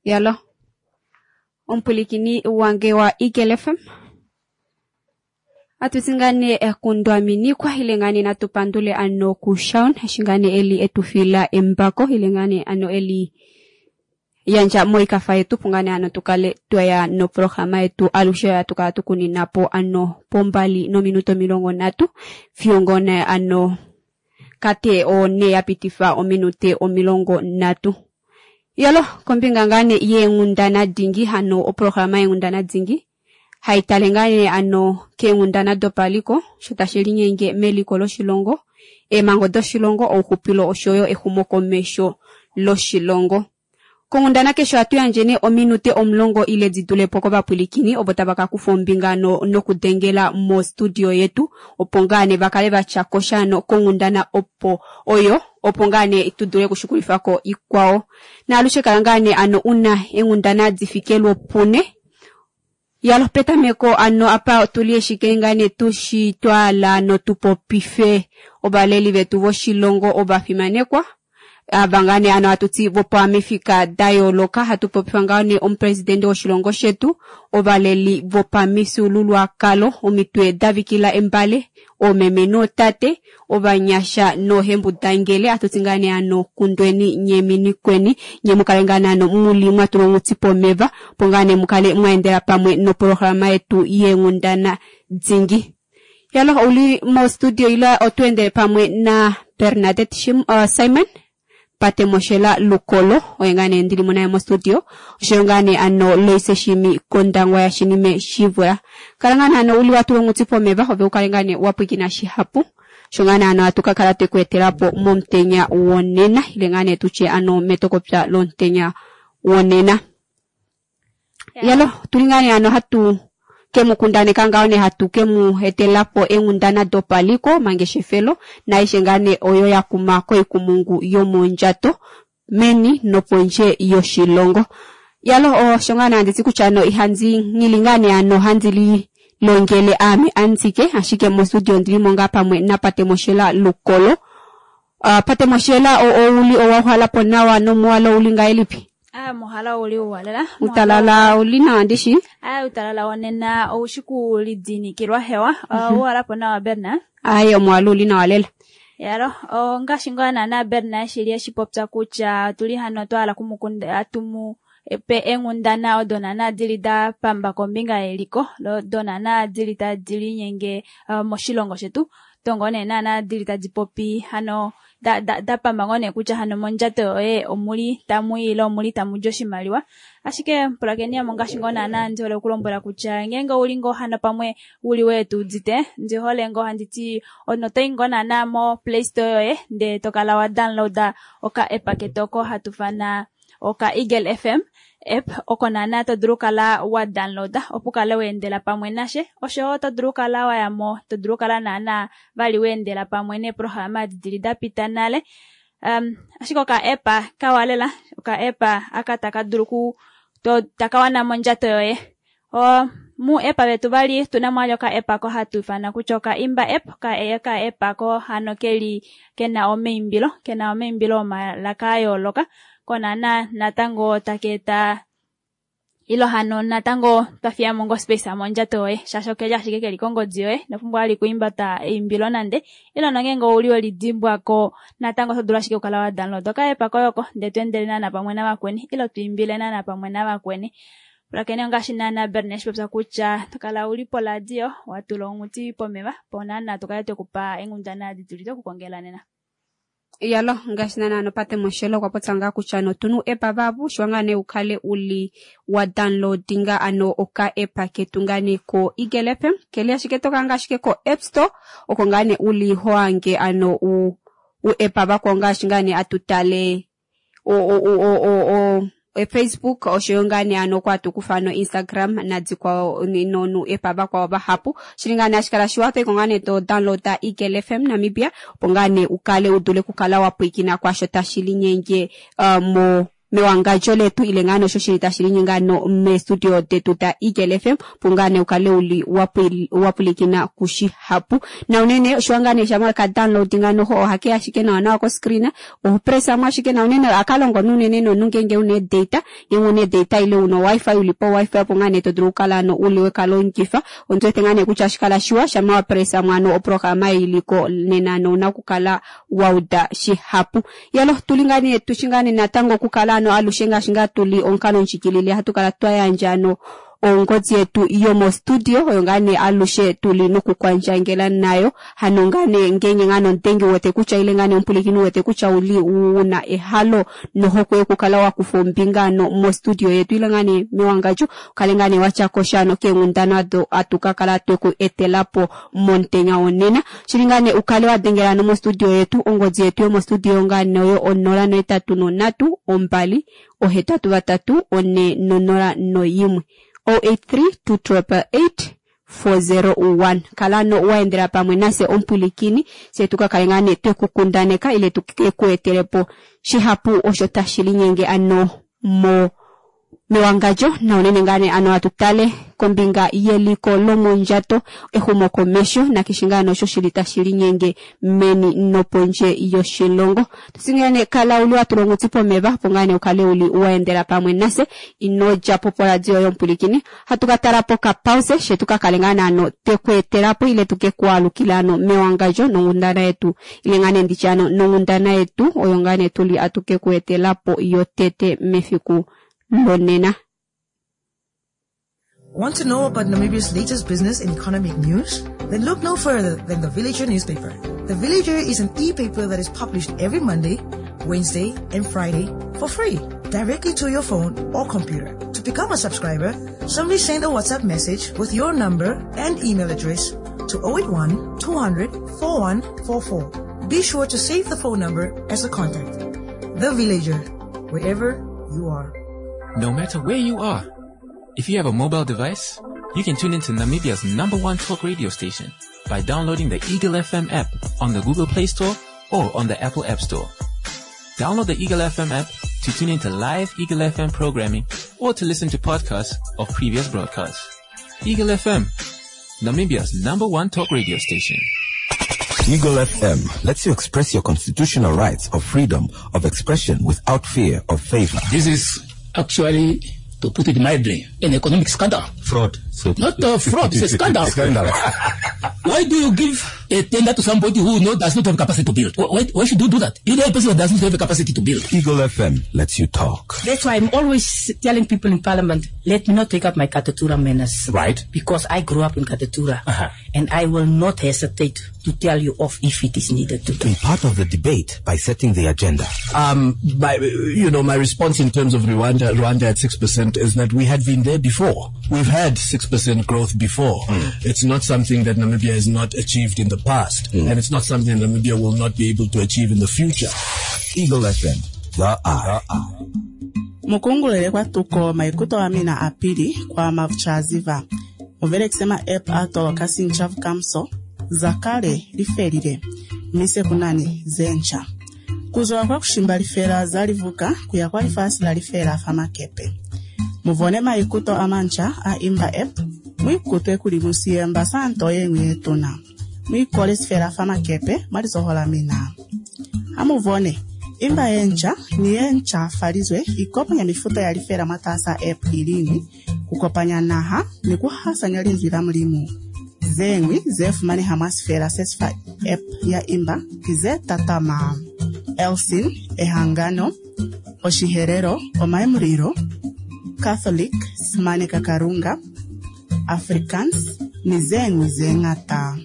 Yalo omupwilikini wange wa Eagle FM atuti ngaa nee kundwaminikwa ile ngaa nee natu pandule ano kuShaun eshi ngaa nee eli etufila embako ile ngaa nee ano eli yandja moikafa yetu opo ngaa nee ano tukale twaya noprograma yetu alushe hatu kala tukunina po ano pombali nominute 30 fiyo ngoo nee ano kate one ya pitifa ominute 30. Yalo kombinga ngaa nee yeenghundana dingi hano oprograma yeenghundana dingi haitale ngaa nee ano keenghundana dopaliko sho tashi linyenge meliko loshilongo, eemhango doshilongo, ouxupilo oshoyo exumokomesho loshilongo. Konghundana keshe ohatu yandje nee ominute 10 ile di dulepo kovapwilikini ovo tava ka kufa ombinga nokudengela mostudio yetu opo ngaa nee vakale vatya kosha ano konghundana opo oyo opo ngaa nee tu dule okushukulifako ikwao. Naalushe kala ngaa nee ano una eenghundana difike lwopune. Yalo petameko ano apa otuli eshike ngaa nee tushitwala notupopife ovaleli vetu voshilongo ovafimanekwa ava ngaa nee ano hatuti vopamifika da yooloka hatu popifa ngaa nee omupresidente woshilongo shetu, ovaleli vopamifyuululwakalo, omitwe davikila embale, oomeme nootate, ovanyasha noohembudangele hatuti ngaa nee ano kundweni nye minikweni nye mukale ngaa nee ano muli mwatulwa onghuti pomeva opo ngaa nee mukale mwaendela pamwe noprograma yetu yeenghundana dingi. Yalo ouli mostudio ila otweendele pamwe na Bernadette Simon Patemoshela Lukolo oye ngaa nee ndili mo naye mostudio oshoyo ngaa nee ano Loise Shimi Kondangwa ya Shinime Shivula. Kala ngaa nee ano uli watulwa onghuti pomeva ove ukale ngaa nee wapwikina shihapu sho ngaa nee ano hatu kakala tweku etelapo momutenya wonena ile ngaa nee tutye ano metokopya lomutenya wonena. Yalo tuli ngaa nee ano hatu kemukundaneka ngaho nee hatu kemu etelapo eenghundana dopaliko mangeshefelo naaishe ngaa nee oyo yakuma koikumungu yomondjato meni nopondje yoshilongo. Yalo osho ngaa nee handiti kutya ano ihandi nghili ngaa nee ano handi li longele aame andike ashike mostudio ondilimo ngaa pamwe naPatemoshela Lukolo. Patemoshela ouli owauhalapo nawa nomuwalo ouli ngahelipi? Muhala ouli uwalela. Utalala ouli nawa ndishi? Utalala wonena oushi kulidinikilwa hewa. Ouhalapo nawa Berna? Aye, omuwalo ouli nawa lela. Yalo, ngaashi ngaa naana Berna shili eshipopya kutya tuli hano twahala kumukunda atumu pe eenghundana odo naana dili da pamba kombinga yeliko do naana dili tadi linyenge moshilongo shetu tongo nee naana dili tadi popi hano da pamba ngoo nee kutya hano mondjato yoye omuli tamu ile omuli tamu di oshimaliwa. Ashike pulakeni yamo ngaashi ngoo naana ndi hole okulombwela kutya ngeenge ouli ngoo hano pamwe uli weetuudite ndi hole ngoo handiti onotoyi ngoo naana mo Play Store yoye ndee tokala wa downloada oka app ketu oko hatu fana oka Eagle FM app oko naana to dulu kala wa downloada opo ukale weendela pamwe nashe oshowo to dulu kala wayamo to dulu kala naana vali weendela pamwe neeprograma adi dili da pita nale. Ashike oka app kawa lela oka app aka taka dulu ku takawana mondjato yoye. Mu app vetu vali tuna mo oka app ko hatu ifana kutya oka Imba app ka app ko hano keli kena omaimbilo omalaka a yooloka konaana natango taka eta ilo hano natango twafiyamo ngo space mondjato yoye shaashi okeli ashike keli kongodi yoye inopumbwa vali kuimbata eimbilo nande ilo nongeenge ouli welidimbwako natango oto dulu ashike okukala wa download oka app koyoko ndee tweendele naana pamwe navakweni ilo twiimbile naana pamwe navakweni. Pulakeni ngaashi naana Berna eshipopya kutya tokala uli poladio watula onghuti pomeva po naana tukale twekupa eenghundana adi tuli twekukongela nena. Yalo ngaashi naana ano Patemoshela okwa popya ngaa kutya ano otuna uu-app vahapu shiwa ngaa nee ukale uli wa downloadinga ano oka app ketu ngaa nee ko Eagle FM keli ashike tokanga ashike ko App Store oko ngaa nee uli hoange ano u-app vakwao ngaashi ngaa nee atutale Facebook oshoyo ngaa nee ano okwa hatu kufa ano Instagram nadikwao nu-app vakwao vahapu shili ngaa nee hashi kala shiwa toyiko ngaa nee to downloada Eagle FM Namibia opo ngaa nee ukale udule okukala wa pwiikina kwaasho tashi linyenge mo Mewangadjo letu ile ngaa nee osho shili tashi linyenge ano meestudio detu da Eagle FM opo ngaa nee ukale uli wapwilikina kushihapu. Na unene oshiwa ngaa nee shampa weka downloadinga noho ohakeya ashike nawa nawa ko screen oho pressa mo ashike na unene ohaka longo nuunene nomunhu ngeenge una ee-data, ngeenge una ee-data ile una o-wifi uli po wifi opo ngaa nee to dulu okukala ano uli weka longifa. Ondi wete ngaa nee kutya ohashi kala shiwa shampa wa pressa mo ano oprograma ei iliko nena ano ouna okukala wa uda shihapu. Yalo tuli ngaa nee tushi ngaa nee natango okukala ano alushe ngaashi ngaa tuli omukalo ndjikilile hatu kala twa yandja ano ongodi yetu yomostudio oyo ngaa nee alushe tuli nokukwandjangela nayo. Hano ngaa nee ngeenge ngaa nee omudengi wete kutya ile ngaa nee omupwilikini wete kutya uli una ehalo nohokwe yokukala wa kufa ombinga ano mostudio yetu ile ngaa nee mewangadjo ukale ngaa nee watya kosha ano keenghundana odo atu ka kala tweku etelapo momutenya wonena. Oshili ngaa nee ukale wa dengela ano mostudio yetu, ongodi yetu yomostudio ngaa nee oyo 083 2 834 01 083 288 401. Kala ano wa endela pamwe nafye omupwilikini, fye tuka kale ngaa nee tweku kundaneka ile tuke ku etelepo shihapu osho tashi linyenge ano mo mewangadjo na unene ngaa nee ano atu tale kombinga yeliko lomondjato, exumokomesho nakeshe ngaa nee osho shili tashi linyenge meni nopondje yoshilongo. Tusinge nee kala uli watula onghuti pomeva opo ngaa nee ukale uli waendela pamwe nafye, ino djapo poradio yomupwilikini. Hatu ka tala po kapause she tuka kale ngaa nee ano tweku etelapo ile tuke ku alukila ano mewangadjo nonghundana yetu ile ngaa nee nditye ano nonghundana yetu oyo ngaa nee tuli atuke ku etelapo yotete mefiku lonena. Want to know about Namibia's latest business and economic news? Then look no further than the Villager newspaper. The Villager is an e-paper that is published every Monday, Wednesday, and Friday for free, directly to your phone or computer. To become a subscriber, simply send a WhatsApp message with your number and email address to 081 200 4144. Be sure to save the phone number as a contact. The Villager, wherever you are. No matter where you are, if you have a mobile device, you can tune into Namibia's #1 talk radio station by downloading the Eagle FM app on the Google Play Store or on the Apple App Store. Download the Eagle FM app to tune into live Eagle FM programming or to listen to podcasts of previous broadcasts. Eagle FM, Namibia's #1 talk radio station. Eagle FM lets you express your constitutional rights of freedom of expression without fear of favor. This is actually, to put it mildly, an economic scandal. Fraud. So not a fraud, it's a scandal. Scandal. Why do you give a tender to somebody who does not have capacity to build? Why should you do that? You know a person who does not have the capacity to build. Eagle FM lets you talk. That's why I'm always telling people in Parliament, let me not take up my Katutura manners. Because I grew up in Katutura. And I will not hesitate to tell you off if it is needed to do. Be part of the debate by setting the agenda. My response in terms of Rwanda at 6% is that we had been there before. We've had 6% growth before. It's not something that Namibia has not achieved in the past, and it's not something that Namibia will not be able to achieve in the future. Eagle FM, the eye. Mukungulele kwa tuko maikuto wa mina apili kwa mavuchaziva. Muvele kusema app atoloka sinchavu kamso, zakale lifelile, mise kunani zencha. Kuzowa kwa kushimba lifela zalivuka kuya kwa lifasi la lifela famakepe. Muvone maikuto amancha a imba app, mwikutwe kuli musiyemba santo yengwe tuna. Mwikole sifela famakepe mwalizohola mina. Amuvone imba yencha ni yencha falizwe ikopanya mifuta ya lifela mwatasa app ilini kukopanya naha ni kuhasanya linzwi la mulimu. Zengwi zefumaneha mwa sifela sesifa app ya imba kize tatama. Elsin, Ehangano, Oshiherero, Omaemuriro, Catholic, Simane Kakarunga, Afrikaans, ni zengwi zeng'ata.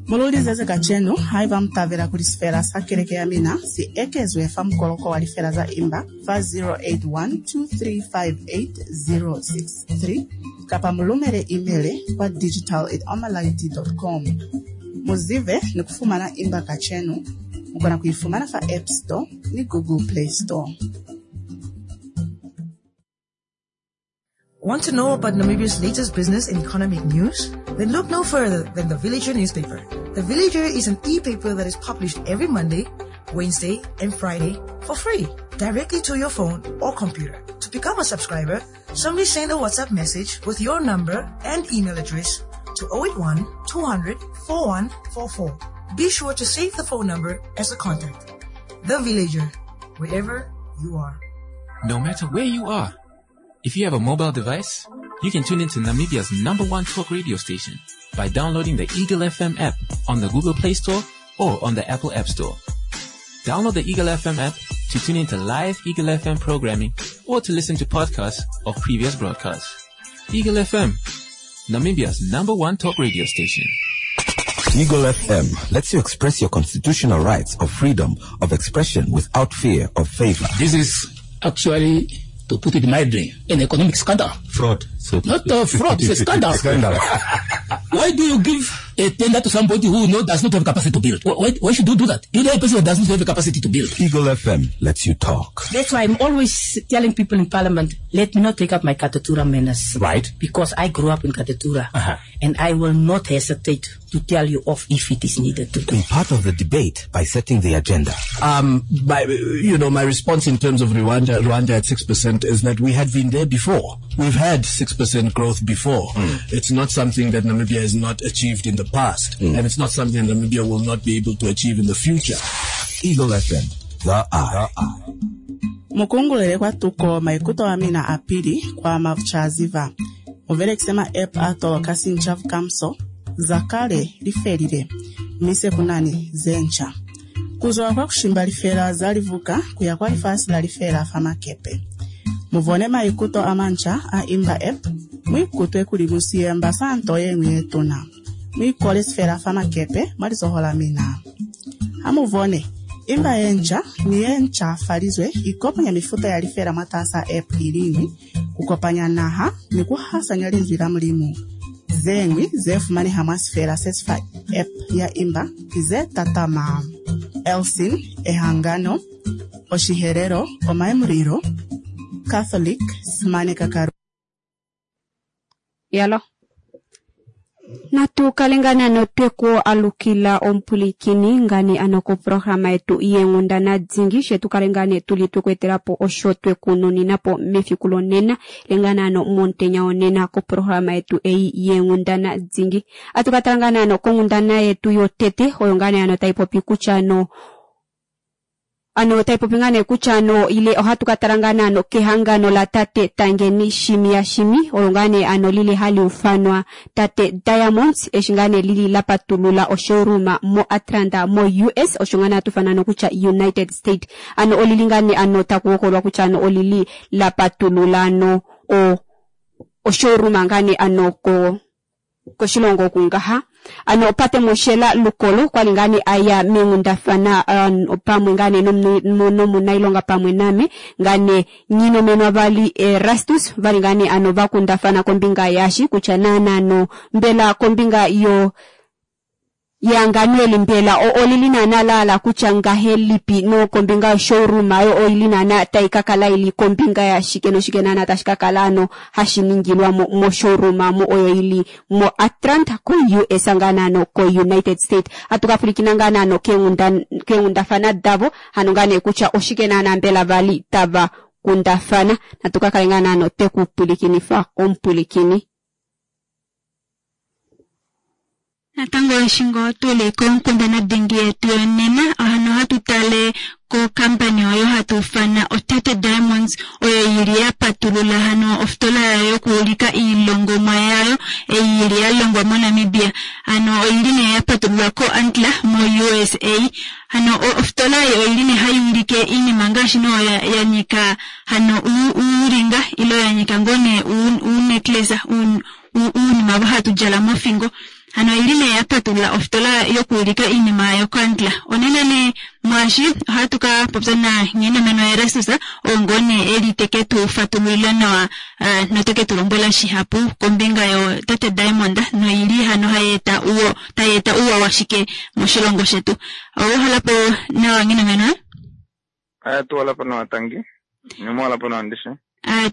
Mululize kachenu haiva mtavela kuli sifela sa keleke ya mina si ekezwe fa mukoloko wa lifela za imba fa 0812358063 kapa mulumele email kwa digital@omalight.com. Muzive ni kufumana imba kachenu mukona kuifumana fa App Store ni Google Play Store. Want to know about Namibia's latest business and economic news? Then look no further than the Villager newspaper. The Villager is an e-paper that is published every Monday, Wednesday, and Friday for free, directly to your phone or computer. To become a subscriber, simply send a WhatsApp message with your number and email address to 081 200 4144. Be sure to save the phone number as a contact. The Villager, wherever you are. No matter where you are, if you have a mobile device, you can tune into Namibia's number one talk radio station by downloading the Eagle FM app on the Google Play Store or on the Apple App Store. Download the Eagle FM app to tune into live Eagle FM programming or to listen to podcasts of previous broadcasts. Eagle FM, Namibia's number one talk radio station. Eagle FM lets you express your constitutional rights of freedom of expression without fear of favor. This is actually, to put it mildly, an economic scandal. Fraud. So Not a fraud, it's a scandal. Scandal. Why do you give a tender to somebody who does not have capacity to build? Why should you do that? You know a person who does not have the capacity to build. Eagle FM lets you talk. That's why I'm always telling people in parliament, let me not take up my Katutura manners. Right. Because I grew up in Katutura. And I will not hesitate to tell you off if it is needed to. Be part of the debate by setting the agenda. My response in terms of Rwanda at 6% is that we had been there before. We've had 6% growth before. It's not something that Namibia has not achieved in the past, and it's not something that Namibia will not be able to achieve in the future. Eagle FM, the eye. Mukungulele kwa tuko maikuto wa mina apili kwa mavuchaziva. Muvele kusema app atoloka sinchavu kamso, zakale lifelile, mise kunani zencha. Kuzowa kwa kushimba lifela zalivuka kuya kwa lifasi la lifela famakepe. Muvone maikuto amancha a imba app, mwikutwe kuli musiyemba santo yeng'wi yetuna. Mwikole sifela famakepe mwalizohola mina. Amuvone imba yencha ni yencha falizwe ikopanya mifuta ya lifela mwatasa app ilini kukopanya naha ni kuhasanya linzwi la mulimu. Zeng'wi zefumaneha mwa sifela sesifa app ya imba kize tatama. Elsin, Ehangano, Oshiherero, Omaemuriro, Catholic, Simane Kakaru. Yalo. Natu kalingana notweko alukila ompulikini ngane anoko programa yetu yengundana dzingi shetu kalingane tuli twekwetelapo osho twekununinapo mefiku lonena lingana ano montenya onena ko programa yetu ei yengundana dzingi. Atukatalangana ano kongundana yetu yotete oyo ngane ano taipopi kutya ano ano taipopi ngane kutya ano ile ohatu katalangana ano kehangano la tate Tangeni Shimi ya Shimi oyo ngane ano lile hali ufanwa tate Diamonds eshingane lili lapatulula oshowroom mo Atlanta mo US oshongana atufanano kutya United States ano olilingane ano takuokolwa kutya ano olili lapatulula ano o oshowroom ngane ano ko koshilongo kungaha ano pate moshela lukolo kwalingane aya mengundafana pamwe ngane nomunailonga pamwe name ngane nyino menwa vali Erastus valingane ano vakundafana kombinga yashi kutya nanano mbela kombinga yo yanganweli mbela olilinana lala kutya ngahelipi no kombinga showroom ayo oilinana taikakala ili kombinga ya shike no shike nana tashikakala ano hashiningilwa mo showroom mo oyo ili mo Atlanta ko US nganano ko United States atukafulikina nganano kengundafana davo hano ngane kutya oshike nana mbela vali tava kundafana natukakale nganano tekupulikinifa ompulikini. Natango eshingo tuli konkundana dhingi yetu yonena ohano hatu tale ko kampani oyo hatu fana Otete Diamonds oyo yili ya patulula hano ofitola yayo yokuulika iilongomwa yayo eyili ya longwa moNamibia. Hano oyili ne ya patululwa ko Antler mo USA. Hano ofitola oyo oyili ne hayi ulike iinima ngaashi no ya nyika hano uuringa ilo ya nyika ngone uunecklace uunima vo hatu djala mofingo. Hano ili ne yapatulula ofitola yokuulika iinima yokoAntler. Onena ne mwashi ohatu ka popya na nghene meno Erastus ongone eli teke tu fatululila nawa noteke tu lombwela shihapu kombinga yo Tate Diamond noili hano hayeta uwo tayeta uwa washike moshilongo shetu. Owohalapo nawa nghene meno? Aya tuwalapo nawa tangi. Nyumwalapo nawa ndishe.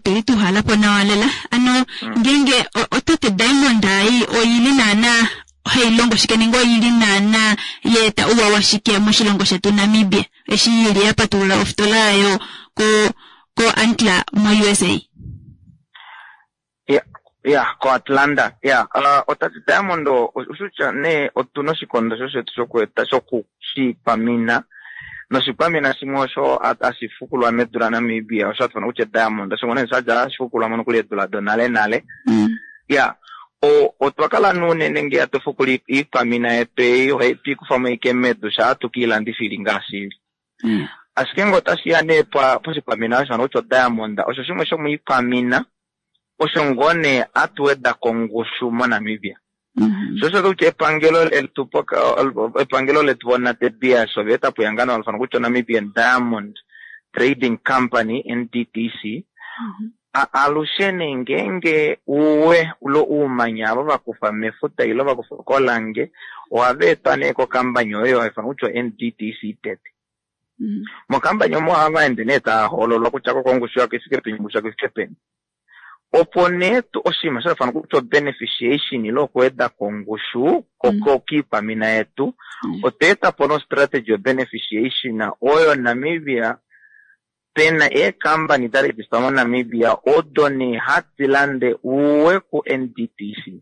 Tuli tuhalapo nawa lela. Ano ngenge Otate Diamond ayi oyili nana Hai longo shike nenge oili naana ya eta ouwa washike moshilongo shetu Namibia eshi ili ya patulula ofitola yayo ko ko Antler mo USA? Ya, ya, koAtlanta. Ya, uh, oTati Diamond oshutya nee otuna oshikondo sho shetu shokueta shoku shiikwamina noshikwamina shimwe osho hashi fukulwa medu laNamibia osho hatu kutya diamond osho nee sha dja hashi fukulwa mo nokuli eedula donale nale. Ya, otwa kala nuunene ngee hatu fukula iikwamina yetu ei ohai twikufa mo ike medu shaa hatu kiilandifa ili ngaashi ili. Ashike ngee otashi ya nee poshikwamina osho hano kutya odiamond osho shimwe shomoikwamina osho ngoo nee hatu weda kongushu moNamibia. Sho osho kutya epangelo letu epangelo letu voNate Beers ova eta po ehangano hali ifanwa kutya Namibian Diamond Trading Company NDTC. Alushe nee ngeenge uwe lo uumanya avo va kufa mefuta ile va kufa kolange ohava etwa nee kokambani oyo hai ifanwa kutya NDTC tete. Mokambani omo ohava ende nee tava hoololwa kutya koko ongushu yako ifike peni, ongushu yako ifike peni. Opo nee oshinima sha fanwa kutya beneficiation ile okuweda kongushu kiikwamina yetu, otwa eta po nostrategy yo beneficiation oyo Namibia pena eekambani da registwa moNamibia odo nee hadi lande uwe ku NDTC.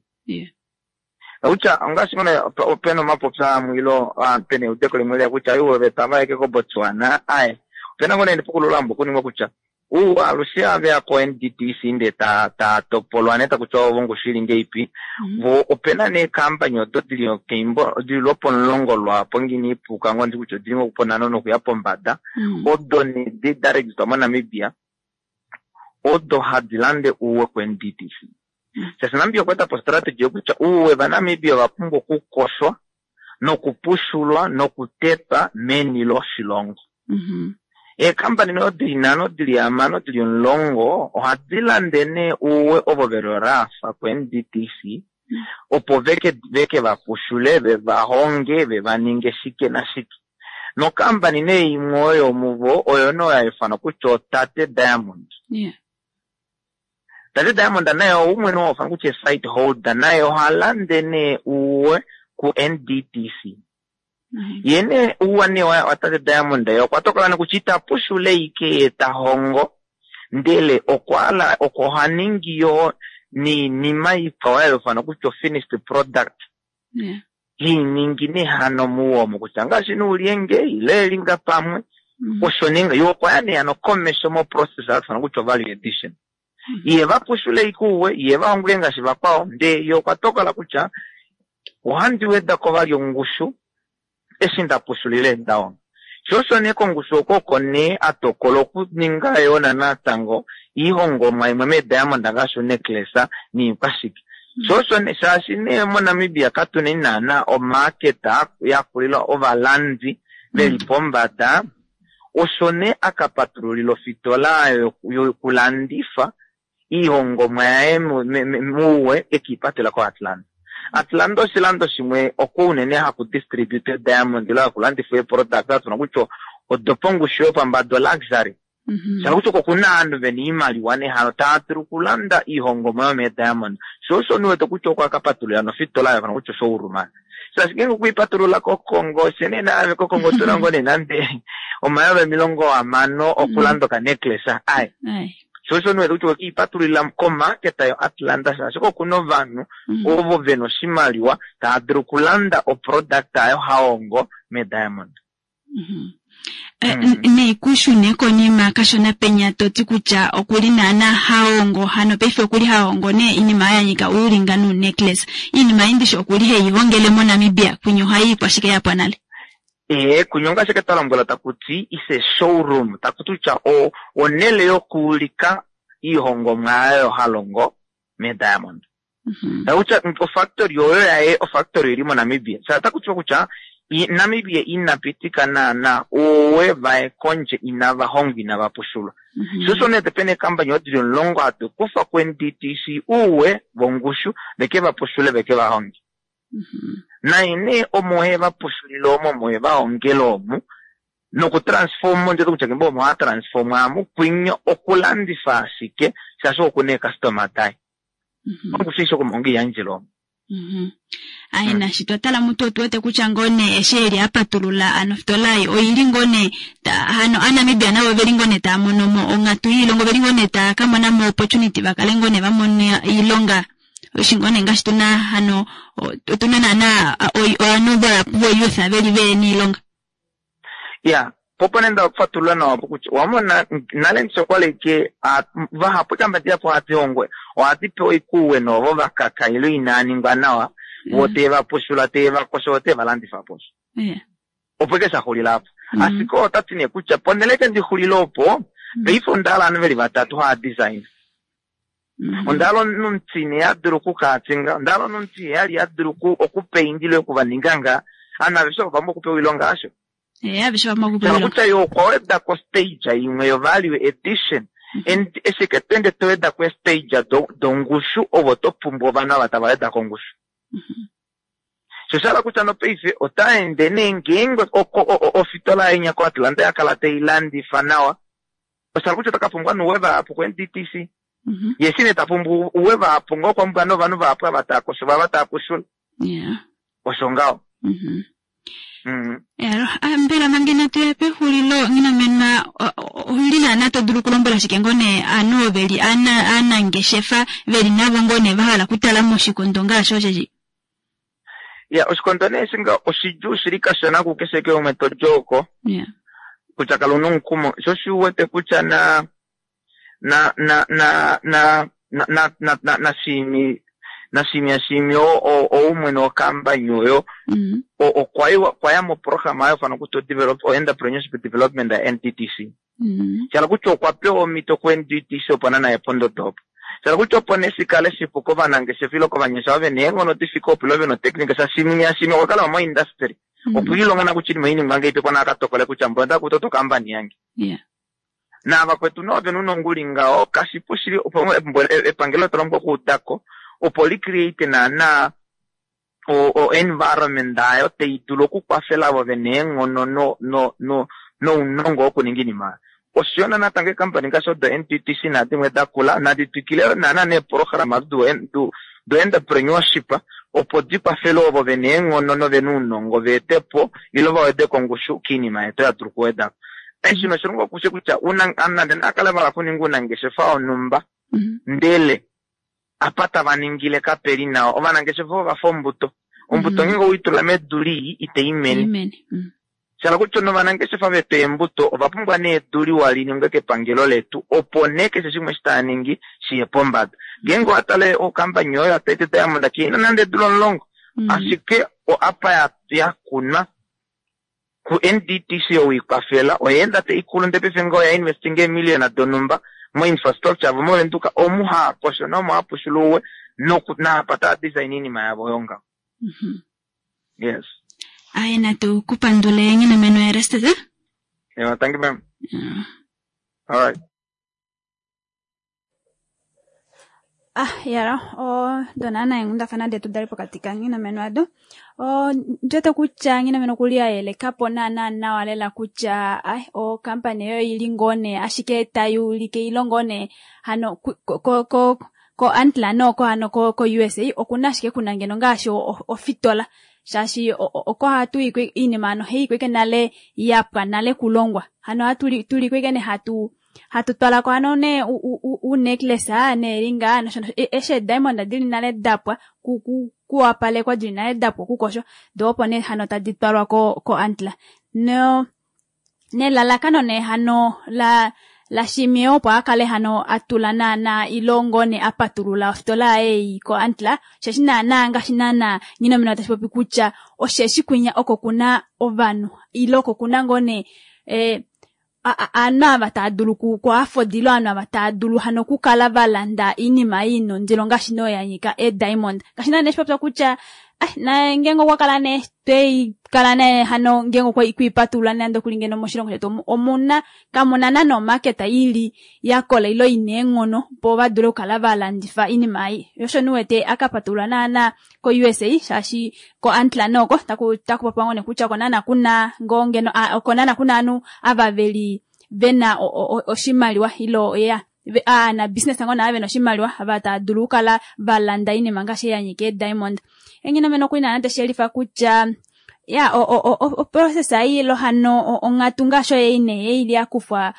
Kutya ongaashi ngoo opena omapopyo amwe ile pena eudeko limwe liya kutya uwe ove tava yeke koBotswana, aye opena ngoo nee epukululo lambo okuningwa kutya uwe alushe aveya ko NDTC ndee ta topolwa nee takutiwa ovo ongushu ili ngeipi. Vo opena nee eekampani odo dili keimbo dili lwopomulongo lwaapo ngini ipuka ngoo ndi kutya odili ngoo ponhano nokuya pombada, odo nee da registwa moNamibia odo hadi lande uwe ku NDTC. Shaashi Namibia okwa eta po strategy yokutya uwe vaNamibia ova pumbwa okukoshwa nokupushulwa nokutetwa meni loshilongo. Eekampani nee dili nhano, dili hamano, dili omulongo ohadi lande nee uwe ovo veli orafa ku NDTC opo veke vapushule, vevahonge, vevaninge shike nashike. Nokampani nee imwe oyo muvo oyo nee oyo haifanwa kutya oTate Diamond. Tate Diamond naye oumwe nee haufanwa kutya site holder, naye oha lande nee uwe ku NDTC. Ye nee uwa nee wa Tate Diamond ye okwa tokola nee kutya ita pushule ike ye ta hongo, ndele okwa oha ningi yo niinima ikwao ya kutya finished product. Iiningi nee hano muwo omo kutya ngaashi nuulyenge ile elinga pamwe osho ninga yo okwa ya nee hano komesho mo process hatufanwa kutya value addition. Iye vapushule ikuuwe iye vahonge ngaashi vakwao, ndee ye okwa tokola kutya ohandi weda ko vali ongushu eshi nda pushulile ndahonga. Sho osho nee kongushu oko oko nee atokola okuninga yo natango iihongomwa imwe meediamond ngaashi unecklace niikwashike. Sho osho nee shaashi nee moNamibia katuna naana omarket yakulila ovalandi veli pombada, osho nee akapatululila ofitola yokulandifa iihongomwa yaye muuwe ekiipatela koAtlanta. Atlanta oshilando shimwe oko unene haku distribute diamond ile haku landifwa eeproduct hatuna kutya odopongushu yopambada luxury. Sha kutya oko kuna aanhu vena iimaliwa nehalo tava dulu okulanda iihongomwa yomeediamond. Sho osho niwete kutya okwa kapatulula nofitola yayo kutya showroom. Shaashi ngeenge okuipatulula koKongo fye nee naave koKongo otuna ngoo nee nande 60 000 okulanda okanecklace aye. Sho osho niwete kutya okiipatululila komarket yo Atlanta shaashi oko kuna ovanhu ovo vena oshimaliwa tava dulu okulanda oproduct ayo hahongo mediamond. Nee kushune konima kashona penya toti kutya okuli naana hahongo hano paife okuli hahongo nee iinima ya nyika uulinga nuunecklace. Iinima ei ndishi okuli heyi hongele moNamibia kwinya ohayi ikwashike yapwa nale. Kunya ongaashi twa lombwela takuti is a showroom, takuti kutya onele yokuulika iihongomwa yayo halongo mediamond. Takutya ofactory oyo yaye ofactory ili moNamibia. Sha takutiwa kutya Namibia inapitika naana owe vaye kondje inava hongwa inava pushulwa. Sho osho nee pena eekampani odili omulongo hatu kufa ku NDTC uwe vongushu veke vapushule veke vahonge. Naye nee omo he vapushulile omo omo he vahongele omu nokutransform ndete kutya kembo omo hatransform amu kwinya okulandifa ashike shaashi okuna eecustomer daye. Ongushu isho okumonga iyandjele omo. Aye nashi twa tala mutu otu wete kutya ngoo nee eshi eli a patulula ano ofitola ei oili ngoo nee hano Aanamibia navo oveli ngoo nee tava mono mo onghatu yoilonga oveli ngoo nee tava ka mona mo opportunity va kale ngoo nee va mona oilonga eshi ngoo nee ngaashi tuna hano otuna naana ovanhu vahapu vo youth veli vehena oilonga. Ya, po opo nee nda fatulula nawa opo kutya owa mona nale ndishi okwali ke vahapu eekamba dihapu ohadi hongwa ohadi pewa oikuuwe noovo va kaka ile inaa ningwa nawa vo tee va pushula tee va kosho vo tee va landifa po. Opo eke sha xulila apo. Ashike ota ti nee kutya ponhele eke ndi xulile opo paife onda hala ovanhu veli vatatu haa design. Onda hala omunhu omutine a dulu okukaatinga, onda hala omunhu omutiheyali a dulu okupainda ile oku va ninga nga. Ovanhu aveshe ovo va pumbwa okupewa oilonga hasho? Eh, aveshe va pumbwa okupewa oilonga. Kutya ye okwa weda ko stage imwe yo value addition. And eshi ke to ende to weda ko stage dongushu ovo to pumbwa ovanhu ava tava weda kongushu. Sho sha hala kutya nopaife ota ende nee ngeenge ofitola yaye inya koAtlanta ya kala tai landifa nawa, osha hala kutya ota ka pumbwa nuuwe vahapu koNDTC. Ye eshi nee ta pumbwa uwe vahapu ngaho okwa pumbwa novanhu vahapu ava tava kosho ava tava pushula. Osho ngaho. Ah, mbela manga inatu ya pexulilo Nghinamenwa ouli naana to dulu okulombwela shike ngoo nee ovanhu ovo veli aanangeshefa veli navo ngoo nee va hala okutala moshikondo ngaashi osheshi? Ya, oshikondo nee eshi nga oshidjuu shili kashona kukeshe ke umwe to di oko. Kutya kala una omukumo. Sho shi wete kutya na na na na na na na na na na shiimi na shiimi ya shiimi o o umwene wokampani oyo okwa yiwa okwa ya moprograma oyo fana kutya develop o entrepreneurship development ya NDTC. Shala kutya okwa pewa omhito ku NDTC opo nana ye pondodo opo. Shala kutya opo nee shi kale shipu kovanangeshefa ile kovanyasha ove na eenghono di fike opo ile ve na oteknika shaashi ya shiimi okwa kala moindustry. Okwa ilonga na kutya oinima oiningwa ngahelipi opo nee a ka tokole kutya mboli onda kuta okampani yange. Naavakwetu nee ove na ounongo u li ngaho, kashipu shili opo epangelo tali pumbwa okuuda ko opo li create naana o environment ayo tai dulu okukwafela avo ve na eenghono no no no nounongo wokuninga oinima oyo. Osho yo natango eekampani ngaashi odo NTTC nadimwe da kula nadi twikile yo naana neeprograma do do entrepreneurship opo di kwafele ovo ve na eenghono nove na ounongo va ete po ile va wede ko ongushu koinima yetu oyo hatu dulu okuweda ko. Eshi oshilongo okushe kutya una nande naa kale va hala okuninga ounangeshefa wonhumba ndele apa tava ningile kape li nawa. Ovanangeshefa ova fa ombuto. Ombuto ngeenge owei tula medu lii itai mene. Sha hala kutya novanangeshefa vetu eembuto ova pumbwa nee edu liwa li ningwe kepangelo letu opo nee keshe shimwe eshi tava ningi shi ye pombada. Ngeenge owa tale okampani oyo yaTate Diamond kai na nande eedula omulongo ashike apa ya kunwa ku-NDTC ou ikwafela oya enda tai kulu ndee paife ngaho oya investinga eemiliyona donhumba moinfrastructure yavo moVenduka omu haa kosho nomo haa pushula ouwe noku naapa tava design iinima yavo oyo ngaho. Yes. Aye natu ku pandule Nghinameno Erastus. Yeah, thank you ma'am. All right. Ah, yala, odo naana eenghundafana detu dali pokati kaNghinameno ado. Ondi wete kutya Nghinameno okuli a yeleka po naana nawa lela kutya ai okampani eyo oili ngoo nee ashike tai ulike ile ngoo nee hano ko ko ko Antler nooko hano ko ko USA okuna ashike kuna ngeno ngaashi ofitola shaashi oko hatu i oinima hano ohai iko ashike nale yapwa nale kulongwa hano ohatu tuli ko ashike nee hatu hatu twala ko hano nee u-necklace neelinga nosho nosho eshi eediamond dili nale dapwa kuwapalekwa dili nale dapwa okukoshwa doo opo nee hano tadi twalwa ko koAntler no nelalakano nee hano la laShimeo opo a kale hano a tula naana ile ngoo nee a patulula ofitola yaye ei koAntler osheshi naana ngaashi naana Nghinomina tashi popi kutya osheshi kwinya oko kuna ovanhu ile oko kuna ngoo nee eh, ovanhu ava tava dulu ku afford ile ovanhu ava tava dulu hano okukala va landa oinima ei ina ondilo ngaashi nee oyo ya nyika eediamond. Ngaashi naana eshi popya kutya ah, naye ngeenge okwa kala nee twei kala nee hano ngeenge okwa ipatulula nande okuli ngeno moshilongo shetu omuna kamuna naana omarket ili ya kola ile ina eenghono opo va dule okukala va landifa oinima ei. Osho nee uwete a ka patulula naana ko-USA shaashi koAntler noko taku taku popiwa ngoo nee kutya oko naana kuna ngoo ngeno oko naana kuna ovanhu ava veli vena oshimaliwa ile ya. Aana business ngoo nee vena oshimaliwa ava tava dulu okukala valanda oinima ngaashi ei yanyika eediamond. Enghinomene okuli naana tashiyelifa kutya ya oprocess ei ilo hano onghatu ngaashi oyo ei nee ei yakufwa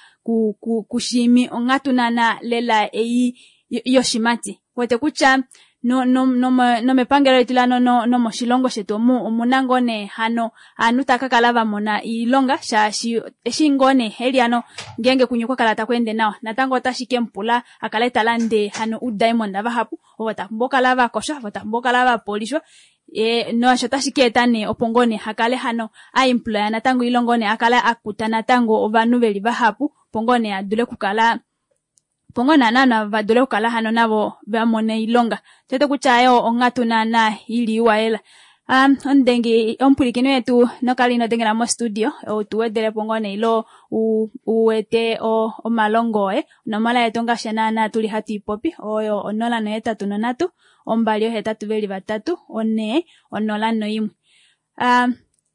kuShiimi onghatu naana lela ei yoshimati. Wete kutya nomepangelo letu lano nomoshilongo shetu omu omuna ngoo nee hano aanhu tava kakala vamona oilonga shaashi eshi ngoo nee eli hano ngeenge kunye okwa kala takweende nawa natango otashi kemupula akale talande hano oudiamond vahapu ovo tapumbwa okukala vakoshwa ovo tapumbwa okukala vapolishwa naasho otashi kaeta nee opo ngoo nee akale hano aemploya natango ile ngoo nee akale akuta natango ovanhu veli vahapu opo ngoo nee adule okukala opo ngoo naana vadule okukala hano navo vamona oilonga. Tete kutya ayo onghatu naana ili iwa lela. Omudengi omupwilikini wetu nokali ino dengela mostudio tuwedelepo ngoo nee ilo uwete omalongo oye. Onomola yetu ngaashi naana tuli hatu ipopi oyo 083 283 4 01.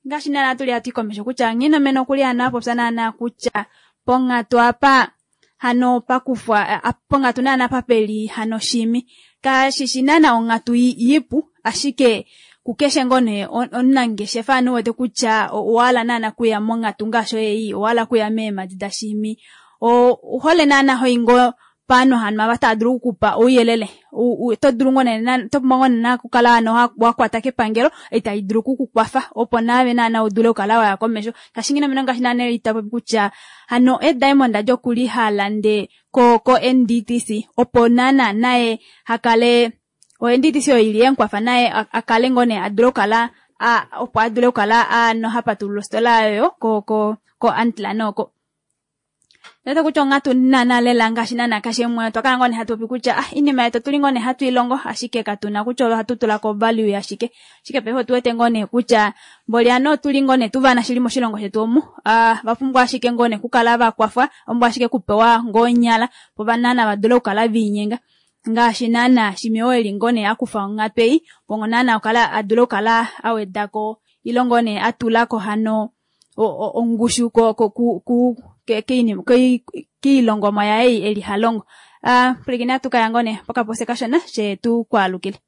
Ngaashi naana tuli hatu ikomesho kutya Nghinomene okuli hano apopya naana kutya ponghatu apa hano pakufwa ponghatu naana papeli hano Shiimi kashishi naana onghatu ipu ashike kukeshe ngoo nee omunangeshefa ano uwete kutya owahala naana kuya monghatu ngaashi ei owahala kuya meemadi daShiimi ouhole naana hoyi ngoo paanhu hano ava tava dulu okukupa ouyelele oto dulu ngoo nee oto pumbwa ngoo nee okukala hano wakwata kepangelo itali dulu okukukwafa opo naave naana udule okukala waya komesho. Ngaashi Nghinomene ngaashi naana itapopi kutya hano eediamond adi okuli halande ko NDTC opo naana naye hakale o NDTC oyo ili yenkwafa naye akale ngoo nee adule okukala opo adule okukala ano hapatulula ostola oyo ko Antler oko. Nete kutya onghatu naana lela ngaashi naana keshe umwe otwa kala ngoo nee hatu popi kutya inima yetu otuli ngoo nee hatu ilongo ashike katuna kutya ohatu tulako value yashike. Ashike paife otuwete ngoo nee kutya mboli ano otuli ngoo nee tuvana shili moshilongo shetu omu vapumbwa ashike ngoo nee okukala vakwafwa vapumbwa ashike okupewa ngoo onyala opo naana vadule okukala viinyenga. Ngaashi naana Shiimi oo eli ngoo nee akufa onghatu ei opo naana adule okukala awedako ile ngoo nee atulako hano ongushu kiilongomwa yaye eli halongo. Pwilikina atukaya ngoo nee pokapose kashona she tukwaalukile.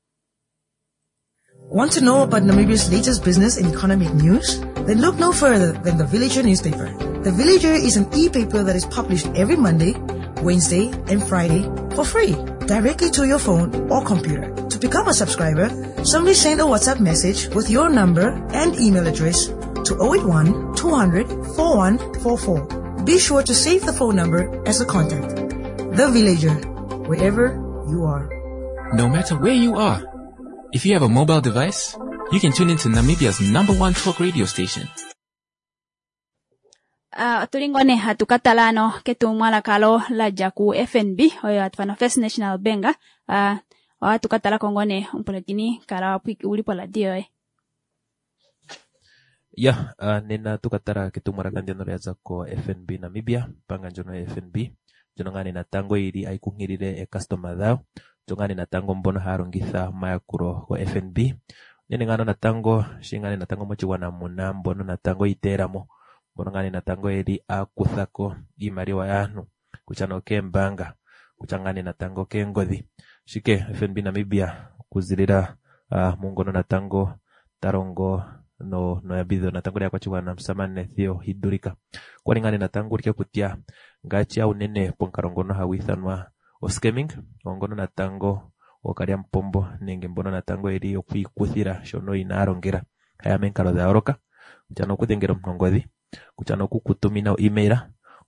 Want to know about Namibia's latest business and economic news? Then look no further than the Villager newspaper. The Villager is an e-paper that is published every Monday, Wednesday, and Friday for free, directly to your phone or computer. To become a subscriber, simply send a WhatsApp message with your number and email address to 081 200 4144. Be sure to save the phone number as a contact. The Villager, wherever you are. No matter where you are, if you have a mobile device, you can tune into Namibia's #1 talk radio station. Otuli ngoo nee hatu katala ano ketumwalaka lo ladja ku FNB oyo hatu ifana First National Bank. Ohatu katalako ngoo nee omupulakeni kala uli poradio yoye. Ya, nena tukatala ketumwalaka ndyono lyaza ko FNB Namibia, ombaanga ndjono ya FNB ndjono ngaa nee natango yili ayi kunkilile eekastoma dhayo, ndjo ngaa nee natango mbono haya longitha omayakulo go FNB. Unene ngaa natango shi ngaa nee natango moshigwana muna mbono natango yiiteelamo, mbono ngaa nee natango yeli akuthako iimaliwa yaantu kutya nokeembaanga, kutya ngaa nee natango keengodhi. Ashike FNB Namibia okuzilila mungono natango talongo noyambidhidho natango lyaakwashigwana omusamane Theo Hidulika. Okwali ngaa nee natango ulike kutya ngaashi unene pomukalo ngono hagu ithanwa oscamming, oongono natango ookalyamupombo nenge mbono natango yeli okwiikuthila shono inaya longela, haya momikalo dha yooloka, kutya nokudhengela omuntu ongodhi, kutya nokukutumina o-email,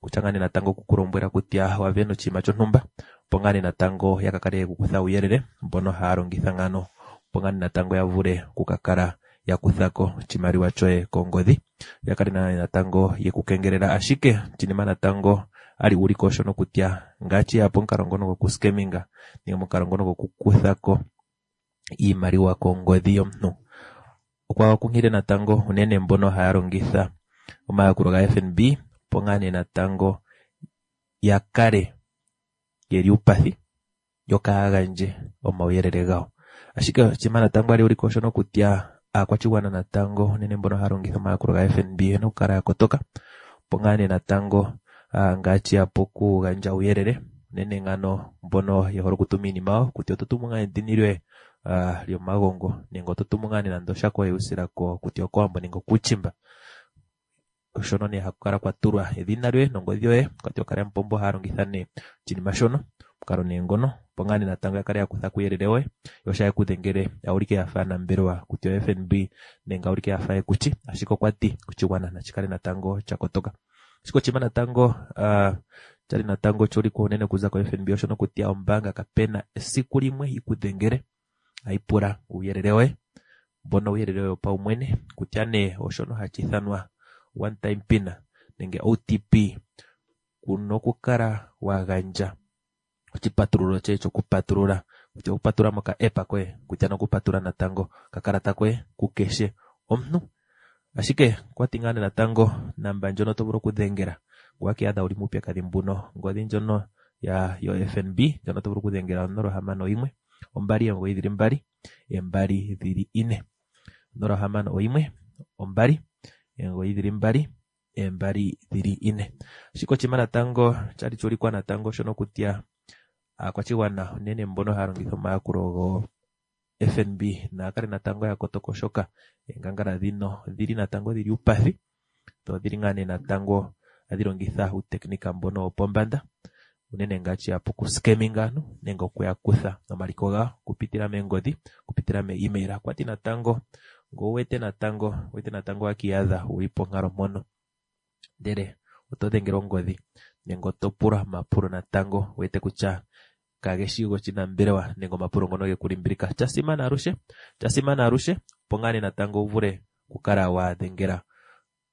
kutya ngaa nee natango okukulombwela kutya wavena oshinima shontumba, opo ngaa nee natango ya kakale yekukutha uuyelele mbono haya longitha ngaano, opo ngaa nee natango ya vule okukakala ya kuthako oshimaliwa shoye kongodhi, ya kale natango yekukengelela. Ashike oshinima natango ali ulike oshono kutya ngaashi ya pomukalo ngono gokuscaminga nenge omukalo ngono gokukuthako iimaliwa kongodhi yomuntu, okwa kunkilile natango unene mbono haya longitha omayakulo ga FNB opo ngaa nee natango ya kale yeli uupathi yo kaaya gandje omauyelele gawo. Ashike oshinima natango ali ulike oshono kutya aakwashigwana natango unene mbono haya longitha omayakulo ga FNB oyena okukala ya kotoka, opo ngaa nee natango ngaashi ya pokugandja uuyelele Unene ngano mbono ye hole okutuma iinima yawo kutya oto tumu ngaa edhini lyoye lyomagongo nenge oto tumu ngaa nande oshako yuusila kutya okOwambo nenge okuuchimba. Shono nee haku kala kwa tulwa edhina lyoye nongodhi yoye kwati ookalyamupombo ohaya longitha nee oshinima shono omukalo nee ngono opo ngaa nee natango ya kale ya kutha kuuyelele woye yo sha yeku dhengele ya ulike yafa aanambelewa kutya o FNB nenge ya ulike yafa yekushi ashike okwa ti oshigwana nashi kale natango sha kotoka. Ashike oshinima natango shali natango shuulikwa unene okuza ko FNB oshono kutya ombaanga kapena esiku limwe yi ku dhengele hayi pula uuyelele woye mbono uuyelele woye wopaumwene kutya nee oshono hashi ithanwa one time pin nenge OTP kuna okukala wa gandja oshipatululo shoye shokupatulula kutya okupatulula moka app koye kutya nokupatulula natango okakalata koye kukeshe omuntu. Ashike okwati ngaa nee natango namba ndjono to vulu okudhengela ngele owakiiyadha wuli muupyakadhi mbuno ongodhi ndjono yo FNB ndjono to vulu okudhengela 061 299 2224 061 299 2224. Ashike oshinima natango shali shuulikwa natango shono kutya aakwashigwana unene mbono haya longitha omayakulo go FNB naya kale natango ya kotoka oshoka oongangala dhino odhili natango dhili uupathi dho odhili ngaa nee natango hadhi longitha uutekinika mbono wopombanda unene ngaashi ya pokuskeminga aantu nenge okuya kutha omaliko gawo okupitila meengodhi okupitila mee email. Okwati natango ngele owuwete natango owuwete natango wakiiyadha wuli ponkalo mpono ndele oto dhengelwa ongodhi nenge oto pulwa omapulo natango wuwete kutya kageshi goshinambelewa nenge omapulo ngono geku limbilika. Shasimana alushe shasimana alushe opo ngaa nee natango wu vule okukala wa dhengela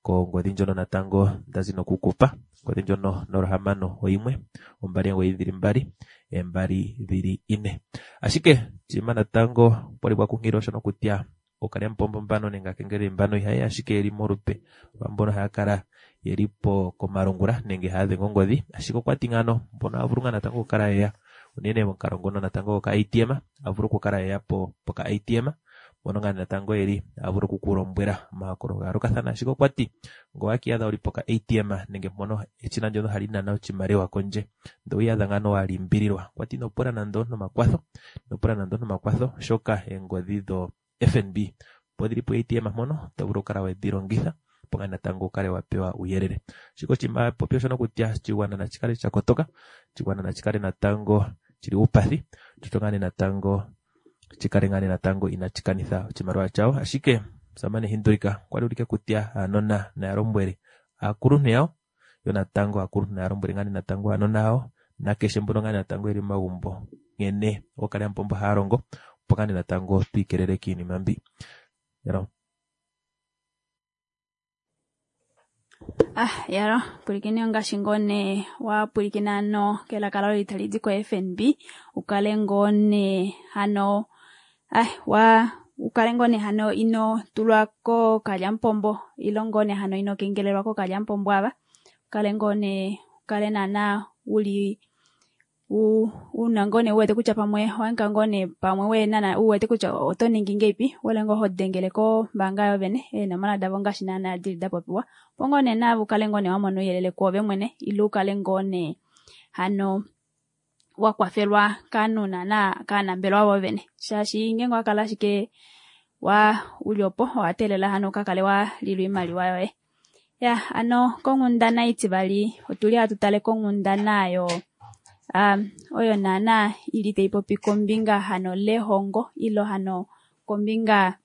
kongodhi ndjono natango ndazi nokukupa ongodhi ndjono 061 299 2224. Ashike oshinima natango okwali kwa kunkililwa shono kutya ookalyamupombo mbano nenge aakengeleli mbano ihayeya ashike yeli molupe lwaambono haya kala yeli po komalungula nenge haya dhenge ongodhi ashike okwati ngano mbono ohaya vulu ngaa natango okukala yeya unene momukalo ngono natango goka ATM a vulu okukala yeya po poka ATM mbono ngaa natango yeli haya vulu okukulombwela omayakulo ga yoolokathana ashike okwati ngele owakiiyadha wuli poka ATM nenge mpono eshina ndyono hali nana oshimaliwa kondje ndele owiiyadha ngaano wa limbililwa okwati ino pula nande omuntu omakwatho ino pula nande omuntu omakwatho oshoka eengodhi dho FNB opo dhili po ATM mpono oto vulu okukala wedhi longitha opo ngaa natango wukale wa pewa uuyelele. Ashike oshinima popi oshono kutya oshigwana nashi kale sha kotoka, oshigwana nashi kale natango shili uupathi, sho ngaa nee natango shi kale ngaa nee natango inashi kanitha oshimaliwa shawo. Ashike omusamane Hindulika okwa li ulike kutya aanona naya lombwele aakuluntu yawo, yo natango aakuluntu naya lombwele ngaa nee natango aanona yawo nakeshe mbono ngaa nee natango yeli momagumbo nkene ookalyamupombo haya longo, opo ngaa nee natango twiikelele kiinima mbi. Ah, yalo, pwilikine ongaashi ngoo nee wa pwilikina ano kelaka lalo tali di ko-FNB ukale ngoo nee hano ah, wa ukale ngoo nee hano ino tulwa kookalyamupombo ilo ngoo nee hano ino kengelelwa kookalyamupombo ava ukale ngoo nee ukale naana uli una ngoo nee uwete kutya pamwe owaninga ngoo nee pamwe we uwete kutya oto ningi ngeipi wole ngoo hodengele kombaanga yovene eenomola davo ngaashi naana dili dapopiwa opo ngoo nee naave ukale ngoo nee wamona ouyelele kwoove mwene ile ukale ngoo nee hano wakwafelwa kaanhu naana kaanambelewa voovene shaashi ngeenge owakala ashike wa uli opo owateelela hano ukakale walilwa oimaliwa yoye. Ya ano konghundana itivali otuli hatu tale konghundana yo oyo naana ili taipopi kombinga hano lehongo ilo hano kombinga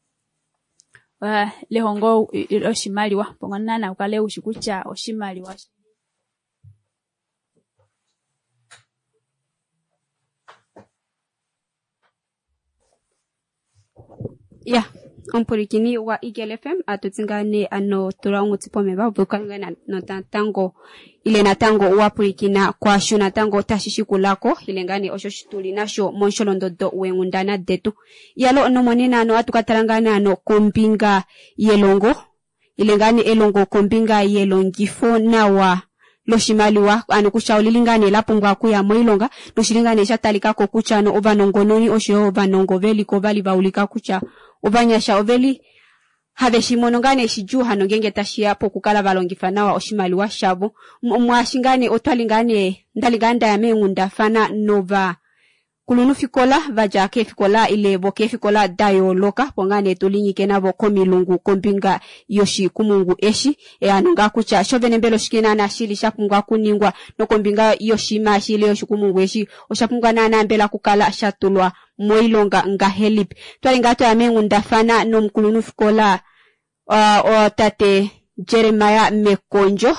lehongo loshimaliwa opo naana ukale ushi kutya oshimaliwa Ya, omupwilikini gwa Eagle FM atutsi ngaa nee ano tula ongutsi pomeva opo ukale ngaa natango ile natango wa pwilikina kwaasho natango tashi shikulako ile ngaa nee osho tuli nasho momusholondondo weenghundana detu. Yalo nomonena ano ohatu ka tala ngaa nee ano kombinga yelongo ile ngaa nee elongo kombinga yelongifo nawa loshimaliwa ano kutya olili ngaa nee la pumbwa okuya moilonga noshili ngaa nee sha talikako kutya ano ovanongononi oshoyo ovanongo veliko ovali va ulika kutya ovanyasha oveli Have shi mono ngaa nee shidjuu hano ngeenge tashiya pokukala va longifa nawa oshimaliwa shavo. Mwaashi ngaa nee otwali ngaa nee ndali ngaa ndaya meenghundafana nova kulunhufikola vadja keefikola ile vokeefikola da yooloka opo ngaa nee tulinyike navo komilungu kombinga yoshikumungu eshi ano ngaa kutya sho vene mbela oshike naana shili sha pumbwa okuningwa nokombinga yoshinima eshi ile yoshikumungu eshi osha pumbwa naana mbela okukala sha tulwa moilonga ngahelipi. Twali ngaa twaya meenghundafana nomukulunhufikola tate Jeremiah Mekondjo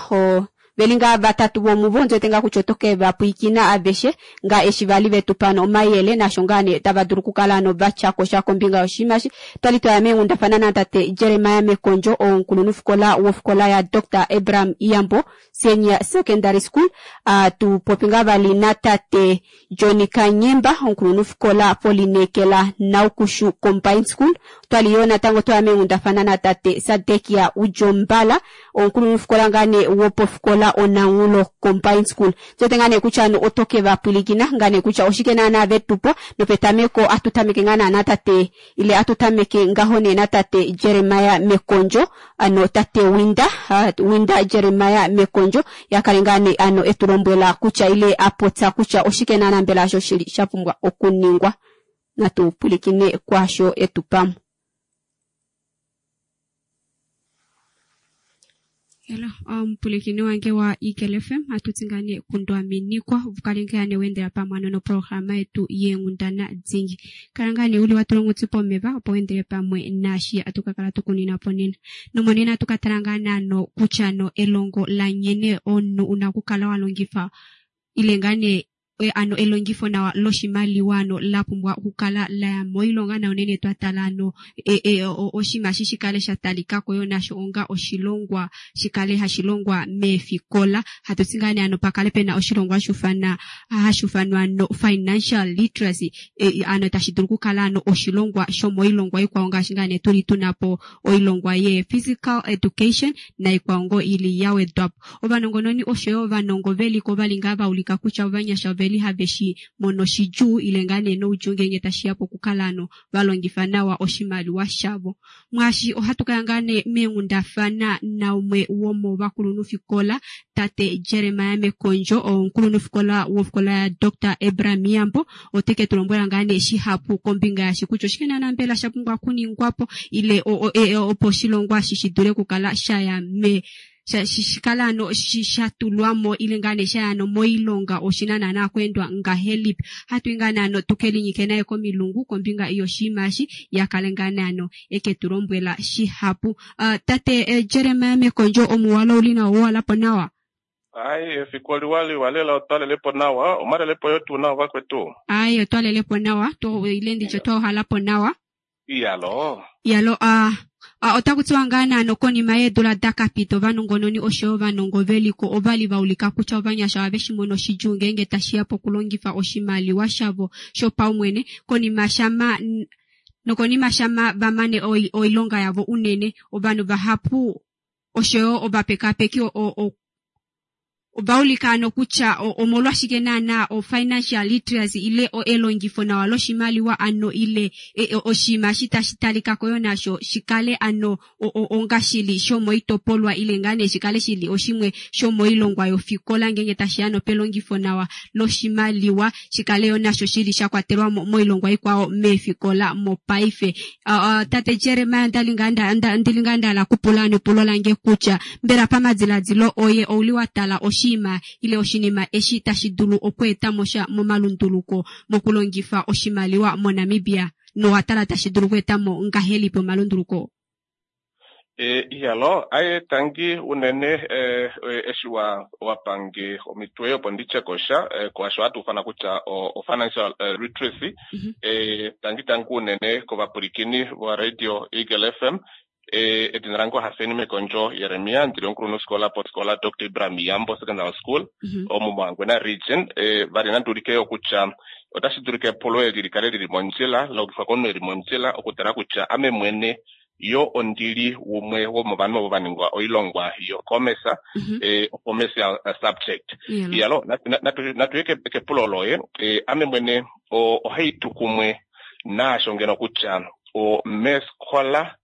veli ngaa vatatu vomuvo ndiwete ngaa kutya oto ke va pwiikina aveshe ngaa eshi vali vetu pa omayele nasho ngaa nee tava dulu okukala ano vatya kosha kombinga yoshinima eshi. Twali twaya meenghundafana natate Jeremiah Mekondjo omukulunhufikola wofikola ya Dr Abraham Iyambo Senior Secondary School. Atupopi ngaa vali natate Johnny Kanyemba omukulunhufikola polinekela Naukushu Combined School. Twali yoo natango twaya meenghundafana natate Sadekia Ujombala omukulunhufikola ngaa nee wopofikola Onanghulo Combined School. Ndiwete ngaa nee kutya ano oto ke va pwilikina ngaa nee kutya oshike naana vetupo nopetameko atutameke ngaa naana tate ile atutameke ngaho nee natate Jeremiah Mekondjo ano tate Winda Winda Jeremiah Mekondjo yakale ngaa nee ano etulombwela kutya ile apotsa kutya oshike naana mbela osho shili sha pumbwa okuningwa. Natu pwilikine kwaasho etupamo. Hello, omupulikini wange wa Eagle FM atuti ngaa nee kundwaminikwa vukale ngaa nee wendela pamwe ano noprograma yetu yeenghundana dingi. Kala ngaa nee uli watula onghuti pomeva opo wendele pamwe naashi atukakala tukunina po nena. Nomonena atukatala ngaa naano kutya no elongo la nghene omunhu una okukala wa longifa ile ngaa nee ano elongifo nawa loshimaliwa ano la pumbwa okukala laya moilonga na unene twatala ano oshinima eshi shikale sha talikako yo nasho onga oshilongwa shikale hashi longwa meefikola. Hatuti ngaa nee ano pakale pena oshilongwa hashuufanwa no financial literacy ano tashi dulu okukala ano oshilongwa shomoilongwa ikwao ngaashi ngaa nee tuli tunapo oilongwa ye physical education naikwao ngoo ili ya wedwapo. Ovanongononi oshoyo ovanongo veliko ovali ngaa vaulika kutya ovanyasha oveli have shi mono shidjuu ile ngaa nee noudjuu ngeenge tashiya pokukala ano valongifa nawa oshimaliwa shavo. Mwaashi ohatu kaya ngaa nee meenghundafana naumwe womovakulunhufikola tate Jeremiah Mekondjo omukulunhufikola wofikola ya Dr Abraham Iyambo oteke tulombwela ngaa nee shihapu kombinga yashi kutya oshike naana mbela sha pumbwa okuningwapo ile opo oshilongwa eshi shi dule okukala shaya me shikala ano shatulwamo ile ngaa nee shaya ano moilonga oshina naana okweendwa ngahelipi. Hatuyi ngaa nee ano tukelinyike naye komilungu kombinga yoshinima eshi yakale ngaa nee ano eke tulombwela shihapu. Tate Jeremiah Mekondjo omuwalo uli nawo walapo nawa? Ai, efiku liwa lela otwalelepo nawa, omalelepo yo tuu nawa vakwetu. Ai, otwalelepo nawa, ile nditye twauhalapo nawa. Iyalo. Iyalo, otaku tiwa ngaa naano konima yeedula dakapita ovanongononi oshoyo ovanongo veliko ovali vaulika kutya ovanyasha ohave shi mono shidjuu ngeenge tashiya pokulongifa oshimaliwa shavo shopaumwene konima shama nokonima shama vamane oilonga yavo unene ovanhu vahapu oshoyo ovapekapeki ovaulika ano kutya omolwashike naana o financial literacy ile elongifo nawa loshimaliwa ano ile oshinima eshi tashi talikako yo nasho shikale ano onga shili shomoitopolwa ile ngaa nee shikale shili oshimwe shomoilongwa yofikola ngeenge tashiya nopelongifo nawa loshimaliwa shikale yo nasho shili sha kwatelwa moilongwa ikwao meefikola mopaife. Tate Jeremiah ndali ngaa ndahala kupula ano epulo lange kutya mbela pamadiladilo oye ouli wa tala oshinima ile oshinima eshi tashi dulu okweeta mo sha momalunduluko mokulongifa oshimaliwa moNamibia nowatala tashi dulu okweeta mo ngahelipi omalunduluko? Iyalo, aye tangi unene eshi wapange omitwe opo nditye kosha kwaasho hatu ufana kutya o financial literacy. Tangi tangi unene kovapulikini va radio Eagle FM. Edina lange Hafeni Mekondjo Jeremia, ndili omukulunhufikola pofikola Dr Abraham Iyambo Secondary School omo moHangwena region. Vali nandulike yo kutya otashi dulika epulo eli likale lili mondjila lalongifwa komunhu eli mondjila okutala kutya ame mwene yo ondili umwe womovanhu ovo vaningwa oilongwa yo-commerce, commercial subject. Iyalo, natuye kepulo loye. Ame mwene ohaitu kumwe naasho ngeno kutya meefikola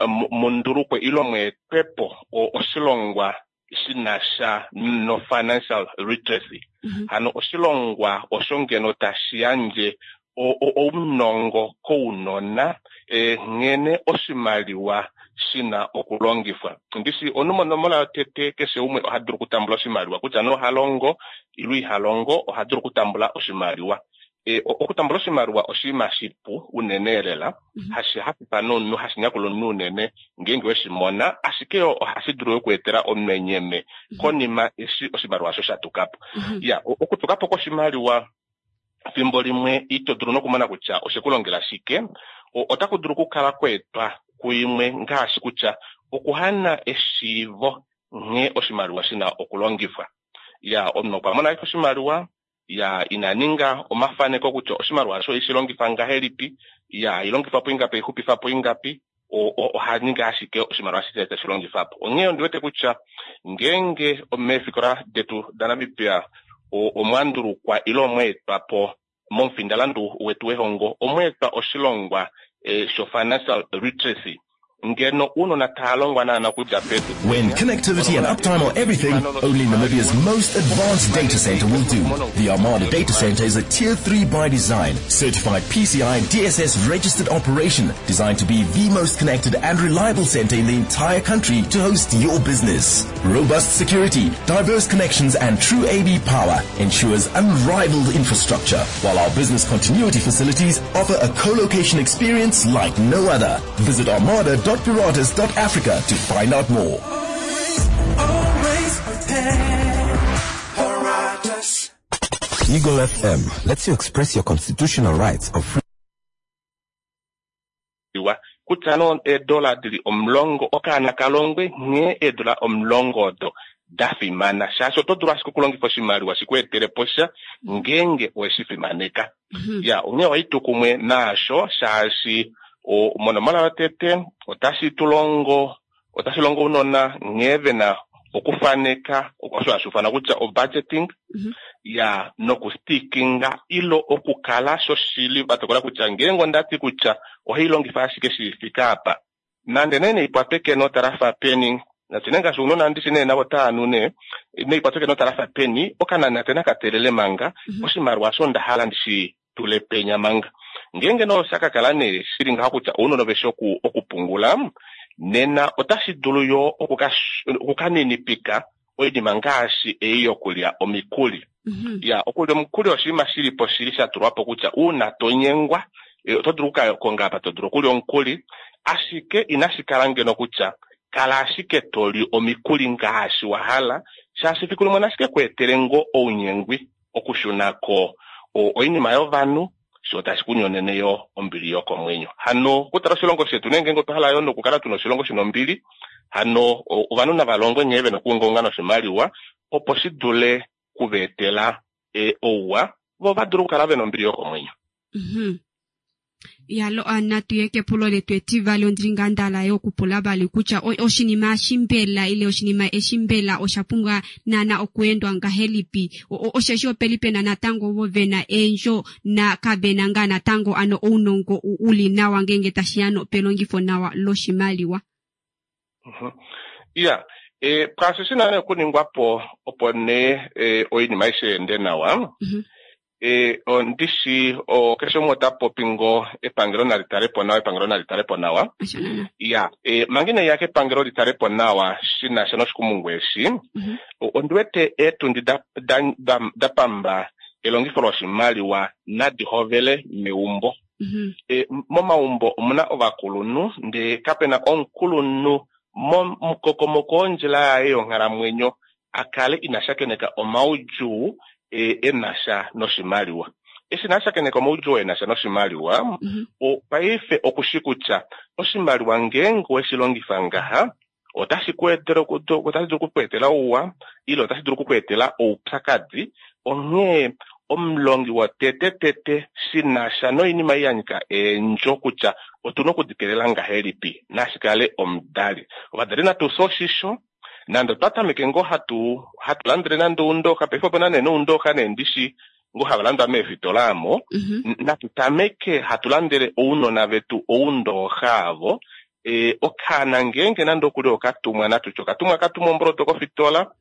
mundulukwe ile mweetwepo oshilongwa shinasha no financial literacy. Hano oshilongwa osho ngeno tashi yandje ounongo kounona nghene oshimaliwa shina okulongifwa. Ndishi onomola yotete keshe umwe oha dulu okutambula oshimaliwa, kutya nee oha longo ile iha longo, oha dulu okutambula oshimaliwa. Okutambula oshimaliwa oshinima shipu unene lela, hashi hafifa nomunhu, hashi nyakula omunhu unene ngeenge weshimona, ashike ohashi dulu okweetela omenyeme konima eshi oshimaliwa osho sha tuka po. Ya, okutuka po kwoshimaliwa fimbo limwe ito dulu nokumona kutya oshe ku longela shike, otaku dulu okukala kweetwa kuimwe ngaashi kutya okuhana eshiivo nghee oshimaliwa shina okulongifwa. Ya, omunhu okwa mona ashike oshimaliwa, ya ina ninga omafaneko kutya oshimaliwa osho ishi longifa ngahelipi, ya ilongifa po ingapi, ixupifa po ingapi, oha ninga ashike oshimaliwa ashishe tashi longifa po. Onghee ondi wete kutya ngeenge meefikola detu daNamibia omwa ndulukwa ile omwa etwa po momufindalandu wetu wehongo, omwa etwa oshilongwa sho financial literacy, ngeno ounona tava longwa naana okudja pedu. When connectivity and uptime are everything, only Namibia's most advanced data center will do. The Armada Data Center is a Tier 3 by design, certified PCI DSS registered operation designed to be the most connected and reliable center in the entire country to host your business. Robust security, diverse connections and true AB power ensures unrivaled infrastructure, while our business continuity facilities offer a co-location experience like no other. Visit armada.piratas.africa to find out more. Always prepared. Paratus. Eagle FM lets you express your constitutional rights of free. Kutya no eedola dili 10, okaana kalongwe nghee eedola 10 odo da fimana, shaashi oto dulu ashike okulongifa oshimaliwa shi ku etele po sha ngeenge oweshi fimaneka. Ya, onghee ohai tu kumwe naasho, shaashi monomola yotete otashi tu longo, otashi longo ounona nghee ve na okufaneka osho hashi ufanwa kutya o-budgeting, ya nokustikinga ilo okukala shoshili va tokola kutya ngeenge onda ti kutya ohai longifa ashike shi fika apa, nande nee neikwatwe kenota lafa peni, natu nee ngaashi ounona ndishi nee navo otava nu nee, neikwatwe kenota lafa peni, okananate nakatelele manga, oshimaliwa osho onda hala ndishi tule penya manga. Ngeenge nee osha ka kala nee shili ngaho kutya ounona ove shi okupungula, nena otashi dulu yo okukaninipika oinima ngaashi ei yokulya omikuli. Ya, okulya omukuli oshinima shili po shili sha tulwa po kutya uuna to nyengwa, oto dulu okukakonga apa to dulu okulya omukuli, ashike inashi kala ngeno kutya kala ashike to li omikuli ngaashi wa hala, shaashi fiku limwe nashike ku etele ngoo ounyengwi okushuna ko oinima yovanhu, sho tashi ku nyonene yo ombili yokomwenyo. Hano okutala oshilongo shetu, nenge otwa hala yo nokukala tuna oshilongo shina ombili, hano ovanhu nava longwe nghee vena okuungaunga noshimaliwa opo shi dule kuva etela ouwa, vo va dule okukala vena ombili yokomwenyo. Yalo, natu ye kepulo letu etivali. Ondili ngaa ndala yo okupula vali kutya oshinima eshi mbela ile oshinima eshi mbela osha pumbwa naana okuendwa ngahelipi, osheshi opeli pena natango ovo vena eendjo na kavena ngaa natango ano ounongo uli nawa ngeenge tashiya no pelongifo nawa loshimaliwa. Ya, pwaasho shina nee okuningwa po opo nee oinima aishe ende nawa, ondishi keshe umwe ota popi ngo epangelo nali tale po nawa, epangelo nali tale po nawa. Ya, manga inai ya kepangelo li tale po nawa shi na sha noshikumungu eshi, ondi wete eetundi da pamba elongifo loshimaliwa nadi hovele meumbo. Momaumbo omuna ovakulunhu, ndee kapena omukulunhu momukokomoko wondjila yaye yonghalamwenyo a kale ina shakeneka omaudjuu e na sha noshimaliwa. Eshi ina shakeneka omaudjuu e na sha noshimaliwa, paife okushi kutya oshimaliwa ngeenge oweshi longifa ngaha, otashi ku etele otashi dulu okuku etela ouwa ile otashi dulu okuku etela oupyakadi. Onghee omulongi wotete tete shi na sha noinima ei ya nyika eendjo kutya otu na okudikelela ngahelipi, nashi kale omudali. Ovadali natu fye oshisho, nande otwa tameke ngoo hatu landele nande oundooxa, paife opena nee noundooxa nee ndishi ngoo hava landwa meefitola amo, natu tameke hatu landele ounona vetu oundooxa avo. E, okaana ngeenge nande okuli okatumwa natutye okatumwa katumwa omboloto kofitola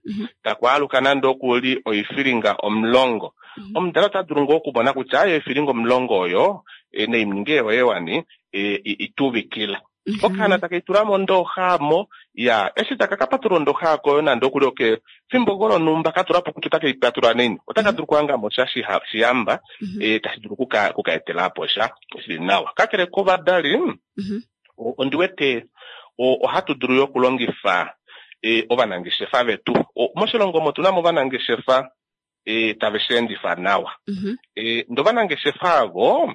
takwaaluka nande okuli oifilinga 10. Omudali ota dulu ngoo okumona kutya aye oifilinga 10 oyo e, naininge yoye wani e, ituvikila. Okaana taka itula mondooxa amo ya eshi taka ka patulula ondooxa ako nande okuli oke fimbo ngoo lonhumba ka tula po kutya otake ipatulula naini otaka dulu okuhanga mo sha shiyamba tashi dulu okuka etela po sha shili nawa. Kakele kovadali, ondi wete ohatu dulu yo okulongifa ovanangeshefa vetu. Moshilongo omo tuna mo ovanangeshefa tave shi endifa nawa. Ndee ovanangeshefa avo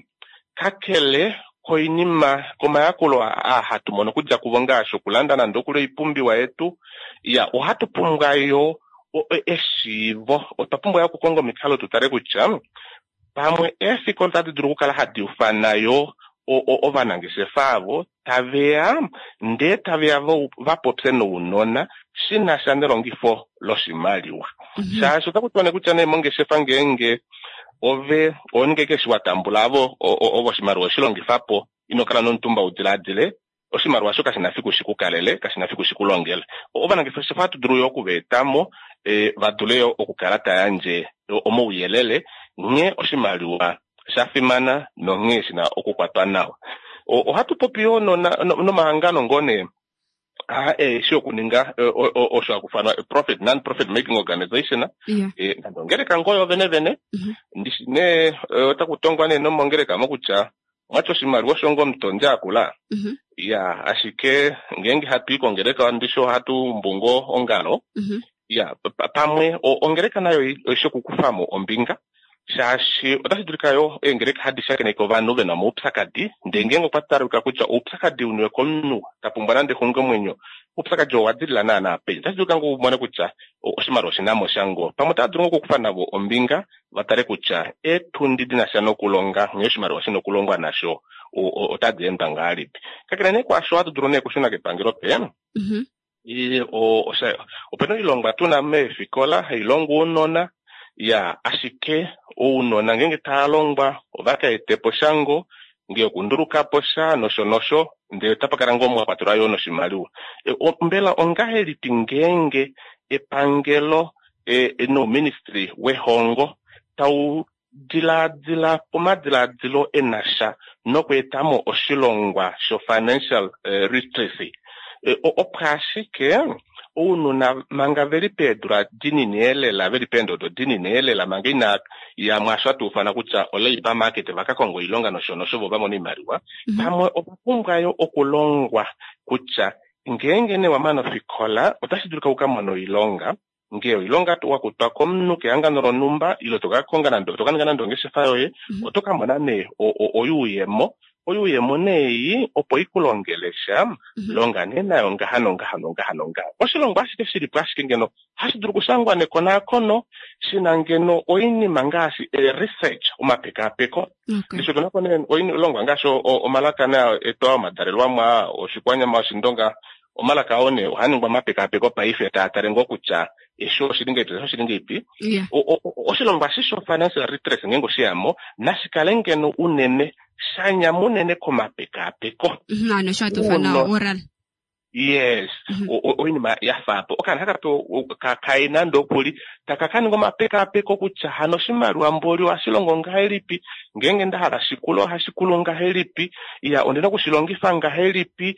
kakele koinima komayakulo aa hatu mono okudja kuvo ngaashi okulanda nande okuli oipumbiwa yetu, ya ohatu pumbwa yo eshiivo. Otwa pumbwa yo okukonga omikalo tu tale kutya pamwe eefikola otadi dulu okukala hadi ufana yo ovanangeshefa avo taveya ndee taveya va popye nounona shi na sha nelongifo loshimaliwa. Shaashi otaku tiwa nee kutya nee mongeshefa ngeenge ove oninge keshe wa tambula avo ovo oshimaliwa oshilongifa po, ino kala nomutumba udilaadile oshimaliwa osho kashi na fiku shikukalele, kashi na fiku shikulongele. Ovanangeshefa ohatu dulu yo okuva etamo va dule yo okukala ta yandje omauyelele nghee oshimaliwa sha fimana nonghee shi na okukwatwa nawa. Ohatu popi yo nomahangano ngoo nee eshi okuninga osho hakufanwa profit non profit making organization, nande ongeleka ngoo yo vene vene ndishi nee otaku tongwa nee nomongeleka mo kutya mwati oshimaliwa osho ngo omutondi akula. Ya ashike ngeenge hatu i kongeleka ndishi ohatu umbu ngoo ongalo. Ya pamwe ongeleka nayo oishi okukufamo ombinga, shaashi otashi dulika yo eengeleka hadi shakeneke ovanhu vena omaupyakadi, ndee ngeenge okwa talika kutya oupyakadi uniwe komunhu ta pumbwa nande exungomwenyo, oupyakadi oo owa dilila naana peni, otashi dulika ngoo umone kutya oshimaliwa oshinamo sha ngoo. Pamwe otava dulu ngoo okukufa navo ombinga va tale kutya eetundi di na sha nokulonga nghee oshimaliwa shina okulongwa nasho otadi endwa ngahelipi. Kakele nee kwaasho, ohatu dulu nee okushuna kepangelo pe opena oilongwa tuna meefikola hailongwa ounona, ya ashike ounona ngeenge tava longwa ova ka etepo sha ngo ngee okundulukapo sha nosho nosho, ndee otapa kala ngoo mwa kwatelwa yoo noshimaliwa. Mbela ongahelipi ngeenge epangelo nouministry wehongo tau dilaadila pomadilaadilo e na sha nokweetamo oshilongwa sho financial literacy, opo ashike ounona manga veli peedula dinini elela, veli peendodo dinini elela, manga ina ya mwaasho hatu ufana kutya o-labour market va ka konga oilonga nosho nosho vo va mone oimaliwa, pamwe ova pumbwa yo okulongwa kutya ngeenge nee wa mana ofikola otashi dulika u ka mone oilonga, ngee oilonga wa kutwa komunhu kehangano lonhumba ile to ka konga nande to ka ninga nande ongeshefa yoye, oto ka mona nee oyuuyemo. Oyuuyemo nee opo ikulongele sha, longa nee nayo ngaha nongaha nongaha nongaha. Oshilongwa ashike shilipo ashike ngeno hashi dulu okushangwa nekonaakono shina ngeno oinima ngaashi research, omapekaapeko. Ndishi otuna po nee oilongwa ngaashi omalaka naa etu aa omadalelwamwa, oshikwanyama, oshindonga. Omalaka oo nee ohaa ningwa omapekaapeko paife taa tale ngoo kutya eshi oshili ngahelipi, eshi oshili ngahelipi. Oshilongwa eshi sho financial literacy ngeenge oshiyamo nashi kale ngeno unene shanyama unene komapekaapeko. Ano osho hatu ufana oral. Yes, oinima ya faapo okaana haka kai nande okuli taka ka ninga omapekaapeko kutya hano oshimaliwa mboli ohashi longo ngahelipi, ngeenge nda hala shikulu ohashi kulu ngahelipi, ya ondina okushilongifa ngahelipi,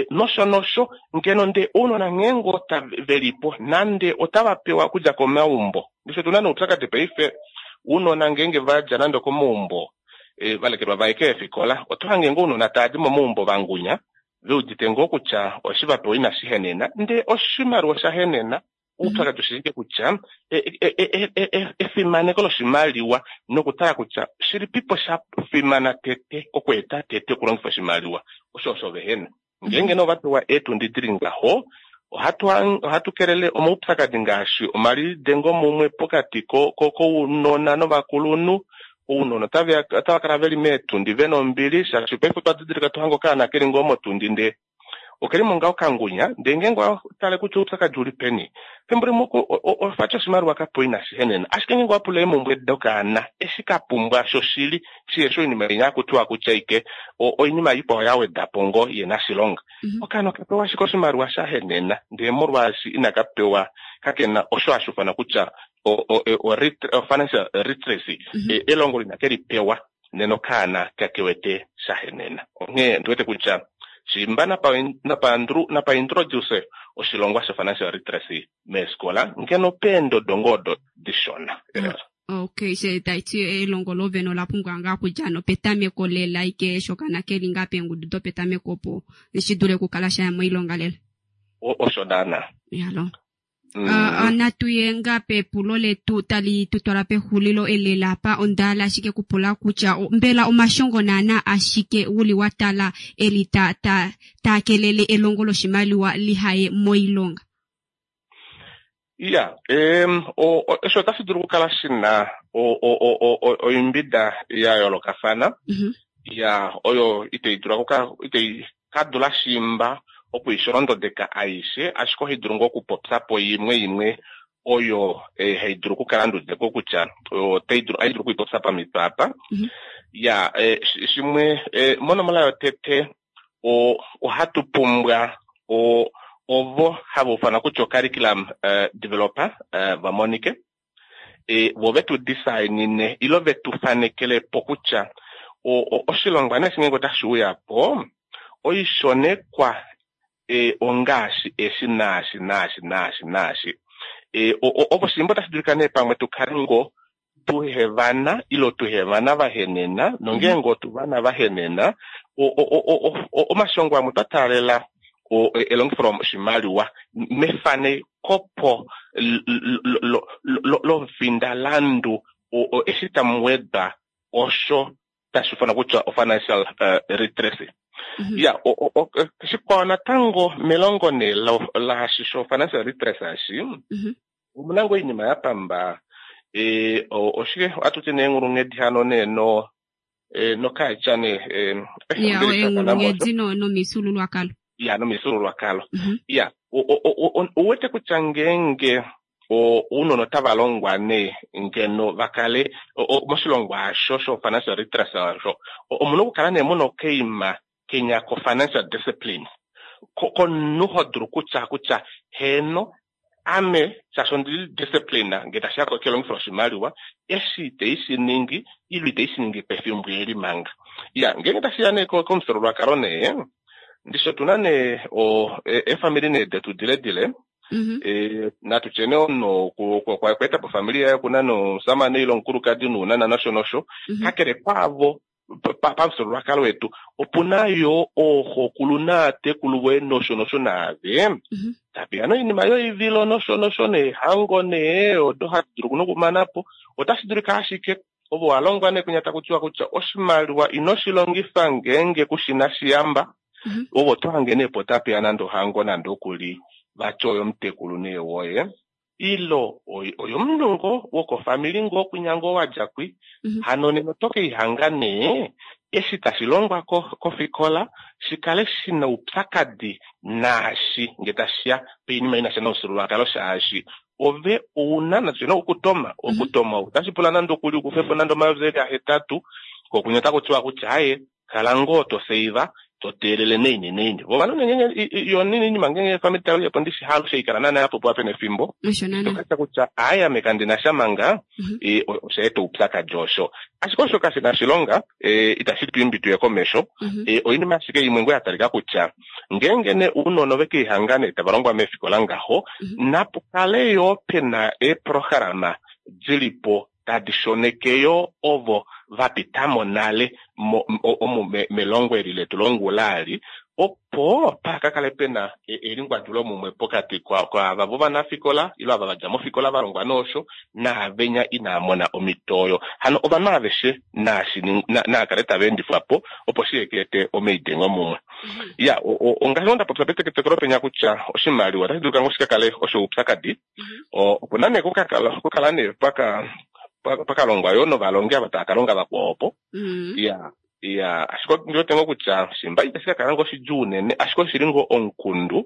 nosho nosho ngeno. Ndee ounona ngeenge ota velipo nande otava pewa okudja komaumbo, ndishi otuna noupyakadi paife, ounona ngeenge vadja nande okomaumbo va lekelwa vaye keefikola, oto hange ngoo ounona tava di momaumbo vangunya veudite ngoo kutya oshi va pewa inashi henena, ndee oshimaliwa osha henena. Oupyakadi oshike kutya efimaneko loshimaliwa nokutala kutya shilipipo sha fimana tete okweeta tete okulongifa oshimaliwa osho osho vehena. Ngeenge nee ova pewa eetundi dili ngaho, ohatu kelele omaupyakadi ngaashi omalidengo mumwe pokati kounona novakulunhu. Ounona otava kala veli meetundi vena ombili, shaashi paife otwa didilika tohange okaana keli ngoo motundi ndee Okelimo ngaho kangunya, ndee ngeenge owa tale kutya oupyakadi uli peni, efimbo limwe ofatya oshimaliwa kapo inashi henena. Ashike ngeenge owa pula eemumbwe dokaana, eshi ka pumbwa shoshili, shihefi oinima inya hakutiwa kutya ike oinima ikwao ya weda po ngoo ye nashilonga. Okaana oka pewa ashike oshimaliwa sha henena, ndee molwaashi inaka pewa, kakena osho hashi ufanwa kutya financial literacy, elongo lina ke li pewa, nena okaana kakewete sha henena. Onghee ondi wete kutya shimba napa introduce oshilongwa sho financial literacy meefikola, ngeno peendodo ngoo odo dishona. Okay, she taiti elongo lovene ola pumbwa ngaa okudja nopetameko lela ike eshi okaana keli ngaa peengudu dopetameko opo shi dule okukala shaya moilonga lela. Osho naana. Yalo. Natu ye ngaa pepulo letu tali tu twala pexulilo elela apa. Onda hala ashike kupula kutya mbela omashongo naana ashike uli wa tala eli ta ta taakelele elongo loshimaliwa lihaye moilonga? Ya, osho otashi dulu okukala shina oimbida ya yoolokafana. Ya, oyo itei dula itei ka dula shimba okuisholondodeka aishe, ashike ohai dulu ngoo okupopya po imwe imwe oyo hai dulu okukala ndudeko kutya otai dulu ai dulu okuipopya pamitwe apa. Ya, shimwe monomola yotete ohatu pumbwa ovo hava ufanwa kutya curriculum developer va monike, vo vetu designine ilo vetu fanekele po kutya oshilongwa nee ngeenge otashi uya po oishonekwa ongaashi eshi naashi naashi naashi naashi. Ovo shimba otashi dulika nee pamwe tukale ngoo tuhevana ilo tuhevana vahenena, nongeenge otuvana vahenena omashongo amwe twa taalela elongifo loshimaliwa mefanekopo lomufindalandu eshi tamu wedwa osho tashi ufanwa kutya financial literacy. Ya, shikwao natango melongo nee laashi sho financial literacy ashi, omuna ngoo oinima ya pamba oshike ohatu ti nee enghulunghedi hano nee no nokaetya nee ya enghulunghedi nomifyuululwakalo. Ya, nomifyuululwakalo. Ya, uwete kutya ngeenge ounona otava longwa nee ngeno vakale moshilongwa asho sho financial literacy asho, omuna okukala nee muna okaima kenya ko financial discipline komunhu ho dulu kutya kutya heeno ame shaashi ondili discipline ngee tashiya kelongifo loshimaliwa eshi itei shi ningi ilo itei shi ningi pefimbo eli manga. Ya, ngeenge tashiya nee komufyuululwakalo nee ndishi otuna nee eefamili nee detu diledile, natu tye nee omunhu okweeta po ofamili yaye okuna nomusamane ile omukulukadi nounona nosho nosho, kakele kwaavo pamufyuululwakalo wetu opuna yo ooxokulu naatekulu voye nosho nosho naave tapeya noinima yoivilo nosho nosho neehango nee odo hadi dulu nokumana po. Otashi dulika ashike ovo wa longwa nee kunya taku tiwa kutya oshimaliwa ino shi longifa ngeenge kushina shiyamba, ovo to hange nee po tapeya nande ohango nande okuli vati oyomutekulu nee woye ilo oyomunhu ngoo wokofamili ngoo kwinya ngoo wadja kwi, hano nena oto keihanga nee eshi tashi longwa kofikola shikale shina oupyakadi naashi nge tashiya poinima inasha nomufyuululwakalo, shaashi ove ouna natye okutoma okutoma otashi pula nande okuli ukufepo nande 8000 kokunya otaku tiwa kutya aye kala ngoo to seiva to teelele neine neine vo ovanhu ngeenge yo inima ngeenge family tayo ndishi haalushe ikala naana yapopiwa pena efimbo tokatya kutya aye ame kandina sha manga, osha eta oupyakadi osho. Ashike osho kashina shilonga, itashi tu imbi tuye komesho. Oinima ashike imwe ngoo ya talika kutya ngeenge nee ounona ove keihanga nee tava longwa meefikola ngaho, napu kale yoo pena eeprograma dilipo tadi shoneke yo ovo va pitamo nale omu melongo eli letu longula ali, opo pakakale pena elingwadulo mumwe pokati kwaava vovanafikola ilo ava vadja mofikola va longwa noosho naavenya inaa mona omhito oyo. Hano ovanhu aveshe naakale tava endifwa po opo shi ete omaidengo mumwe. Ya, ongaashi nda popya peteketekelo penya kutya oshimaliwa otashi dulika ngoo shikakale osho oupyakadi. Opuna nee kukala nee pakalongwa yoo novalongi ava tava kalonga vakwao opo. Ya. Ya, ashike ondi wete ngoo kutya shimba itashi ka kala ngoo shidjuu unene, ashike oshili ngoo omukundu,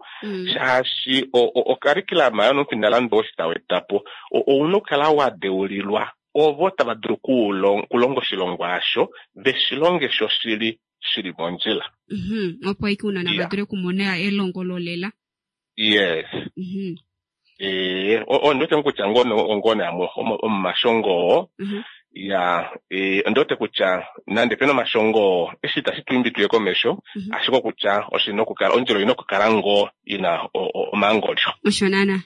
shaashi okarikilama yonomufindalandu oo tau eta po, ouna okukala wa deulilwa ovo tava dulu okulonga oshilongwa osho, ve shi longe shoshili shili mondjila. Opo ashike ounona va dule okumona elongo lolela. Yes. Ondi wete ngoo kutya ngoo nee amwe omomashongo oo. Ya, ondi wete kutya nande pena omashongo oo, eshi itashi tu imbi tuye komesho, ashike okutya oshina okukala, ondjila oina okukala ngoo ina omaangolyo. Osho naana.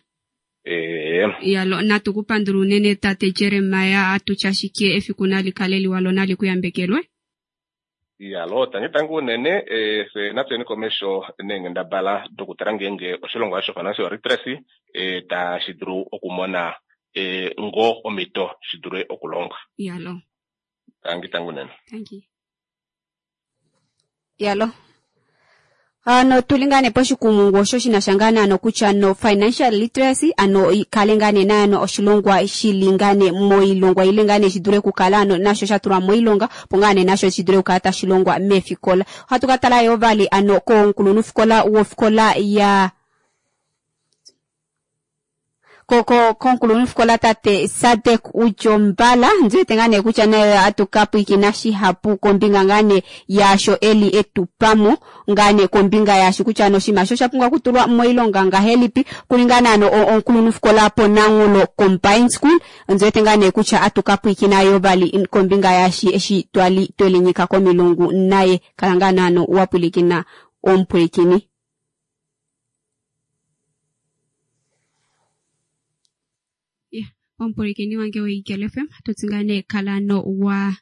Yalo, natu ku pandula unene tate Jeremiah, atutya ashike efiku nali kale liwa lo nali ku yambekelwe. Iyalo, tangi tangi unene, fye natuyeni komesho neenghendabala dokutala ngeenge oshilongwa osho financial literacy tashi dulu okumona ngoo omhito shi dule okulonga. Iyalo. Tangi tangi unene. Tangi. Iyalo. Ano tuli ngaa nee poshikumungu osho shina sha ngaa nee kutya no financial literacy ano kale ngaa nee naano oshilongwa shili ngaa nee moilongwa ile ngaa nee shi dule okukala ano nasho sha tulwa moilonga opo ngaa nee nasho shi dule okukala tashi longwa meefikola. Ohatu ka tala yoo vali ano komukulunhufikola wofikola ya komukulunhufikola tate Sadek Udjombala, ndi wete ngaa nee kutya naye atu ka pwiikina shihapu kombinga ngaa nee yaasho eli etupamo ngaa nee kombinga yaashi kutya ano oshinima osho osha pumbwa okutulwa moilonga ngahelipi, kuli ngaa nee ano omukulunhufikola pOnanghulo Combined School, ndi wete ngaa nee kutya atu ka pwiikina yo vali kombinga yaashi eshi twali twelinyika komilungu naye. Kala ngaa nee ano wa pwilikina omupwilikini. Omupwilikini wange woEagle FM, tutsi ngaa nee kala no wa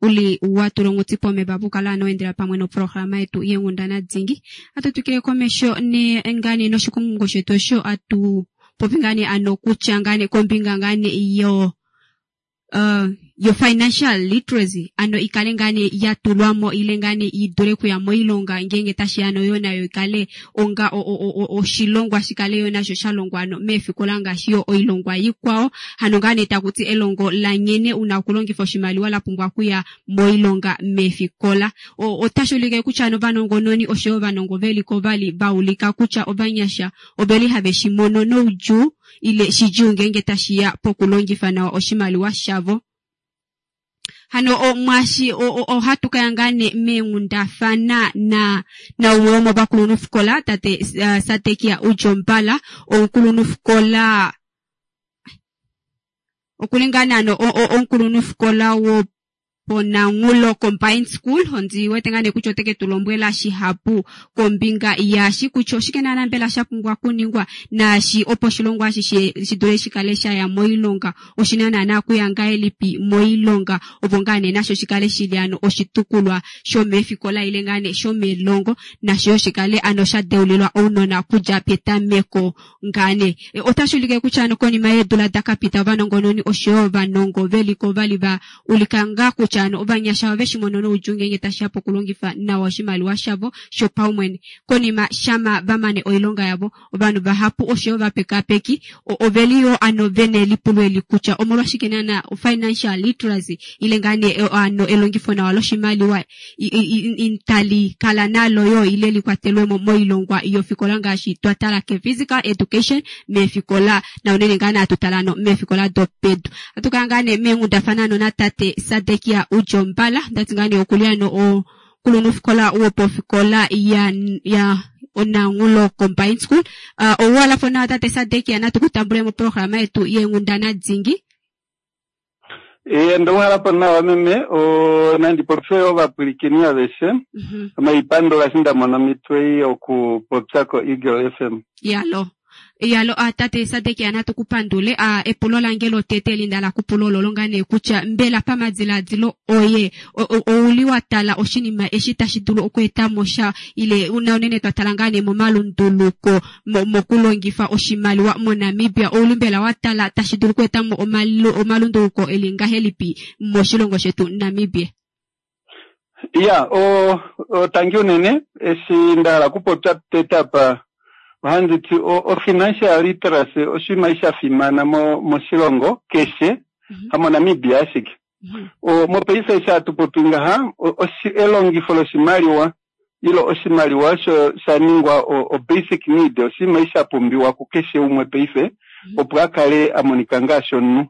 uli wa tula onghuti pomeva pukala ano endela pamwe noprograma yetu yenghundana dingi. Atu twikile komesho ne ngaa nee noshikungu shetu osho atu popi ngaa nee ano kutya ngaa nee kombinga ngaa nee yo yo financial literacy ano ikale ngaa nee ya tulwamo ile ngaa nee idule kuya moilonga ngeenge tashi ano yo nayo ikale onga oshilongwa shikale yo nasho sha longwa ano meefikola ngaashi yo oilongwa ikwao. Hano ngaa nee takuti elongo la nghene una okulongifa oshimaliwa la pumbwa okuya moilonga meefikola. Otashi ulike kutya ano ovanongononi oshoyo ovanongo veliko vali vaulika kutya ovanyasha oveli have shi mono noudjuu ile shidjuu ngeenge tashiya pokulongifa nawa oshimaliwa shavo. Hano mwashi ohatu kaya ngaa nee meenghundafana na naumwe womovakulunhufikola tate Sadekia Udjombala, omukulunhufikola okuli ngaa nee ano omukulunhufikola wo pOnanghulo Combined School. Ondi wete ngaa nee kutya oteke tu lombwela shihapu kombinga yaashi kutya oshike naana mbela sha pumbwa okuningwa naashi opo oshilongwa eshi shi dule shikale shaya moilonga, oshina naana okuya ngahelipi moilonga opo ngaa nee nasho shikale shili ano oshitukulwa shomeefikola ile ngaa nee shomelongo, nasho yo shikale ano sha deulilwa ounona okudja petameko ngaa nee. Otashi ulike kutya ano konima yeedula dakapita ovanongononi oshoyo ovanongo veliko vali va ulika ngaa kutya ano ovanyasha ove shi mono noudjuu ngeenge tashiya pokulongifa nawa oshimaliwa shavo shopaumwene. Konima shama va mane oilonga yavo, ovanhu vahapu oshoyo ovapekapeki oveli yoo ano vena elipulo eli kutya omolwashike naana financial literacy ile ngaa nee ano elongifo nawa loshimaliwa itali kala nalo yoo ile likwatelwemo moilongwa yofikola ngaashi twa tala ke physical education meefikola na unene ngaa nee atu tala ano meefikola dopedu. Atu kala ngaa nee meenghundafana ano natate Sadekia Udjombala, ndati ngaa nee okuli ano omukulunhufikola wopofikola ya Onanghulo Combined School. Ouwalafo nawa tate Sadekia, natu kutambule moprograma yetu yeenghundana dingi. Ndouhalapo nawa meme, nandi popye ovapwilikini aveshe. Omaipandula eshi nda mona omhito ei yokupopya ko Eagle FM. Yalo. Yalo, tate Sadekia natu kupandule. Epulo lange lotete eli nda la kupula ololo ngaa nee kutya mbela pamadiladilo oye ouli wa tala oshinima eshi tashi dulu okweeta mo sha ile una unene twa tala ngaa nee momalunduluko mokulongifa oshimaliwa moNamibia, ouli mbela wa tala tashi dulu okweeta mo omalunduluko eli ngahelipi moshilongo shetu Namibia? Ya, tangi unene eshi nda hala okupopya tete apa, ohandi ti o-financial literacy oshinima sha fimana moshilongo keshe, hamoNamibia ashike. Mopaife eshi hatu popi ngaha, elongifo loshimaliwa ile oshimaliwa osho sha ningwa o basic need, oshinima eshi sha pumbiwa kukeshe umwe paife opo a kale a monika ngaashi omunhu.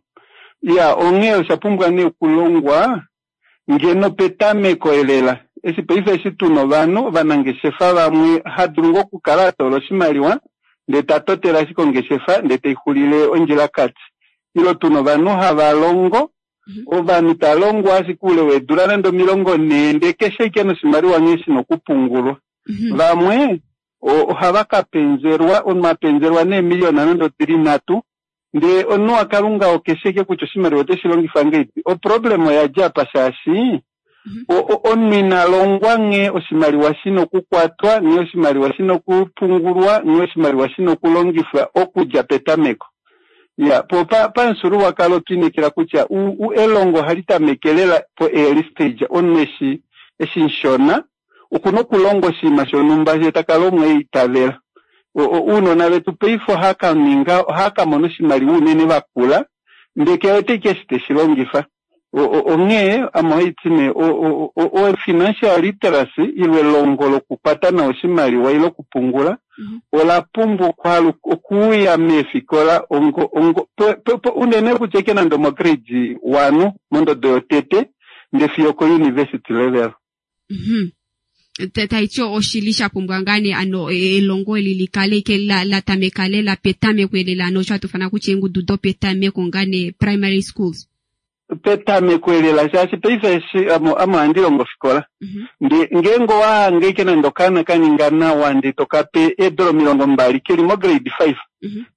Iya, onghee osha pumbwa nee okulongwa ngeno petameko elela. Eshi paife eshi tuna ovanhu ovanangeshefa vamwe ha dulu ngoo okukala a toola oshimaliwa ndee ta totele ashike ongeshefa ndee tai xulile ondjilakati. Ile tuna ovanhu hava longo, ovanhu ta longo ashike oule weedula nande 40 ndee keshe ashike noshimaliwa nghee shina okupungulwa. Vamwe ohava ka penzelwa, omunhu a penzelwa neemiliyona nande odili 3, ndee omunhu waKalunga okeshe ashike kutya oshimaliwa oteshi longifa ngahelipi. Oproblem oya dja apa shaashi omunhu ina longwa nghee oshimaliwa shina okukwatwa, nghee oshimaliwa shina okupungulwa, nghee oshimaliwa shina okulongifwa okudja petameko. Ya, po pamufyuululwakalo otwa inekela kutya elongo ohali tameke lela po early stage, omunhu eshi mushona okuna okulonga oshinima shonhumba ye ta kala omwe eitavela. Ounona vetu paife ohava ka mona oshimaliwa unene vakula, ndee ke wete ashike eshi teshi longifa. Onghee ame ohaiti nee o-financial literacy ile elongo lokukwata nawa oshimaliwa ile okupungula ola pumbwa okuuya meefikola unene kutya ike nande omo grade 1 mondodo yotete ndee fiyo oko university level. Taiti oshili sha pumbwa ngaa nee ano elongo eli likale ike la tameka lela petameko elela, ano osho hatu fana kutya eengudu dopetameko ngaa nee primary schools. Petameko elela, shaashi paife eshi amo ohandi longo ofikola. Nde ngeenge owa hange ike nande okaana ka ninga nawa ndee to ka pe eedola 20 keli mo grade 5,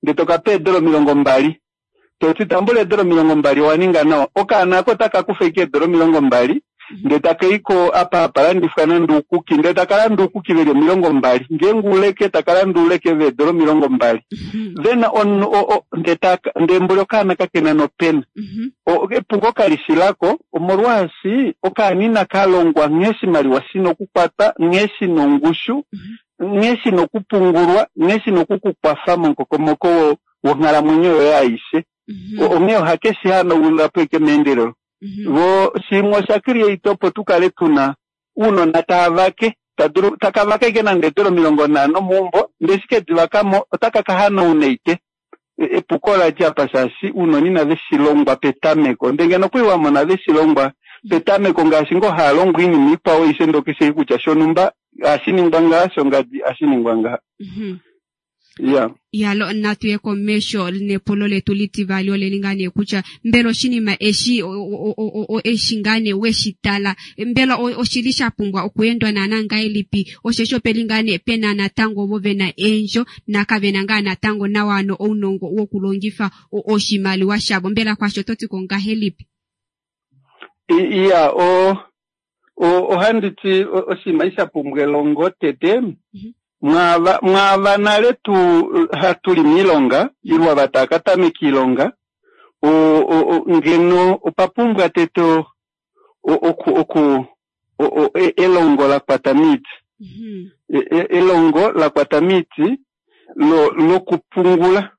ndee to ka pe eedola 20, to ti tambula eedola 20 owa ninga nawa, okaana ako otaka kufa ike eedola 20 ndee taka i ko apa hapa landifwa nande oukuki, ndee taka landa oukuki veli 20, ngeenge uleke taka landa uleke veedola 20. Then omunhu ndee taka, ndee mboli okaana kakena nopena. Epuko kali shi lako, omolwaashi okaana inaka longwa nghee oshimaliwa shina okukwatwa, nghee shina ongushu, nghee shina okupungulwa, nghee shina okukukwafa momukokomoko wonghalamwenyo yoye aishe. Onghee ohake shi hanaula po eke meendelelo. Vo shimwe osha create opo tu kale tuna uunona tava vake, taka vaka ike nande eedola 50 meumbo, ndee eshi ke di vaka mo otaka ka hanauna ike. Epuko ola dja apa shaashi uunona inave shi longwa petameko. Ndee ngeno okwali wa mona ve shi longwa petameko ngaashi ngoo haa longwa oinima ikwao aishe ndee okeshe kutya shonhumba ohashi ningwa ngaha, shongadi ohashi ningwa ngaha. Ya. Ya, natu ye komesho nepulo letu litivali oleli ngaa nee kutya mbela oshinima eshi eshi ngaa nee we shi tala, mbela oshili sha pumbwa okuendwa naana ngahelipi, osheshi opeli ngaa nee pena natango ovo vena eendjo na kavena ngaa natango nawa ano ounongo wokulongifa oshimaliwa shavo, mbela kwasho oto ti ko ngahelipi? Ya, ohandi ti oshinima eshi sha pumbwa elongo tete. Mwaava nale tu hatu li miilonga ile ava tava ka tameka iilonga, ngeno opa pumbwa tete elongo la kwata miiti. Elongo la kwata miiti lokupungula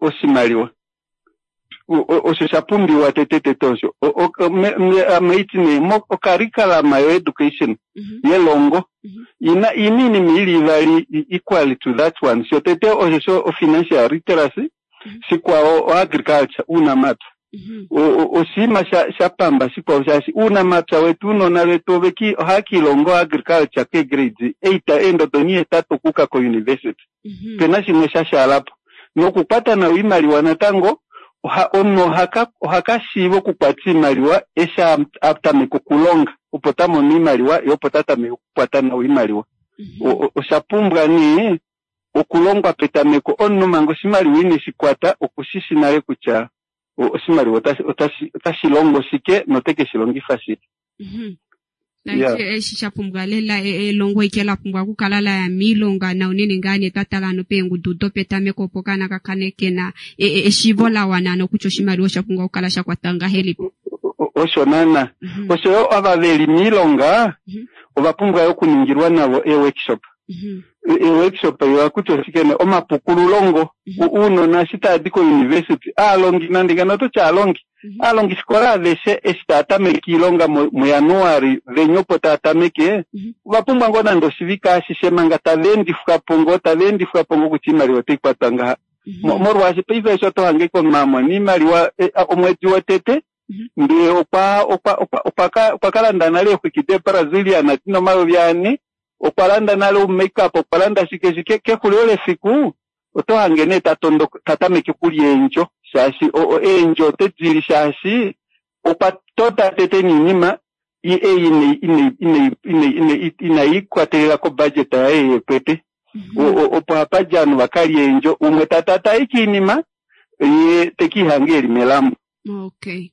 oshimaliwa. Osho sha pumbiwa tete tete osho. Ame nee ocurriculum yo education yelongo ina iinima ili ivali equal to that one. So tete osho sho financial literacy, shikwao agriculture, uunamapya. Oshinima sha pamba shikwao shaashi uunamapya wetu uunona wetu ohava kiilongo agriculture ke grade 8 eendodo 8 okuuka ko university. Pena shimwe sha shaalapo. Nokukwata nawa oimaliwa natango, omunhu oha ka shiiva okukwata oimaliwa eshi a tameka okulonga, opo ta mono oimaliwa ye opo ta tameke okukwata nawa oimaliwa. Osha pumbwa nee okulongwa petameko, omunhu manga oshimaliwa ine shi kwata okushishi nale kutya oshimaliwa otashi longo shike note ke shi longifa shike. Eshi sha pumbwa lela elongo ike la pumbwa okukala la ya miilonga na unene ngaa nee twa tala ano peengudu dopetameko opo okaana ka kale kena eshiivo la wana ano kutya oshimaliwa osha pumbwa okukala sha kwatwa ngahelipi. Osho naana. Osho yo ava veli miilonga ova pumbwa yo okuningilwa navo e-workshop. E-workshop yo kutya oshike nee omapukululongo. Uunona eshi tava di ko-university, aalongi nande ngeno ototi aalongi. Aalongifikola aveshe eshi tava tameke iilonga muJanuali venya opo tava tameke, ova pumbwa ngoo nande oshivike ashishe manga tava endifwa po ngoo, tava endifwa po ngoo kutya oimaliwa otai kwatwa ngaha. Molwaashi paife eshi oto hange ike omunhu a mona oimaliwa omwedi wotete, ndee okwa okwa okwa okwa ka okwa ka landa nale eexwiki deeBrazilian dina 4000, okwa landa nale oumakeup, okwa landa shike shike, kexulilo lefiku oto hange nee ta tondoka ta tameke okulya eendjo shaashi eendjo ote di li shaashi okwa tota tete niinima ei inai ikwatelela kobudget yaye yekwete. Opo hapa dja ovanhu va ka lye eendjo, umwe ta tata ashike oinima ye te ke ihange eli melambo. Okay.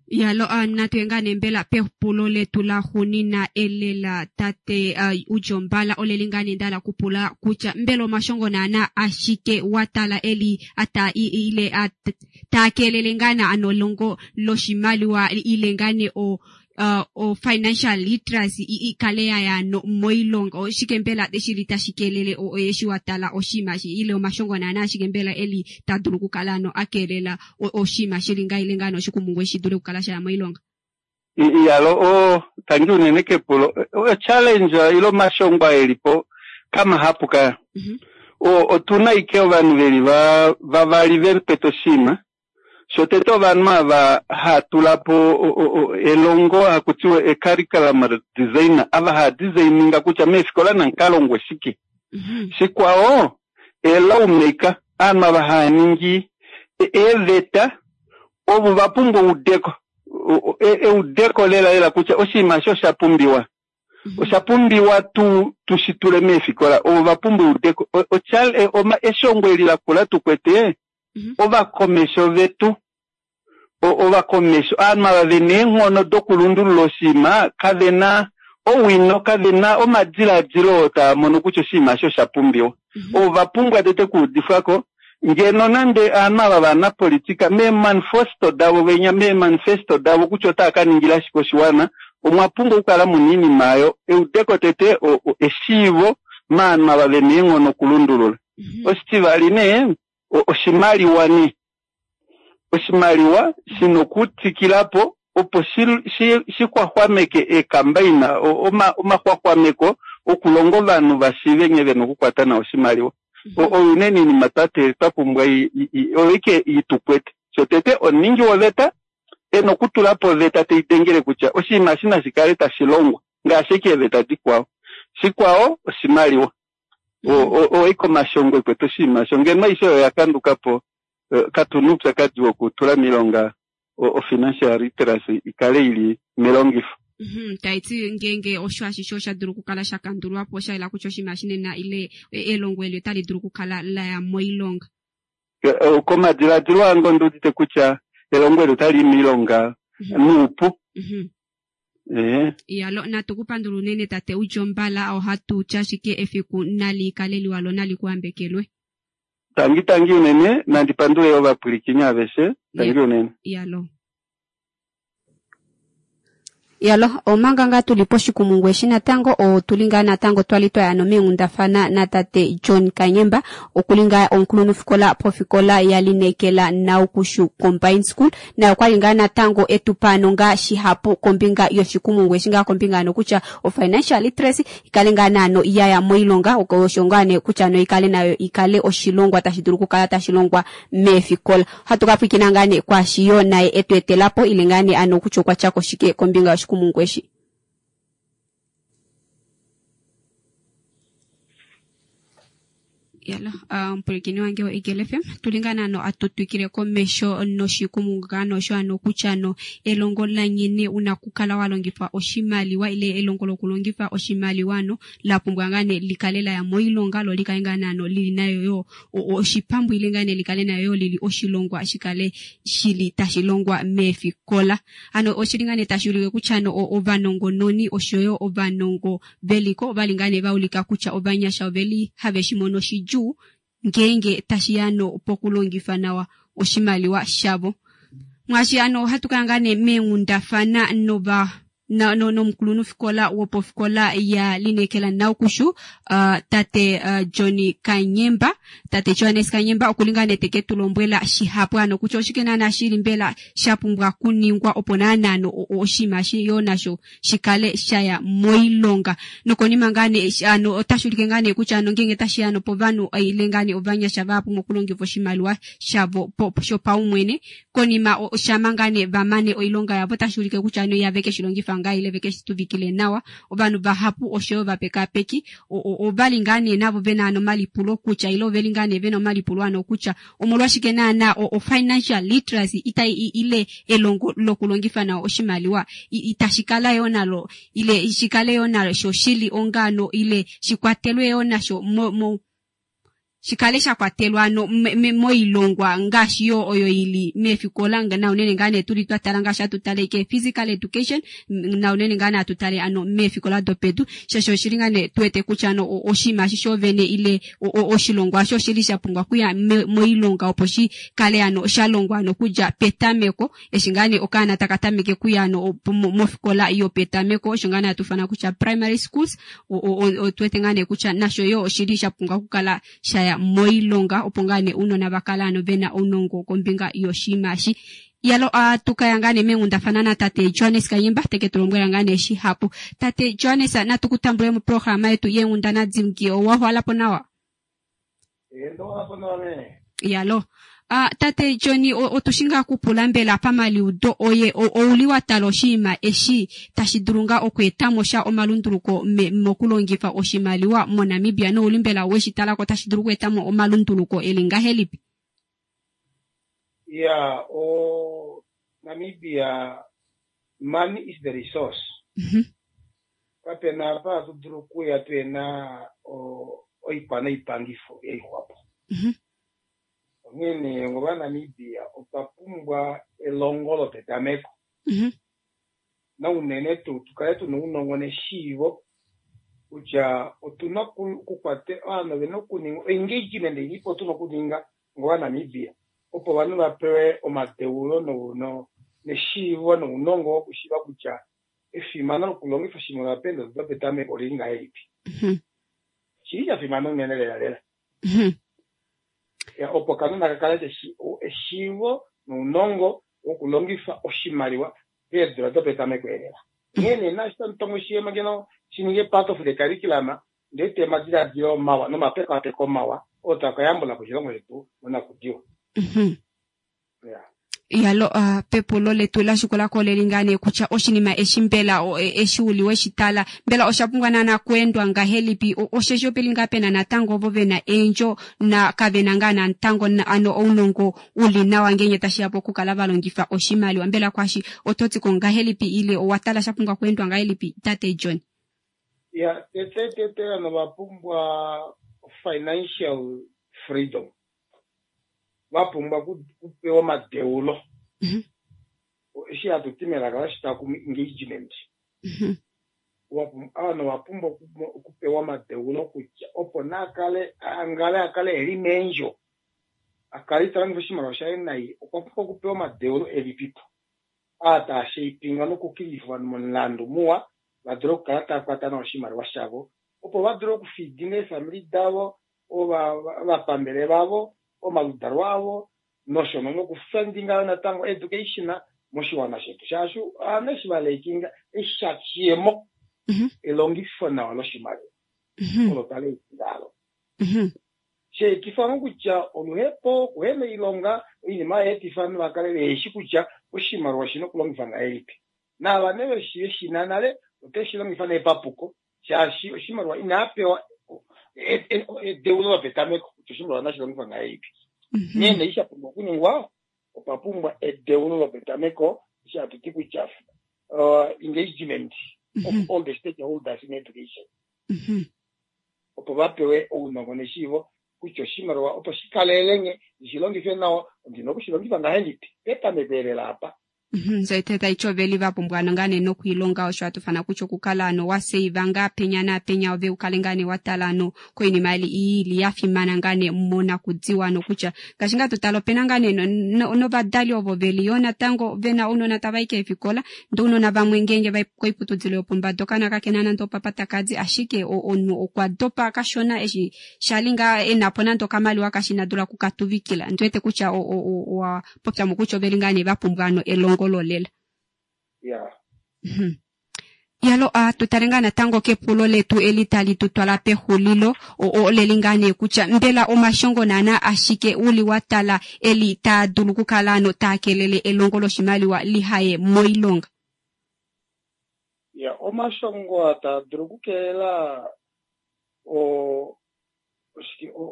Yalo, natu ye ngaa nee mbela pepulo letu laxunina elela tate Udjombala oleli ngaa nee ndahala kupula kutya mbela omashongo naana ashike wa tala eli ata ile taa keelele ngaa na ano elongo loshimaliwa ile ngaa nee o o financial literacy ikale ya ya no moilonga oshike mbela shili tashi keelele eshi wa tala oshinima ile omashongo naana ashike mbela eli ta dulu okukala ano a keelela oshinima shili ngaa ile ngaa noshikumungu eshi dule okukala sha ya moilonga. Iyalo, o tangi unene kepulo. O challenge ile omashongo aa elipo kamahapu kaya. Otuna ike ovanhu veli vavali vekwete oshinima. Shotete ovanhu ava haa tula po elongo haku tiwa e curriculum designer, ava haa designinga kutya meefikola namu ka longwe shike. Shikwao, e lawmaker, ovanhu ava haa ningi eeveta, ovo va pumbwa eudeko, eudeko lela lela kutya oshinima eshi osha pumbiwa. Osha pumbiwa tu tu shi tule meefikola, ovo va pumbwa eudeko. Eshongo eli lakula tu kwete, ovakomesho vetu, ovakomesho, ovanhu ava ve na eenghono dokulundulula oshinima, kave na owino, kave na omadiladilo oo taa mono kutya oshinima eshi osha pumbiwa. Ovo va pumbwa tete okuudifwa ko, ngeno nande ovanhu ava vanapolitika meemanifesto davo venya, meemanifesto davo kutya otava ka ningila shike oshiwana, omwa pumbwa okukala mu na oinima oyo, eudeko tete, eshiivo maanhu ava ve na eenghono okulundulula. Oshitivali nee, oshimaliwa nee. Oshimaliwa shi na okutwikila po opo shi xwaxwameke eekambaina, omaxwaxwameko okulonga ovanhu va shiive nghee ve na okukwata nawa oshimaliwa. Oyo unene oinima twa pumbwa oyo ike i tu kwete. Shotete, omuningi woveta e na okutula po oveta tai dengele kutya oshinima eshi nashi kale tashi longwa ngaashi ashike eeveta dikwao. Shikwao, oshimaliwa. Oiko omashongo ekwete oshinima osho. Ngeno aishe oyo oya kanduka po, katu na oupyakadi wokutula miilonga o-financial literacy i kale i li melongifo. Tai ti ngeenge osho ashishe osha dulu okukala sha kandulwa po, osha yela kutya oshinima eshi nena ile elongo eli otali dulu okukala la ya moilonga. Komadiladilo ange ondi udite kutya elongo eli otali i miilonga nuupu. Iyalo, natu ku pandula unene tate Udjombala, ohatu ti ashike efiku nali kale liwa lo nali ku ambekelwe. Tangi tangi unene, nandi pandule yo ovapwilikini aveshe, tangi unene. Iyalo. Iyalo, omanga ngaa tuli poshikumungu eshi natango, otuli ngaa natango twali twaya nomeenghundafana natate John Kanyemba, okuli ngaa omukulunhufikola pofikola yaLinekela Naukushu Combined School, naye okwali ngaa natango etupa ano ngaa shihapu kombinga yoshikumungu eshi ngaa kombinga ano kutya o financial literacy ikale ngaa naano yaya moilonga osho ngaa nee kutya ano ikale nayo ikale oshilongwa tashi dulu okukala tashi longwa meefikola. Ohatu ka pwiikina ngaa nee kwaashi yo naye etu etelapo ile ngaa nee ano kutya okwa tyako shike kombinga yoshikumungu eshi. Yalo, omupwilikini wange woEagle FM, tuli ngaa naano atu twikile komesho noshikumungu ngaa nosho ano kutya no elongo la nghene una okukala wa longifa oshimaliwa ile elongo lokulongifa oshimaliwa ano la pumbwa ngaa nee likale la ya moilonga lo likale ngaa naano lili nayo yo oshipambu ile ngaa nee likale nayo yo lili oshilongwa shikale shili tashi longwa meefikola. Ano oshili ngaa nee tashi ulike kutya no ovanongononi oshoyo ovanongo veliko ovali ngaa nee va ulika kutya ovanyasha oveli have shi mono shidjuu ngeenge tashi ya no pokulongifa nawa oshimaliwa shavo. Mwaashi ano ohatu kala ngaa nee meenghundafana nova Nomukulunhufikola wopofikola ya Linekela Naukushu, tate Johnny Kanyemba, tate Johannes Kanyemba okuli ngaa nee teke tu lombwela shihapu ano kutya oshike naana shili mbela sha pumbwa kuningwa opo naana ano oshinima eshi yoo nasho shikale shaya moilonga. Nokonima ngaa nee ano otashi ulike ngaa nee kutya ano ngeenge tashiya ano povanhu ile ngaa nee ovanyasha vahapu mokulongifa oshimaliwa shavo shopaumwene konima shama ngaa nee va mane oilonga yavo otashi ulike kutya ano ihave ke shi longifa ngaa ile ve ke shi tuvikile nawa. Ovanhu vahapu oshoyo ovapekaapeki ovali ngaa nee navo vena ano omalipulo kutya ile oveli ngaa nee vena omalipulo ano kutya omolwashike naana o-financial literacy itai ile elongo lokulongifa nawa oshimaliwa itashi kala yoo nalo ile shi kale yoo nasho shili onga ano ile shi kwatelwe yoo nasho mo shi kale sha kwatelwa ano moilongwa ngaashi yo oyo ili meefikola, na unene ngaa nee tuli twa tala ngaashi hatu tale ke physical education, na unene ngaa nee hatu tale ano meefikola dopedu, shaashi oshili ngaa nee tu wete kutya ano oshinima eshi shoovene ile oshilongwa osho oshili sha pumbwa okuya moilonga opo shi kale ano sha longwa ano okudja petameko, eshi ngaa nee okaana taka tameke okuya ano mofikola yopetameko, osho ngaa nee hatu ifana kutya primary schools. Otu wete ngaa nee kutya nasho yo oshili sha pumbwa okukala shaya moilonga opo ngaa nee ounona va kala ano vena ounongo kombinga yoshinima eshi. Yalo atukaya ngaa nee meenghundafana na tate Johannes Kanyemba teke tu lombwela ngaa nee shihapu. Tate Johannes, natu ku tambule moprograma yetu yeenghundana dingi, owa hwalapo nawa? Yalo. Tate Johnny, otu shi ngaa kupula mbela pamaliudo oye ouli wa tala oshinima eshi tashi dulu ngaa okweetamo sha omalunduluko mokulongifa oshimaliwa moNamibia, nouli mbela weshi talako tashi dulu okweetamo omalunduluko eli ngahelipi? Yeah, o Namibia, money is the resource. Kapena apa hatu dulu okuya tuhena oikwa noipangifo yaixwapo. Onghee ngoba Namibia otwa pumbwa elongo lopetameko. Na unene tuu tukale tuna ounongo neshiivo kutya otuna okukwate ovanhu ovena okuninga engagement ilipo tuna okuninga ngoba Namibia opo ovanhu vapewe omadeulo neshiivo nounongo wokushiiva kutya efimano lokulongifa oshimaliwa peendodo dopetameko olili ngahelipi. Shili sha fimana unene lela lela. Opo okanona ka kale keshi eshiivo nounongo wokulongifa oshimaliwa peedula dopetameko elela. Onghee naashi tamu tongo oshiyemo ngeno shi ninge part of the curriculum, ndele omadiladilo mawa nomapekapeko mawa oo taa ka yambula po oshilongo shetu monakudiwa. Yeah. Yalo, pepulo letu la shikulako leli ngaa nee kutya oshinima eshi mbela eshi uli weshi tala mbela osha pumbwa naana kuendwa ngahelipi, osheshi opeli ngaa pena natango ovo vena eendjo na kavena ngaa natango ano ounongo uli nawa ngeenge tashiya pokukala va longifa oshimaliwa. Mbela kwashi oto ti ko ngahelipi ile owa tala sha pumbwa kuendwa ngahelipi, tate John? Ya, tete tete ovanhu va pumbwa financial freedom, va pumbwa okupewa omadeulo, eshi hatu ti melaka loshitakumi engagement. Ovanhu ova pumbwa okupewa omadeulo kutya opo naakale angale akale eli meendjo, akale ita longifa oshimaliwa shaye nai, okwa pumbwa okupewa omadeulo elipipo aa taa shapinga nokukilifa ovanhu momulandu muwa va dule okukala tava kwata nawa oshimaliwa shavo, opo va dule okufeedinga eefamili davo, ovapambele vavo, omaludalo avo, nosho nokufundinga natango education moshiwana shetu, shaashi ovanhu eshi va lackinga eshakiyemo elongifo nawa loshimaliwa olo tali eti sheetifa kutya oluhepo, kuhena oilonga, oinima yeetifa ovanhu va kale veheshi kutya oshimaliwa oshina okulongifwa ngahelipi. Naava nee veshina nale oteshi longifa nee papuko, shaashi oshimaliwa inaa pewa edeulo lopetameko kutya oshimaliwa nashi longifwa ngahelipi. Nghee nee sha pumbwa okuningwa, opa pumbwa edeulo lopetameko, eshi hatu ti kutya engagement of all the stakeholders in education, opo va pewe ounongo neshiivo kutya oshimaliwa opo shi kalelenge ndishi longife nawa, ondina okushi longifa ngahelipi petameko elela apa. So taiti oveli vapumbwa ano ngaa nee nokuilonga osho hatufana kutya okukala ano waseiva ngaa penya naapenya ove ukale ngaa nee watala ano koinima ili ya fimana ngaa nee monakudiwa ano kutya ngaashi ngaa totala opena ngaa nee novadali ovo veli yoo natango vena ounona tavai keefikola ndee ounona vamwe ngeenge vai koiputudilo yopombada okaana kakena nande opapa takadi ashike omunhu okwa dopa kashona eshi shali ngaa enapo nande okamaliwa kashi inadula okukatuvikila ndiwete kutya owa popyamo kutya oveli ngaa nee vapumbwa ano elongo lolela. Yalo tutale ngaa natango kepulo letu eli tali tutwala pexulilo oleli ngaa nee kutya mbela omashongo naana ashike uli watala eli taa dulu okukala ano taa kelele elongo loshimaliwa lihaye moilonga. Ya omashongo taa dulu okukelela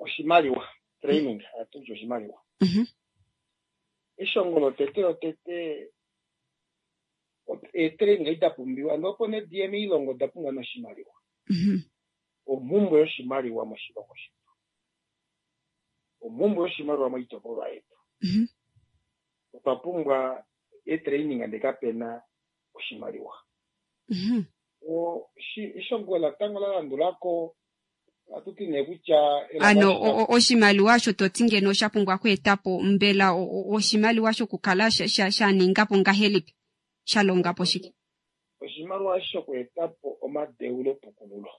oshimaliwa training atuti oshimaliwa. Eshongo lotete lotete eetraining ida pumbiwa ndee opo nee diye moilongo oda pumbwa noshimaliwa. Omhumbwe yoshimaliwa moshilongo shetu, omhumbwe yoshimaliwa moitopolwa yetu. Otwa pumbwa eetraining ndee kapena oshimaliwa. Eshongo latango la landulako atuti nee kutya ano oshimaliwa osho toti ngeno osha pumbwa okweetapo mbela oshimaliwa shokukala shaningapo ngahelipi shalongapo shike? Oshimaliwa shokweetapo omadeulo pukululo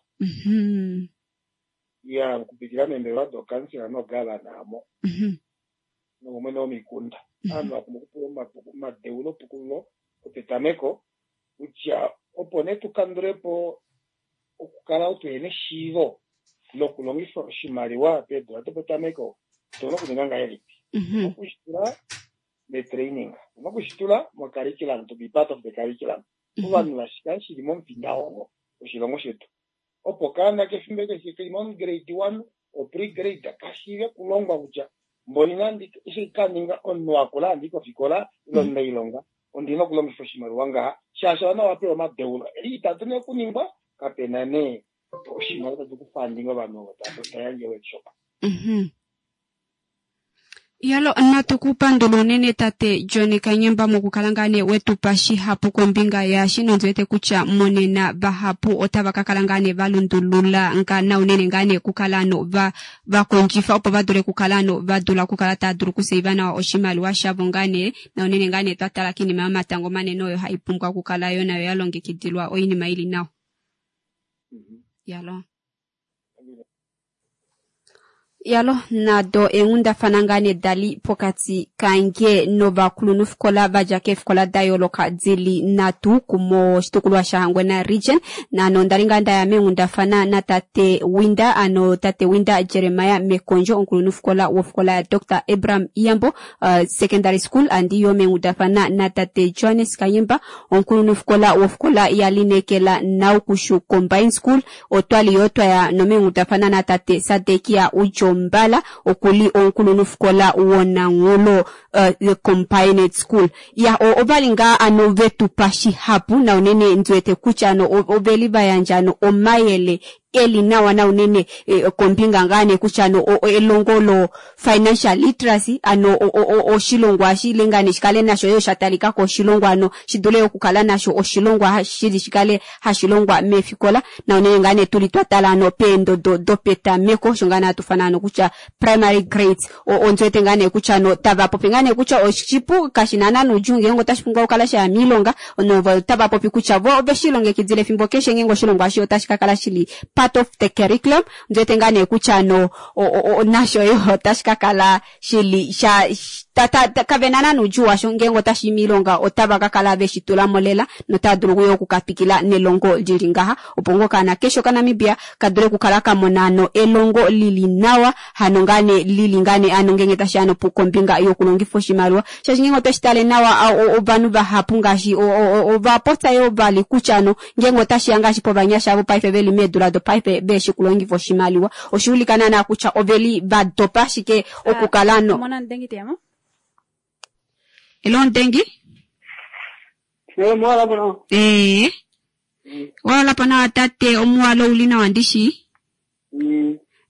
ya okupitila meembelewa dokansela nogavana amo nomwene womikunda. Ovanhu vapumbwa okupewa omadeulo pukululo opetameko kutya opo nee tukandulepo okukala tuhena eshiivo lokulongifa oshimaliwa peedula dopetameko otuna okuninga ngahelipi? Okushitula metraining, otuna okushitula mocurriculum, to be part of the curriculum. Ovanhu vashikale shili momufindahongo woshilongo shetu opo okaana kefimbo keshe keli mo-grade 1 o pre-grade kashiive okulongwa kutya mboli nandi eshi kaninga omunhu akula handi kofikola ile omunailonga ondina okulongifa oshimaliwa ngaha shaashi ovanhu ovapewa omadeulo eli itatu nee okuningwa kapena nee oshimaliwa tatu kufandinga ovanhu ovo tayandje workshop. Yalo natu kupandula unene tate John Kanyemba mokukala ngaa nee wetupa shihapu kombinga yaashi nondiwete kutya monena vahapu otava ka kala ngaa nee valundulula nga na unene ngaa nee kukala ano vakondjifa opo vadule kukala ano vadula okukala tava dulu okuseiva nawa oshimaliwa shavo ngaa nee na unene ngaa nee twatala kiinima yomatango manene oyo hai pumbwa okukala yo nayo yalongekidilwa oinima ili nawa. Yalo. Yalo nado eenghundafana ngaa nee dali pokati kange novakulunhufikola vadja keefikola da yooloka dili nhatu moshitukulwa shaHangwena region. Naano ondali ngaa ndaya meenghundafana natate Winda, ano tate Winda Jeremiah Mekondjo, omukulunhufikola wofikola ya Dr Abraham Iyambo Secondary School. Andi yo meenghundafana natate Johannes Kanyemba, omukulunhufikola wofikola ya Linekela Naukushu Combined School. Otwali yo twaya nomeenghundafana natate Sadekia Udjombala, okuli omukulunhufikola wOnanghulo Combined School. Ya ovali ngaa ano vetupa shihapu na unene ndiwete kutya ano oveli vayandja ano omayele eli nawa na unene kombinga ngaa nee kutya ano elongo lo financial literacy ano oshilongwa shile ngaa nee shikale nasho yo sha talikako oshilongwa ano shidule okukala nasho oshilongwa shili shikale hashilongwa meefikola na unene ngaa nee tuli twatala ano peendodo dopetameko sho ngaa nee hatufana ano kutya primary grades ondiwete ngaa nee kutya ano tava popi ngaa nee kutya oshipu kashina naana nuudjuu ngeenge otashi pumbwa okukala shaya miilonga notava popi kutya vo oveshi longekidile efimbo keshe ngeenge oshilongwa eshi otashi kakala shili part of the curriculum. Ndiwete ngaa nee kutya ano nasho yo otashi kakala shili sha kavena naana nuudjuu washo ngeenge otashi miilonga otava kakala veshi tulamo lela notava dulu yo okukatwikila nelongo lili ngaha opo ngoo okaana keshe okaNamibia kadule okukala kamona ano elongo lili nawa hano ngaa nee lili ngaa nee ano ngeenge tashiya ano kombinga yokulongifa oshimaliwa shaashi ngeenge otweshi tale nawa ovanhu vahapu ngaashi ovapopya yoo vali kutya ano ngeenge otashiya ngaashi povanyasha vopaife veli meedula dopaife veshi kulongifa oshimaliwa oshuulika naana kutya oveli vadopa ashike okukala ano Elo Ndengi? Ee. Wala nawa tate omuwalo uli nawa ndishi?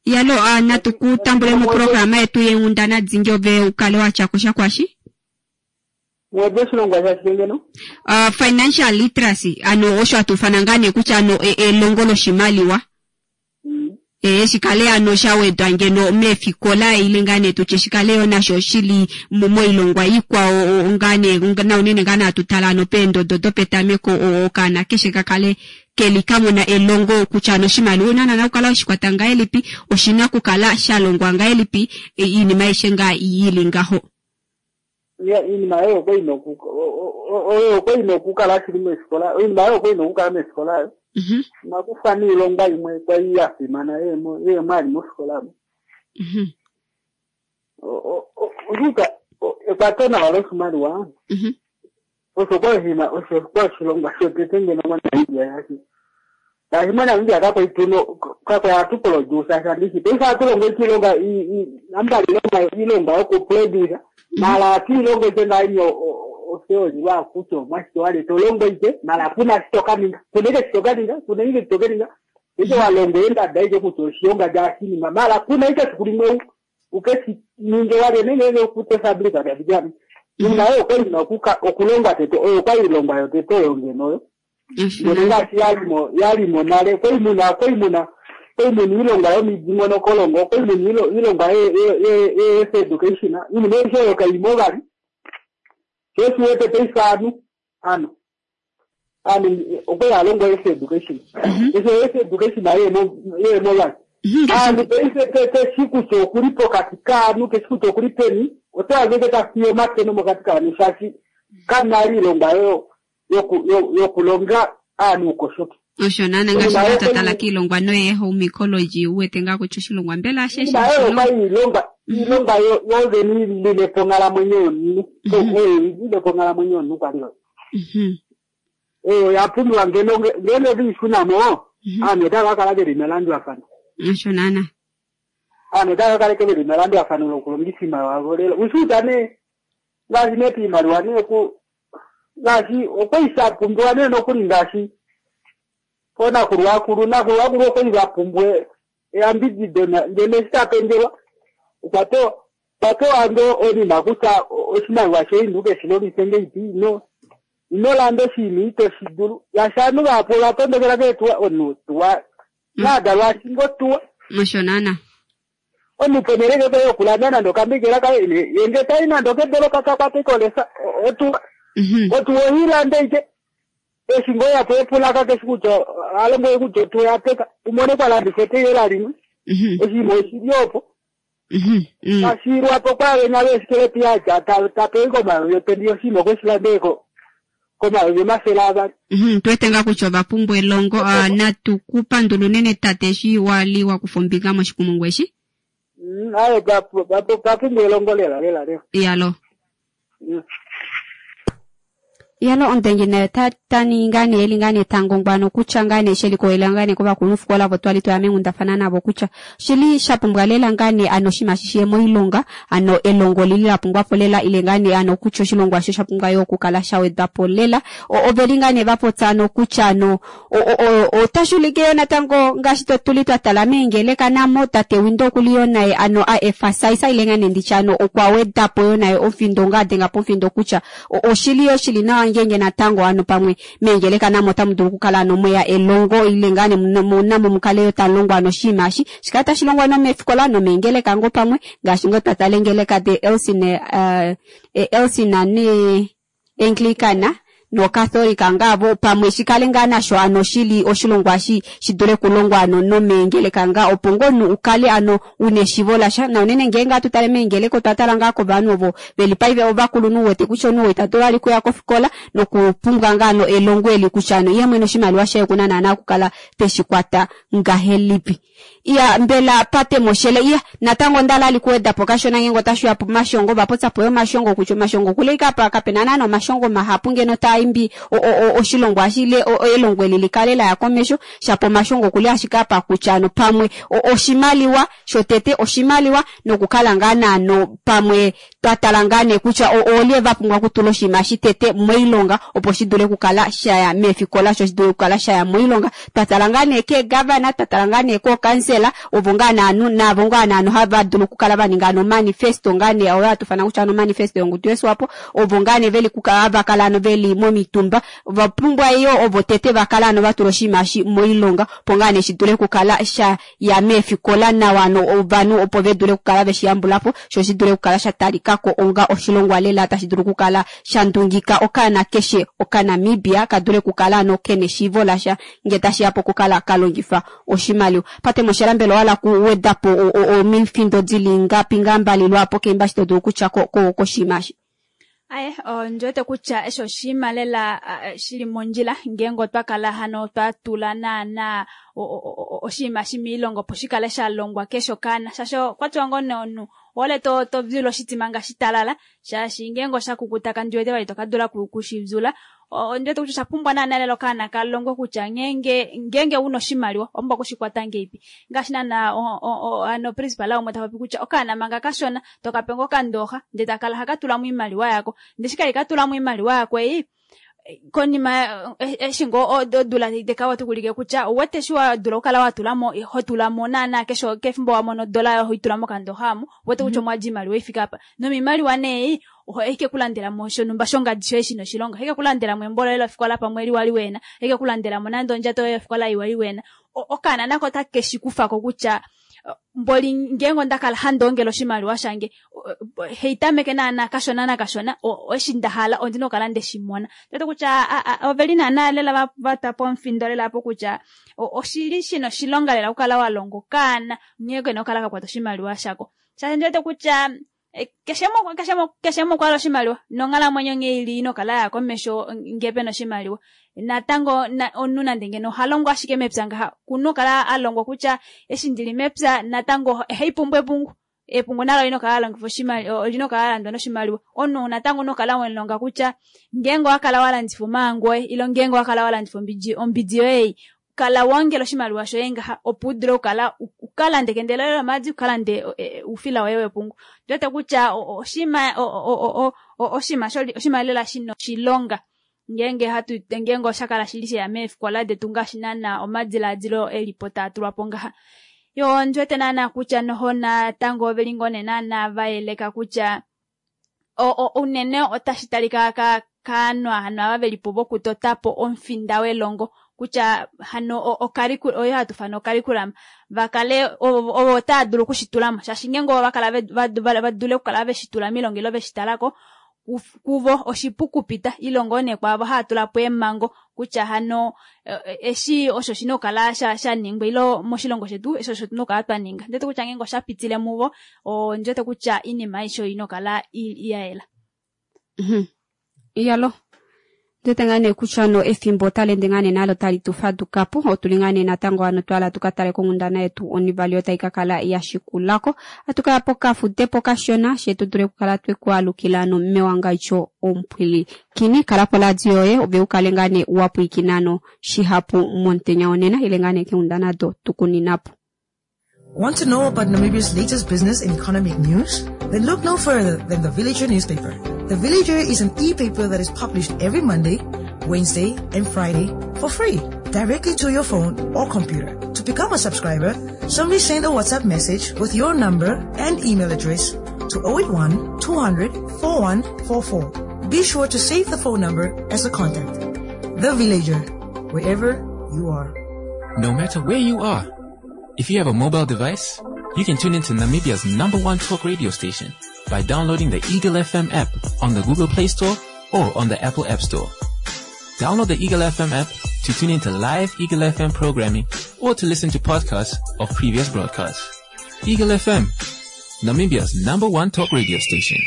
Yalo natu ku tambule mo programa yetu yenghundana dingi ove ukale watya kosha kwashi? Mwede oshilongwa shashike ngeno? Financial literacy ano osho hatu ufana ngaa nee kutya ano elongo loshimaliwa. Ee, shikale ano sha wedwa ngeno meefikola ile ngaa nee tutye shikale yo nasho shili moilongwa ikwao ngaa nee naunene ngaa nee hatu tala ano peendodo dopetameko okaana keshe ka kale keli ka mona elongo kutya ano oshimaliwa ouna naana okukala weshi kwata ngahelipi, oshina okukala sha longwa ngahelipi, iinima aishe ngaa yili ngaho. Iinima oyo okwa ina oyo okwa ina okukala shili meefikola, oinima oyo okwa ina okukala meefikola ayo. Inakufwa niilongwa imwe kwali ya fimana yemo ali mofikola mo. Oshuka ekwato nawa loshimaliwa osho kwa oshinima osho kwa oshilongwa shotete ngeno moNamibia shaashi shaashi moNamibia kakwa tuno kakwa hatu produce sha ndishi paife hatu longo ike iilonga nambali ilonga iilonga yokuproduce mala hatu ilongo ike ngaa otheory lwakutya omwashike wale to longo ike mala kuna shi to ka ninga kuna ike shi to ka ninga kuna ike shi to ka ninga ike walongo endada ike kutya oshilonga lyashinima mala kuna ike esiku limwe ukeshi ninge wale nenge okute fabrika lyabijani iinima oyo okwali ina okulongwa tete oyo okwali ilongwa yotete oyo ngeno oyo ngeno ngaashi yalimo yalimo nale okwali muna okwali muna okwali muna iilongwa yomidingonokolongo okwali muna iilongwa ye-health education iinima aishe oyo kaimo vali sho oshiwete paife aanhu ano aanhu okwali alongwa health education esho health education yeemo vali aanhu paife keshi kutya okuli pokati kaanhu keshi kutya okuli peni oto hange tafiya omakeno mokati kaanhu shaashi kamuna iilongwa oyo yokulonga aanhu uukoshoki. Osho naana ngaashi ngaa twa tala kiilongwa noye home ecology u wete ngaa kutya oshilongwa mbela ashe Iinima oyo okwali iilongwa iilongwa yovene ilile po onghalamwenyo yomunhu oyo ilile po onghalamwenyo yomunhu kwali oyo. Oyo oya pumbiwa ngeno ngeno viishunamo aanhu otava ka kala veli melandulafano. Osho naana. Aanhu otava ka kala veli melandulafano lokulongifa iimaliwa yavo lela. Ushuuta nee ngaashi nee piimaliwa nee ku ngaashi okwali sha pumbiwa nee nokuli ngaashi poonakulu akulu nakulu akulu okwali va pumbwa eyambidido ngeno eshi ta penzelwa okwa pewa okwa pewa ngoo onima kutya oshimaliwa shoye ino keshi longife ngeipi ino ino landa oshinima ito shi dulu shaashi ovanhu vahapu ova tondokela keetuwa omunhu tuwa naadalwa ashinga otuwa. Osho naana. Omunhu ponhele ngenge yokulanda nande okambekela kaye ye nge tayi nande okedolopa ka kwate kolesa otuwa otuwa ohiilande ike eshi ngoo yapo epulaka keshi kutya alombwele kutya otuwa oyateka umone kwa landifwa eteyela limwe oshinima oshili opo tashiilwapo kwaavenya veesikelepi yatya tapewi komayovi opendi oshinima okweshi landele komayovi 200. Tu wete ngaa kutya ova pumbwa elongo. Natu ku pandula unene tate eshi wa li wa kufa ombinga moshikumungu eshi. Aye, pa pumbwa elongo lela lela lela. Iyalo. Iyalo omudengi naye ta ningi ngaa nee eli ngaa nee tangongwano kutya ngaa nee shelikolela ngaa nee kovakulunhufikola ovo twali twaya meenghundafana navo kutya oshili sha pumbwa lela ngaa nee ano oshinima shi shiye moilonga ano elongo lili la pumbwa po lela ile ngaa nee ano kutya oshilongwa osho sha pumbwa yo okukala sha wedwa po lela oveli ngaa nee va popya ano kutya ano otashi ulike yo natango ngaashi tuli twa tala meengeleka namo tate Windo okuli yo naye ano a emphasize ile ngaa nee nditye ano okwa weda po yo naye omufindo ngaa adenga po omufindo kutya oshili yo shili nawa ngeenge natango ano pamwe meengeleka namo otamu dulu okukala ano mweya elongo ile ngaa nee namo mukale yo talongwa ano oshinima eshi shikale tashi longwa nomeefikola nomeengeleka ngoo pamwe ngaashi ngoo twa tala eengeleka de Elcin Elcin ne Anglicana noCatholic ngaavo pamwe shikale ngaa nasho ano shili oshilongwa shi shidule okulongwa ano nomeengeleka ngaa opo ngoo omunhu ukale ano una eshivo lasha na unene ngeenge hatu tale meengeleka otwa tala ngaa kovanhu ovo veli paife ovakulunhu uwete kutya omunhu ita dulu vali okuya kofikola nokupumbwa ngaa ano elongo eli kutya ano ye mwene oshimaliwa shaye okuna naana okukala teshi kwata ngahelipi. Iya, mbela pate moshele iya natango onda li kuweda po kashona ngeenge otashi uya pomashongo va popya po yo omashongo kutya omashongo okuli kapa kapena naana omashongo mahapu ngeno taa imbi oshilongwa eshi ile elongo eli likale laya komesho, shapo omashongo okuli ashike apa kutya ano pamwe oshimaliwa shotete oshimaliwa nokukala ngaa naano pamwe twa tala ngaa nee kutya oolye va pumbwa okutula oshinima eshi tete moilonga opo shi dule okukala shaya meefikola sho shi dule okukala shaya moilonga. Twa tala ngaa nee keegavana, twa tala ngaa nee kookansela ovo ngaa naanhu naavo ngaa naanhu hava dulu okukala va ninga ano manifesto ngaa nee oyo hatu ufana kutya ano manifesto yongudu yoSwapo ovo ngaa nee veli kukala hava kala ano veli momitumba ova pumbwa yo ovo tete va kala ano va tula oshinima eshi moilonga opo ngaa nee shi dule okukala sha ya meefikola nawa ano ovanhu opo ve dule okukala veshi yambula po sho shi dule okukala sha talikako onga oshilongwa lela tashi dulu okukala sha ndungika okaana keshe okaNamibia ka dule okukala ano kena eshiivo lasha ngee tashiya pokukala ka longifa oshimaliwa. Patemoshela mbela owa hala okuweda po omifindo dili ngapi ngaa mbali lwaapo keimba eshi to dulu okutya koshinima eshi? Aye, ondi wete kutya eshi oshinima lela shili mondjila ngeenge otwa kala hano twa tula naana oshinima eshi moilonga opo shi kale sha longwa keshe okaana. Shaashi okwa tiwa ngoo nee omunhu ohole to vyula oshitima ngaashi talala, shaashi ngeenge osha kukuta kandi wete vali to ka dula kushi vyula. Ondi wete kutya osha pumbwa naana lela okaana ka longwe kutya ngeenge ngeenge una oshimaliwa owa pumbwa okushikwata ngeipi. Ngaashi naana hano principal umwe ta popi kutya okaana manga kashona tokape ngoo okandooxa ndee takala haka tulamo oimaliwa yako, ndee eshi kali katulamo oimaliwa yako ei konima eshi ngoo odula teka otakuulike kutya ouwete eshi wa dula okukala wa tulamo ho tulamo naana keshe kefimbo wa mono odola yoye hoitula mokandooxa omo ouwete kutya omwadi oimaliwa ifike apa nomimaliwa nee ohaike kulandelamo shonhumba shongadi shoye shina oshilonga, ohaike kulandelamo embo loye lofikola pamwe liwa liwena, ohaike kulandelamo nande ondjato yoye yofikola iwa liwena. Okaana nako otake shi kufako kutya mboli ngeenge onda kala handi ongele oshimaliwa shange heitameke naana kashona nakashona eshi nda hala ondina okukala nde shi mona. Ndiwete kutya oveli naana lela va twa pomufindo lela apo kutya oshili shina oshilonga lela okukala wa longa okaana nghee kena okukala ka kwata oshimaliwa shako. Shaashi ndiwete kutya keshe umwe okwa hala oshimaliwa nonghalamwenyo nghee ili ina okukala yaya komesho ngee pena oshimaliwa. Natango omunhu nande ngeno oha longo ashike mepya ngaha kuna okukala a longwa kutya eshi ndili mepya natango ohaipumbwa epungu. Epungu nalo olina okukala lalongifwa oshimaliwa, olina okukala lalandwa noshimaliwa. Omunhu natango una okukala wemulonga kutya ngeenge owakala walandifa omaangu oye ile ngeenge owakala walandifa ombidi yoye ei kala waongela oshimaliwa shoye ngaha opo udule okukala ukalande ekende loye lomaadi ukalande oufila woye wepungu. Ndiwete kutya oshinima oshinima lela shina oshilonga ngeenge hatu ngeenge osha kala shili sheya meefikola detu ngaashi naana omadilaadilo elipo taa tulwapo ngaha. Yo ndiwete naana kutya noho natango oveli ngoo nee naana vayeleka kutya unene otashi talika kaanhu hano ava velipo vokutotapo omufinda welongo kutya hano oyo hatu ufana ocurriculum vakale ovo otava dulu okushitulamo shaashi ngeenge ovo vakala vadule okukala veshitula moilonga ile veshitalako kuvo oshipu kupita ile ngoo nee kwaavo hava tulapo eemhango kutya hano eshi osho shina okukala shaningwa ile moshilongo shetu eshi osho tuna okukala twa ninga. Ndiwete kutya ngeenge osha pitile muvo ondiwete kutya oinima aishe oina okukala ya yela. Iyalo ndiwete ngaa nee kutya no efimbo otali ende ngaa nee nalo tali tu fadukapo. Otuli ngaa nee natango ano twala tuka tale konghundana yetu onivali oyo tai ka kala ya shikulako. Atu kaya pokafudepo kashona she tu dule okukala tweku alukila ano mewangadjo omupwilikini. Kala poradio yoye ove ukale ngaa nee wa pwilikina ano shihapu momutenya wonena ile ngaa nee keenghundana do tukuninapo. Want to know about Namibia's latest business and economic news? Then look no further than the Villager newspaper. The Villager is an e-paper that is published every Monday, Wednesday, and Friday for free, directly to your phone or computer. To become a subscriber, simply send a WhatsApp message with your number and email address to 081 200 4144. Be sure to save the phone number as a contact. The Villager, wherever you are. No matter where you are, if you have a mobile device, you can tune into Namibia's number one talk radio station by downloading the Eagle FM app on the Google Play Store or on the Apple App Store. Download the Eagle FM app to tune into live Eagle FM programming or to listen to podcasts of previous broadcasts. Eagle FM, Namibia's number one talk radio station.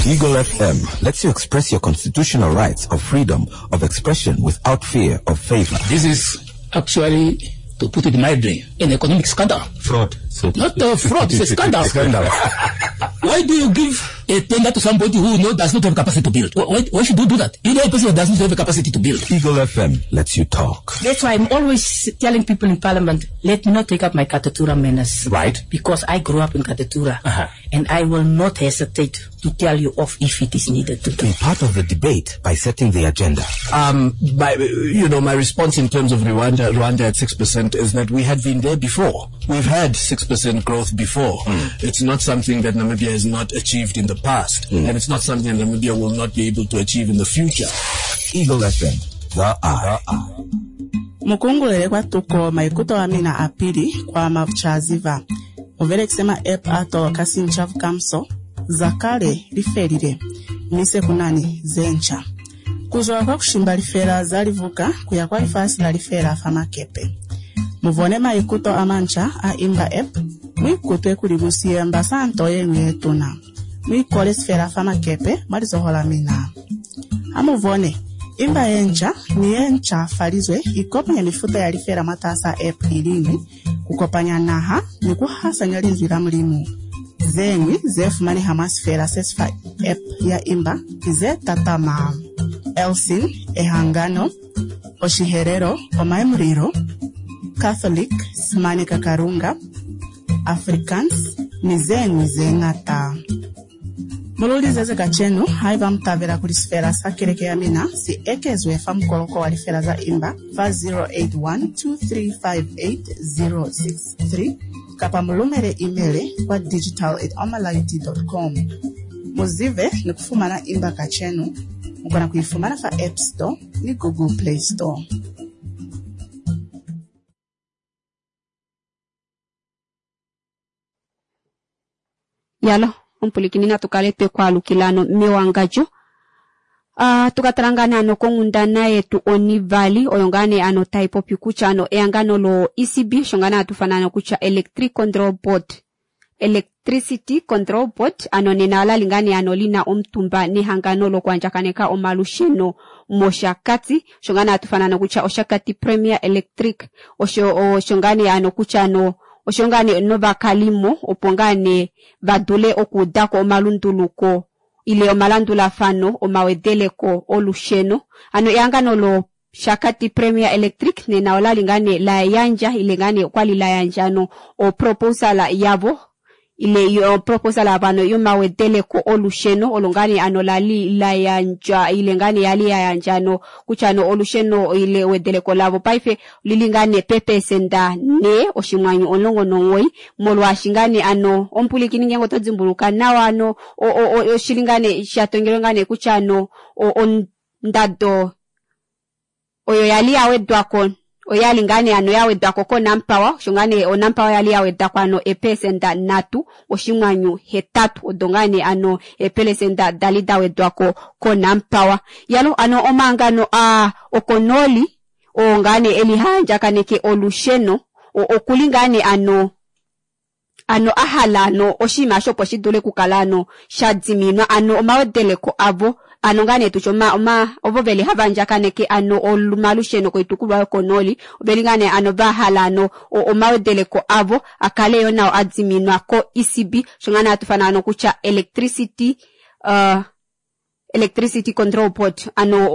Eagle FM lets you express your constitutional rights of freedom of expression without fear of favor. This is actually, to put it mildly, an economic scandal. Fraud. So not a fraud, it's a scandal. Scandal. Why do you give a tender to somebody who does not have capacity to build? Why should you do that? You know a person who does not have capacity to build. Eagle FM lets you talk. That's why I'm always telling people in Parliament, let me not take up my Katutura manners. Right. Because I grew up in Katutura. And I will not hesitate to tell you off if it is needed to. Be part of the debate by setting the agenda. My response in terms of Rwanda at 6% is that we had been there before. We've had 6% growth before. It's not something that Namibia has not achieved in the past, and it's not something that Namibia will not be able to achieve in the future. Eagle FM, the Eye. Mukungulele kwa tuko maikuto wa mina apili kwa mavchaziva. Muvele kusema app ato kasi nchavu kamso, zakale lifelile, mise kunani zencha. Kuzwa kwa kushimba lifela zalivuka kuya kwa ifasi la lifela famakepe. Muvone maikuto amancha a imba app, mwikutwe kulibusiye mbasanto yenyu yetuna. Mwikole sifela famakepe mwalizohola mina. Amuvone, imba yencha ni yencha falizwe ikopanya mifuta ya lifela mwatasa app ilini kukopanya naha ni kuhasanya linzwi la mulimu. Zeñwi zefumaneha mwa sifela sesifa app ya imba ki tatama Elsin, Ehangano, Oshiherero, Omaemuriro, Catholic, Simanika Karunga, Afrikaans ni zeñwi zeñata. Mululize kacenu haiba mutavela kuli sifela sa keleke ya mina si ekezwe fa mukoloko wa lifela za imba fa 0812358063 kapa mulumele email kwa digital@omalight.com. Muzive ni kufumana imba kacenu mukona kuifumana fa App Store ni Google Play Store. Yalo ompulikini natu kale twekwaalukila mewangadjo. Tukatala ngaa ano konghundana yetu onivali oyo ngaa nee ano taipopi kutya ano ehangano lo ECB osho ngaa nee hatufana ano kutya Electric Control Board Electricity Control Board ano nena olali ngaa nee ano lina omutumba nehangano lokuandjakaneka omalusheno mOshakati osho ngaa nee hatufana ano kutya Oshakati Premier Electric osho ngaa nee ano kutya ano osho ngaa nee novakalimo opo ngaa nee vadule okuudako omalunduluko ile omalandulafano omawedeleko olusheno ano ehangano lo Shakati Premier Electric nena olali ngaa nee la yandja ile ngaa nee okwali la yandja ano oproposala yavo ile yo proposal avano yomawedeleko olusheno olo ngaa nee ano lali la yandja ile ngaa nee yali ya yandja ano kutya ano olusheno ile wedeleko lavo paife lili ngaa nee pepesenda 4.19 molwaashi ngaa nee ano ompulikini ngenge oto dimbuluka nawa ano oshili ngaa nee shatongelwe ngaa nee kutya ano ondado oyo yali yawedwako oyali ngaa nee ano yawedwako koNampower osho ngaa nee oNampower yali yawedwako ano 3.8 odo ngaa nee ano epelesenda dali dawedwako koNampower. Yalo ano omangano a okonoli oo ngaa nee eli haandjakaneke olusheno okuli ngaa nee ano ahala ano oshinima osho opo shi dule okukala ano sha diminwa ano omawedeleko avo ano ngaa nee tutye ovo veli hava andjakaneke ano omalusheno koitukulwa yokonoli oveli ngaa nee ano vahala ano omawedeleko avo akale yo nao adiminwa ko ECB osho ngaa nee hatufana ano kutya Electricity Control Board ano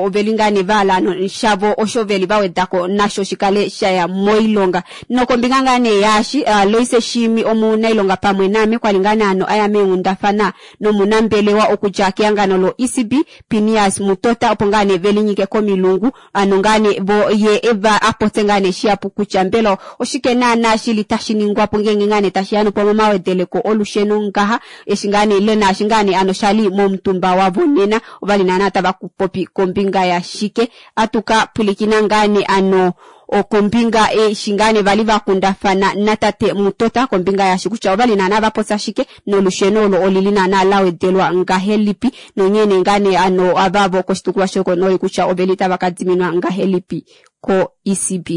oveli ngaa nee vahala ano shavo osho veli vawedako nasho shikale shaya moilonga. Nokombinga ngaa nee yaashi Loise Shimi omunailonga pamwe name kwali ngaa nee ano aya meenghundafana nomunambelewa okudja kehangano lo ECB Pinias Mutota opo ngaa nee velinyike komilungu ano ngaa nee vo ye eva apotse ngaa nee shihapu kutya mbela oshike naana shili tashi ningwapo ngenge ngaa nee tashiya nopo momawedeleko olusheno ngaha eshi ngaa nee ile naashi ngaa nee ano shali momutumba wa vonena ovali naana tava kupopi kombinga ya shike atuka pulikina ngaa nee ano okombinga eshi ngaa nee vali vakundafana natate Mutota kombinga yashi kutya ovali naana vapotsa shike nolusheno olo olili naana lawedelwa ngahelipi nonyene ngaa nee ano avavo koshitukulwa shokonoli kutya oveli tava kadiminwa ngahelipi ko ECB.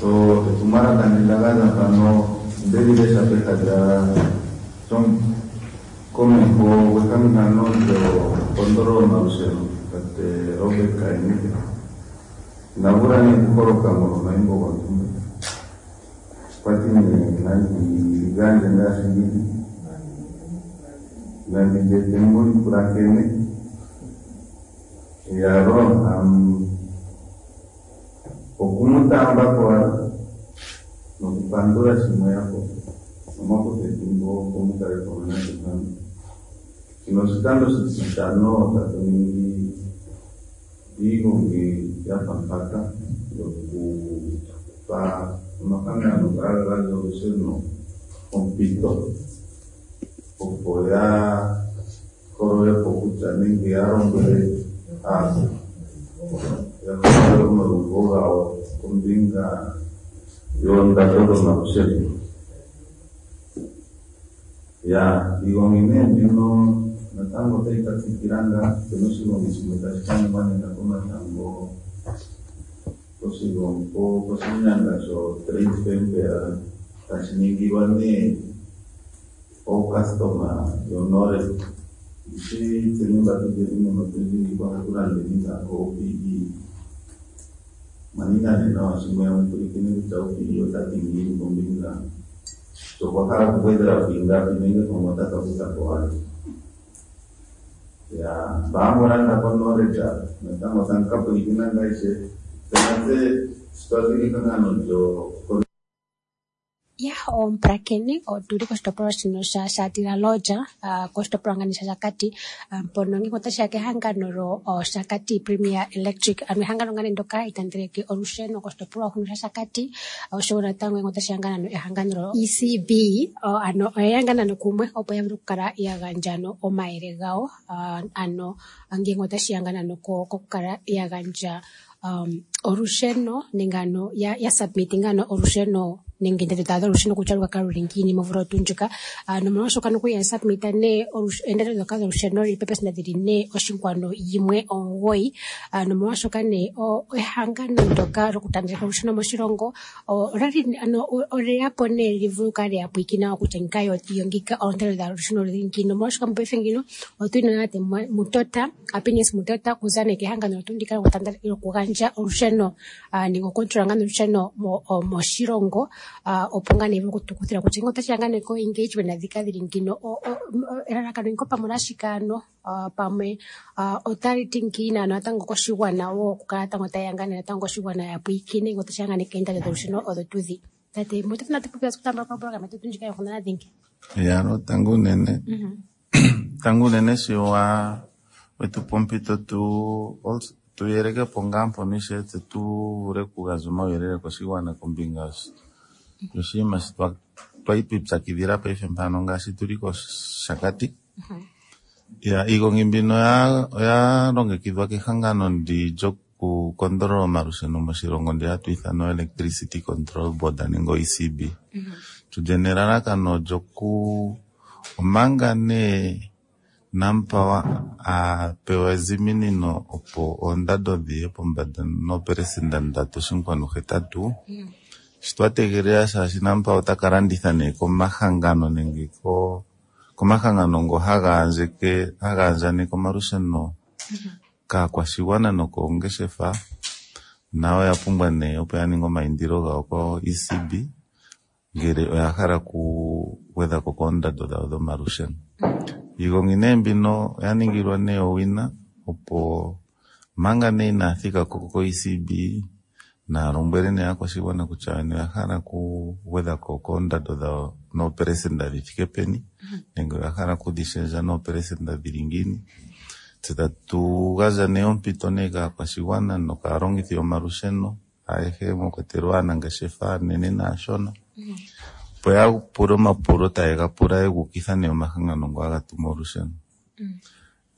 So etumwalaka ndilakaza pano ndelilesha peha lya komeho gwehangano lyokondolo yomalusheno tate Robert Kainuke inavula nee okuholoka molwomaimbo gontumba. Okwa ti nee nandi li gandje ngaashi li li, nandi li ete mu li pulakene. Iyaloo, oku mu taamba ko owala nokupandula shi mweya po nomwa kutha ethimbo opo mu kale pamwe natse mpano. Shino oshikando oshititano tatu ningi iigongi ya fa mpaka yokupa omahangano nga haga gandja olusheno ompito opo ya holole po kutya nenge ya lombwele aantu ya holole omalugo gawo kombinga yoondando dhomalusheno. Ya iigongi nee mbino natango otayi ka tsikila ngaa, opena oshigongi shimwe tashi ka ningwa nena komatango koshinyanga sho Trade Fair tashi ningilwa nee ookastoma yoNored. Ndishi tseni mba tuli muno otundji ohatu landeni ngaa ko-OPE. Mwaninga nee nawa shi mweya mu pulakene kutya OPE ota ti ngiini kombinga sho okwa hala okugwedhela ko ingapi nenge pamwe ota ka kutha ko walye. Ya mba hamu landa koNored natango otamu ka pulakena ngaa ishewe. Tse natse sho twa zi kehangano lyo Ya omupulakeni otuli koshitopolwa shino sha Shatila Lodge koshitopolwa ngani shaShakati mpono ngele otashiya kehangano lo Shakati Premier Electric ano ehangano ngane ndyoka hali tandeleke olusheno koshitopolwa huno shaShakati oshowo natango ngele otashiya ngaa nano ehangano lo ECB ano oyeya ngaa nano kumwe opo ya vule okukala ya gandja ano omayele gawo ano ngele otashiya ngaa nano kokukala ya gandja olusheno nenge ano ya submitinga ano olusheno nenge oondando dhawo dholusheno kutya oluka kala luli ngiini momvula oyo tuu ndjika. Nomolwashoka nokuli ya submita nee oondando ndhoka dholusheno lili pepesenda dhili 4.19. Nomolwashoka nee ehangano ndyoka lyokutaandeleka olusheno moshilongo olali ano olyeya po nee li vule okukala lyeya pwiikina kutya ngika yo ngika oondando dholusheno odhili ngiini. Nomolwashoka mopaife ngino otuli na tate Mutota, Happiness Mutota okuza nee kehangano tuu ndika lyokugandja olusheno nenge okukontrola ngaa olusheno moshilongo opo ngaa nee vule okutukuthila kutya ngele otashiya ngaa nee ko engagement ndhika dhili ngino elalakano inko pamwe olashike ano pamwe otali ti ngiini ano natango koshigwana wo okukala natango tayeya ngaa nee natango koshigwana ya pwiikine ngele otashiya ngaa nee koondando dholusheno odho tuu dhi. Tate Mutota natu popye okutambula ko program yetu ndjika yonkundana dhingi. Ya, tango unene. Tango unene shi wa wetu pa ompito tu tu yeleke po ngaa mpono ishewe tse tu vule okugandja omauyelele koshigwana kombinga yoshinima shi twali twiipyakidhila paife mpano ngaashi tuli kOshakati. Ya iigongi mbino oya longekidhwa kehangano ndi lyokukondolola omalusheno moshilongo ndi hatu ithana Electricity Control Board nenge ECB. Tulye nelalakano lyoku omanga nee Nampower a pewa eziminino opo oondando dhiye pombanda noopelesenda 3.8. Shi twa tegelela shaashi Nampower otaka landitha nee komahangano nenge komahangano ngo haga andjaneke omalusheno kaakwashigwana nokoongeshefa, nayo oya pumbwa nee opo ya ninge omaindilo gawo ko ECB ngele oya hala okugwedha ko koondando dhawo dhomalusheno. Iigongi nee mbino oya ningilwa nee owina opo manga nee inaya thika ko ECB naya lombwele nee aakwashigwana kutya oya hala okugwedha ko koondando dhawo noopelesenda dhi thike peni nenge oya hala okudhi shendja noopelesenda dhili ngiini. Tse tatu gandja nee ompito nee kaakwashigwana nokaalongithi yomalusheno ayehe mwa kwatelwa aanangeshefa aanene naashona opo ya pule omapulo taye ga pula ye ga ukitha nee omahangano ngo haga tumu olusheno.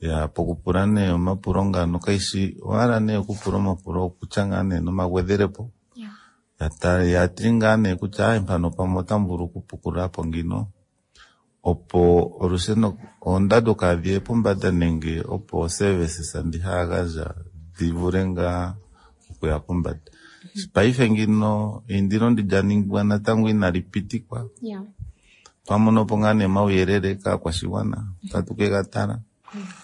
Ya pokupula nee omapulo ngano kayishi owala nee okupula omapulo okutya ngaa nee nomagwedhelepo ya ti ngaa nee kutya ayi mpano pamwe otamu vulu okupukulula po ngino opo olusheno oondando kaadhiye pombanda nenge opo services ndhi haya gandja dhi vule ngaa okuya pombanda. Paife ngino eindilo ndi lya ningwa natango inali pitikwa. Twamono po ngaa nee omauyelele kaakwashigwana otatu ke ga tala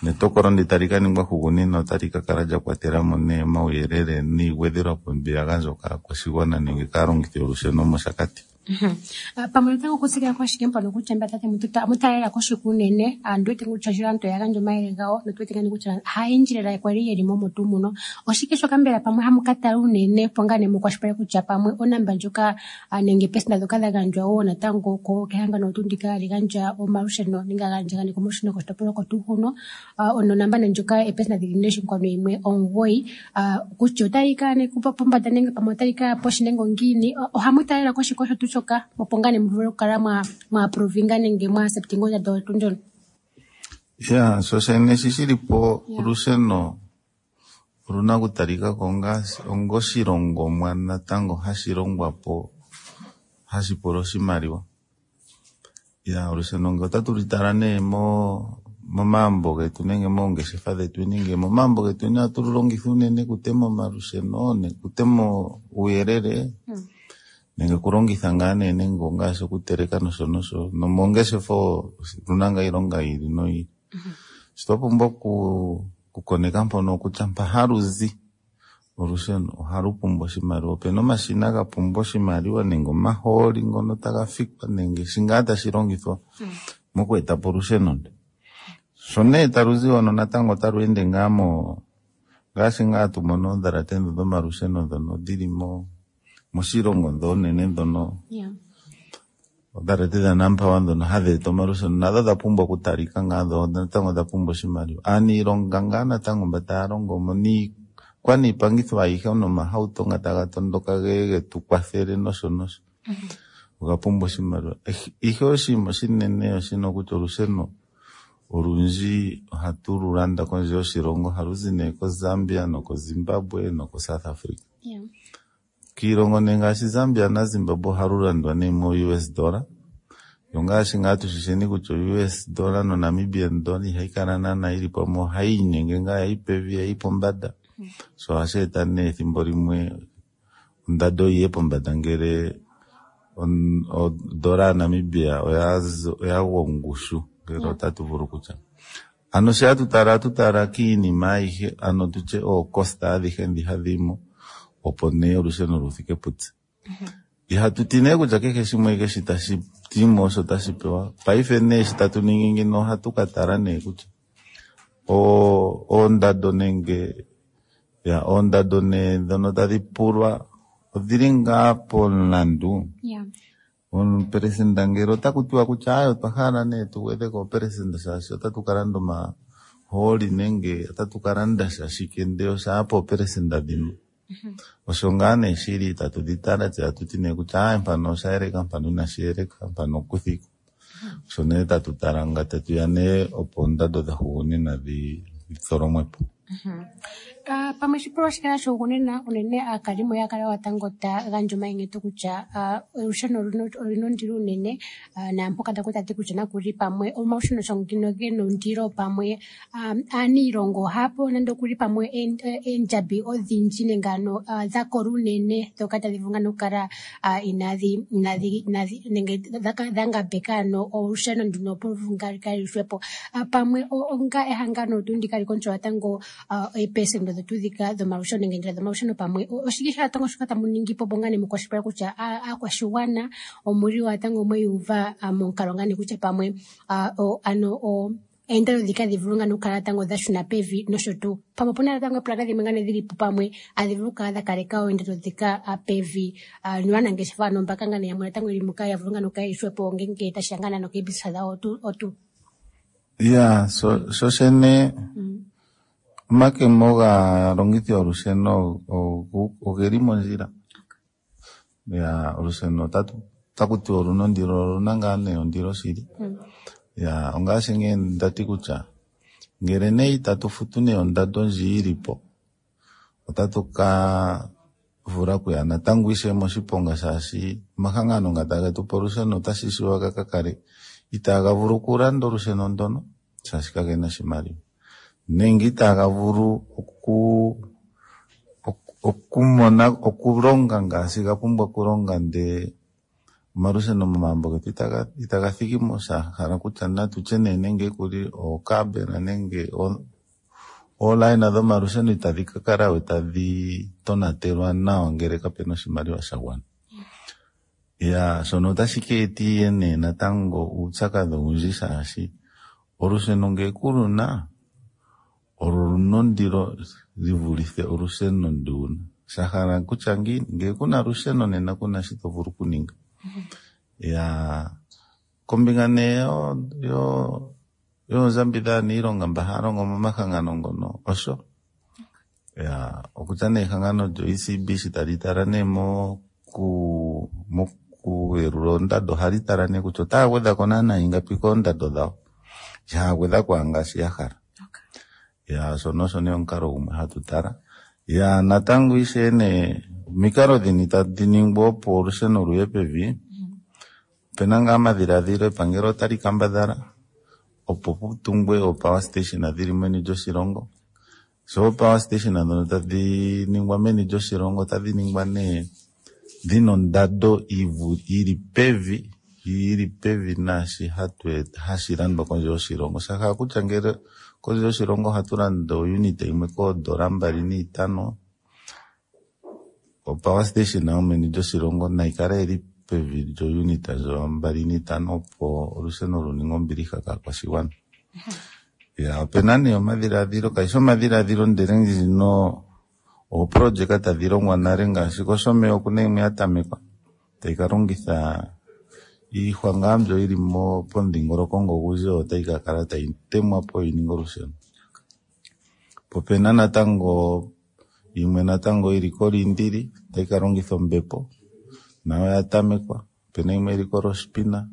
netokolo ndi tali ka ningwa hugunina otali ka kala lya kwatela mo nee omauyelele niigwedhelwapo mbi ya gandjwa kaakwashigwana nenge kaalongithi yolusheno mOshakati. Pamwe natango okutsikila ko ashike mpano kutya mba tate mutalela koshike unene andu wete kutya sho aantu oya gandja omayele gawo notu wete ngani kutya hayendji lela kwali yeli mo tuu muno. Oshike shoka mbela pamwe hamu ka tala unene opo ngaa nee mukwashilipaleke kutya pamwe onamba ndjoka nenge epesenda ndhoka dha gandjwa wo natango kehangano tuu ndika hali gandja omalusheno nenge andjaganeka omalusheno koshitopolwa oko tuu huno, ononamba nee ndjoka epesenda dhili 4.9 kutya otayi kala nee pombanda nenge pamwe otayi kaya poshi nenge ongiini, ohamu talela koshike osho tuu shoka opo ngaa nee mu vule okukala mwa approvinga nenge mwa acceptinga ondando oyo tuu ndjono? Ya, sho shene shi shili po olusheno oluna okutalika ko ongoshilongomwa natango hashi longwa po hashi pula oshimaliwa. Ya, olusheno ngele otatu li tala nee momagumbo getu nenge moongeshefa dhetu nenge momagumbo getu ohatu lu longitha unene okutema omalusheno nokutema uuyelele nenge okulongitha ngaa nee nenge ongaashi okuteleka nosho nosho nomoongeshefa oluna ngaa iilonga yi ili noyi ili. Sho twa pumbwa okukoneka mpono kutya mpa halu zi olusheno ohalu pumbwa oshimaliwa. Opena omashina ga pumbwa oshimaliwa nenge omahooli ngono taga fikwa nenge shi ngaa tashi longithwa moku eta po olusheno ndo. Sho nee talu zi hono natango otalu ende ngaa mo ngaashi ngaa hatu mono oondhalate ndho dhomalusheno ndhono dhili moshilongo ndho oonene ndhono odhalate dhaNampower ndhono hadhi eta omalusheno nadho odha pumbwa okutalika ngaa dho natango odha pumbwa oshimaliwa. Aaniilonga ngaa natango mba taya longo mo niikwaniipangitho ayihe nomahauto nga taga tondoka ge getu kwathele nosho nosho oga pumbwa oshimaliwa. Ihe oshinima oshinene oshino kutya olusheno olundji ohatu lu landa kondje yoshilongo, ohalu zi nee koZambia nokoZimbabwe nokoSouth Africa. Kiilongo nee ngaashi Zambia naZimbabwe ohalu landwa nee mo US dollar. Yo ngaashi ngaa tushisheni kutya US dollar noNamibian dollar ihayi kala naana ili pamwe, ohayi inyenge ngaa yayi pevi yayi pombada. So ohashi eta nee ethimbo limwe ondando yiye pombanda ngele odola yaNamibia oya gwa ongushu ngele otatu vulu kutya. Ano sho hatu tala, ohatu tala kiinima ayihe, ano tutye ookosta adhihe ndhi hadhi yimo opo nee olusheno lu thike putse. Ihatu ti nee kutya kehe shimwe keshi tashi timo osho tashi pewa. Paife nee shi tatu ningi ngino ohatu ka tala nee kutya oondando nenge ya oondando nee ndhono tadhi pulwa odhili ngaa pomulandu. Omuperesenda ngele otaku tiwa kutya aye otwa hala nee tu gwedhe ko operesenda shaashi otatu ka landa omahooli nenge otatu ka landa sha shike ndele osha ya pooperesenda dhimwe. Osho ngaa nee shili tatu dhi tala tse tatu ti nee kutya aye mpano osha yeleka mpano inashi yeleka mpano okuthika. Osho nee tatu tala nga tatu ya nee opo oondando dha hugunina dhi tholomwe po. Pamwe oshipolwa shikala shugunina unene aakalimo ya kala watango ta gandja omayinyeto kutya olusheno oluna ondilo unene, naampoka taku tati kutya nakuli pamwe omalusheno sho ngino gena ondilo pamwe aaniilonga ohaya pewa nande okuli pamwe eendjambi odhindji nenge ano dha kola unene ndhoka tadhi vulu ngaa okukala inaadhi nenge dha ngambeka ano olusheno nduno opo lu kalithwe po. Pamwe onga ehangano tuu ndika li control tango eepesenda dhetu dhika dhomalusheno nenge eendjila dhomalusheno pamwe oshike sha tango shoka tamu ningi po opo ngaa nee mukwashilipaleke kutya aakwashigwana omuli wa tango mweyuuva momukalo ngaa nee kutya pamwe ano eendando dhika dhi vulu ngaa okukala tango dha shuna pevi nosho tuu. Pamwe opuna natango eepulaka dhimwe ngaa nee dhili po pamwe adhi vulu okukala dha kaleka oondando dhika pevi, noanangeshefa ano mbaka ngaa nee yamwe natango yeli muka ya vulu ngaa nee okukala yeli hwepo ngenge tashiya ngaa nee nokeebisisa dhawo otu. Ya, sho shene omakemo gaalongithi yolusheno ogeli mondjila. Ya, olusheno otaku tiwa oluna ondilo, oluna ngaa nee ondilo shili. Ya, ongaashi ngee ndati kutya ngele nee itatu futu nee ondando ndji yili po, otatu ka vula okuya natango ishewe moshiponga shaashi omahangano nga tage tu pe olusheno otashi shiwa ga ka kale itaaga vulu okulanda olusheno ndono shaashi kagena oshimaliwa nenge itaaga vulu okumona okulonga ngaashi ga pumbwa okulonga ndee omalusheno momagumbo getu itaga thiki mo, sha hala kutya natutye nee nenge kuli ookabela nenge oolayina dhomalusheno itadhi ka kala we tadhi tonatelwa nawa ngele kapena oshimaliwa sha gwana. Ya shono otashi ka etiye nee natango uupyakadhi owundji shaashi olusheno ngee kuluna oluna ondilo livulithe olusheno ndiuna. Shahala kutya ngiini ngee kuna olusheno nena kuna shi tovulu okuninga. Ya kombinga nee yoondjambi dhaaniilonga mba haya longo momahangano ngono osho ya okutya nee ehangano lyo-ECB shi tali tala nee mokuyelula oondando ohali tala nee kutya otaya gwedha ko naana ingapi koondando dhawo ihaya gwedha ko ngaashi ya hala. Ya shono osho nee omukalo gumwe hatu tala. Ya natango ishewe nee omikalo dhini tadhi ningwa opo olusheno luye pevi? Opena ngaa omadhiladhilo epangelo otali kambadhala opo pu tungwe oo-power station dhili meni lyoshilongo. Sho oo-power station ndhono tadhi ningwa meni lyoshilongo otadhi ningwa nee dhina ondando yili pevi yili pevi naashi hashi landwa kondje yoshilongo. Shahala kutya ngele kondje yoshilongo ohatu landa ounit yimwe koondola 25, o-power station yomeni lyoshilongo nayi kale yili pevi lyo-unit ndjo 25 opo olusheno luninge ombiliha kaakwashigwana. Ya opena nee omadhiladhilo kayishi omadhiladhilo ndele ndjino ooprojeka tadhi longwa nale ngaashi kOshomeya okuna yimwe ya tamekwa tayi ka longitha iihwa ngaa mbyo yili pomudhingoloko ngo ogundji oyo tayi ka kala tayi temwa po yi ninge olusheno. Po opena natango yimwe natango yili koLiindili tayi ka longitha ombepo nayo oya tamekwa. Opena yimwe yili koRoshpina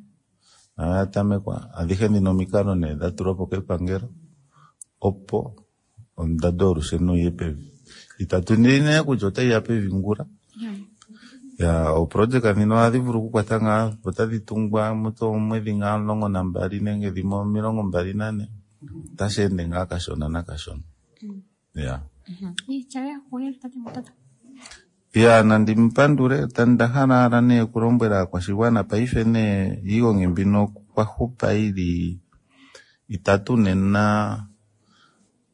nayo oya tamekwa. Adhihe ndhino omikalo nee dha tulwa po kepangelo opo ondando yolusheno yiye pevi. Itatu indile nee kutya otayi ya pevi ngula. Ya ooprojeka ndhino ohadhi vulu okukwata ngaa otadhi tungwa mutu omwedhi ngaa 12 nenge dhimwe 24. Otashi ende ngaa kashona nakashona. Ya. Ya nandi mupandule nda hala owala nee okulombwela aakwashigwana paife nee iigongi mbino kwa hupa yili itatu nena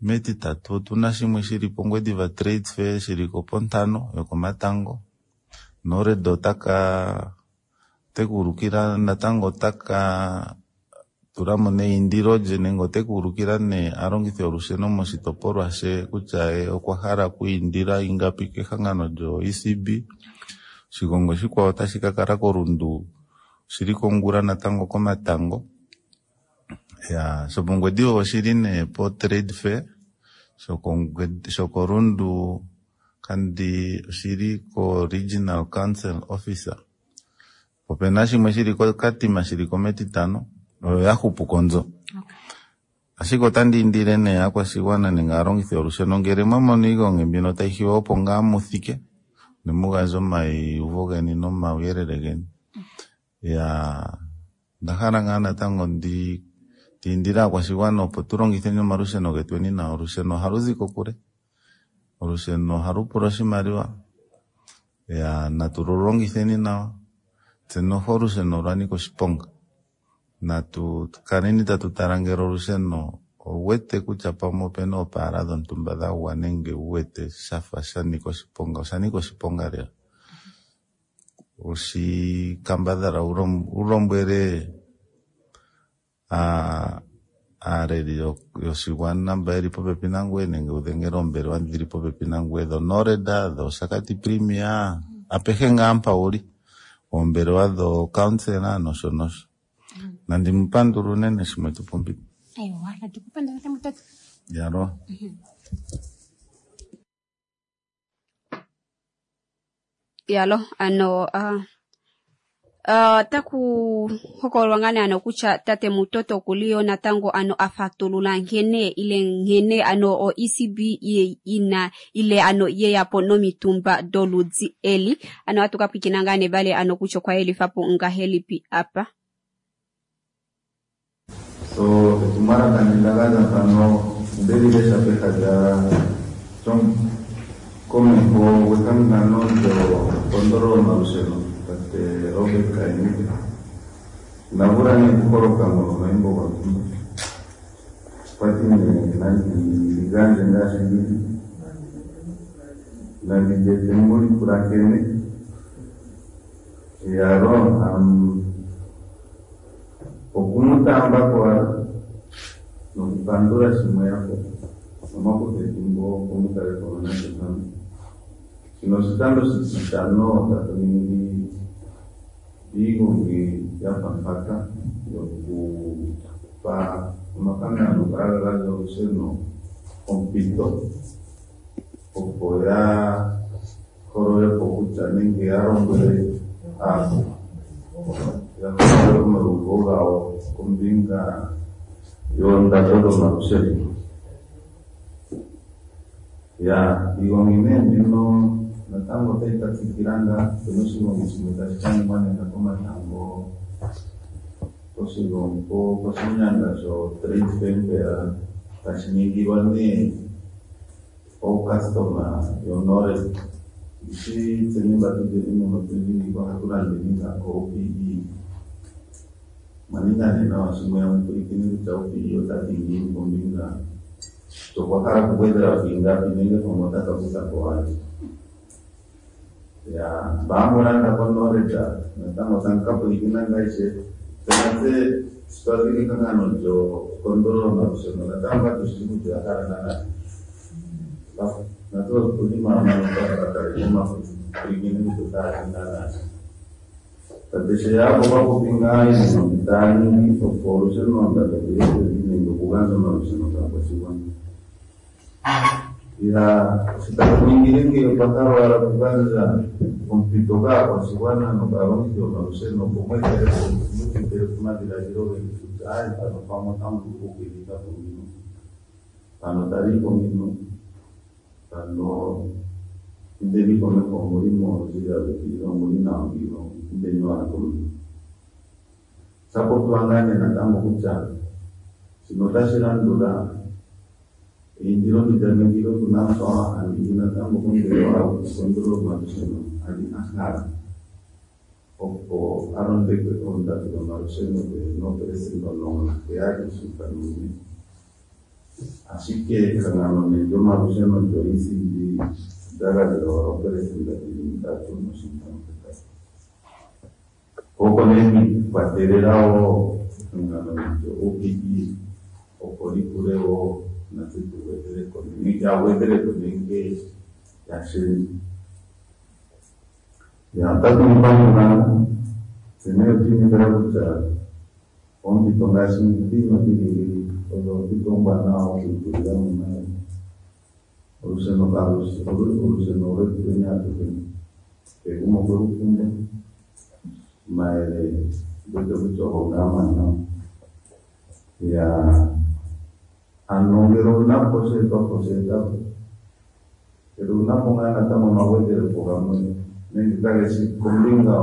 metitatu otuna shimwe shili pOngwediva Trade Fair shili ko pontano yokomatango. Nored otaka tekuulukila natango otaka tulamo neindilo lye nenge otekuulukila nee aalongithi yolusheno moshitopolwa she kutya ye okwa hala okwiindila ingapi kehangano lyo-ECB. Oshigongi oshikwawo otashi ka kala koRundu shili kongula natango komatango. Ya shopOngwediva oshili nee po Trade Fair, shokoRundu kandi oshili ko Regional Council Officer. Opena shimwe shili koKatima shili ko metitano oyo ya hupu konzo. Ashike otandi indile nee aakwashigwana nenge aalongithi yolusheno ngele mwa mono iigongi mbino tayi hiwa opo ngaa mu thike ne mu gandje omaiyuvo geni nomauyelele geni. Ya onda hala ngaa natango ndi indile aakwashigwana opo tu longitheni omalusheno getweni nawa. Olusheno ohalu zi kokule, olusheno ohalu pula oshimaliwa. Ya natu lu longitheni nawa, tse noho olusheno olwa nika oshiponga. Natu kaleni tatu tala ngele olusheno owuwete kutya pamwe opena oopaala dhontumba dha gwa nenge wuwete shafa sha nika oshiponga, osha nika oshiponga lela. Oshikambadhala ulombwele aaleli yoshigwana mba yeli popepi nangoye nenge udhengele oombelewa dhili popepi nangoye dhoNored, dhOshakati Premier, apehe ngaa mpa wuli, oombelewa dhookansela nosho nosho. Nandi mupandule unene shi mwetu pa ompito. Aiwa, natu kupandula tate Mutota. Yalo. Yalo, ano otaku hokololwa ngaa nee ano kutya tate Mutoto okuli yo natango ano a fatulula nkene ile nkene ano o ECB ina ile ano yeya po nomitumba doludhi eli. Ano ohatu ka pwiikina ngaa nee vale ano kutya okwa yelifa po ngahelipi apa. So etumwalaka ndi nda gandja mpano onde li lesha peha lyomukomeho gwehangano lyokondolola omalusheno tate Robert Kainuke. Inavula nee okuholoka molwa omayimbo gontumba. Okwa ti nee nandi li gandje ngaashi lili, nandi li ete mu li pulakene. Iyalo, okumutaamba ko owala nokupandula shimwe yapo omwakutha ethimbo opo mu kale pamwe natse mpano. Shino oshikando oshititano tatu ningi iigongi ya fa mpaka yokupa omahangano ngoka haga gandja olusheno ompito opo ya holole po kutya nenge ya lombwele aantu ya holole omalugo gawo kombinga yoondando dhomalusheno. Ya iigongi nee mbino natango otayi ka tsikila ngaa opena oshigongi shimwe tashi ka ningwa nena komatango poshinyanga sho Trade Fair tashi ningilwa nee ookastoma yoNored. Ndishi tseni mba tulyeni muno otundji ngiika ohatu landeni ngaa ko-OPE. Omwa ninga nee nawa sho mweya mu pulakene kutya OPE ota ti ngiini kombinga kutya okwa hala okugwedhela ko ingapi nenge pamwe ota ka kutha ko walye. Ya mba hamu landa koNored natango tamu ka pulakena ngaa ishewe. Tse natse sho twa zi kehangano lyokondolola omalusheno natango katu shi kutya oya hala naanaa natse otuli makaleke omapulakene kutya otaya ti naanaa shike. Tate Sheya okwa popi ngaa iinima mbi taya ningi opo olusheno oondando dhiye pevi nenge okugandja omalusheno kaakwashigwana. Ya sho tatu ningile ngeyi otwa hala owala okugandja ompito kaakwashigwana nokaalongithi yomalusheno opo mu etele po mu tu etele po omadhiladhilo geni kutya aaye mpano pamwe otamu vulu okugwedhitha po ngino, mpano talii po ngino, mpano indeni komeho omuli mondjila yuukilila omuli nawa ngino indeni owala komeho. Osha popiwa ngaa nee natango kutya shino otashi landula eindilo ndi lya ningilwe kuNamPower a ningi natango kombelewa yokukondolola omalusheno a li a hala opo a londekwe oondando dhomalusheno dhe noopelesenda 17.4. Ashike ehangano nee lyomalusheno lyo-ECB olya gandja owala oopelesenda dhili 3.8. Ko oko nee kwi ikwatelela wo ehangano lyo-OPE opo li pule wo natse tu gwedhele ko nenge ya gwedhele ko nenge ya shendje. Ya otatu mu pandula tse nee otwi inekela kutya oompito ngaashi ndhino dhili ngeyi odho oompito oombwanawa okwiitulila mo omayele. Olusheno kalushi olusheno olwetu atuheni, kehe gumwe okwe lu pumbwa. Omayele ondi wete kutya ogo ngaa omawanawa. Ya ano ngele owuna po osheetwapo sheeta po. Ngele owuna po ngaa natango omagwedhelepo gamwe nenge kage shi kombinga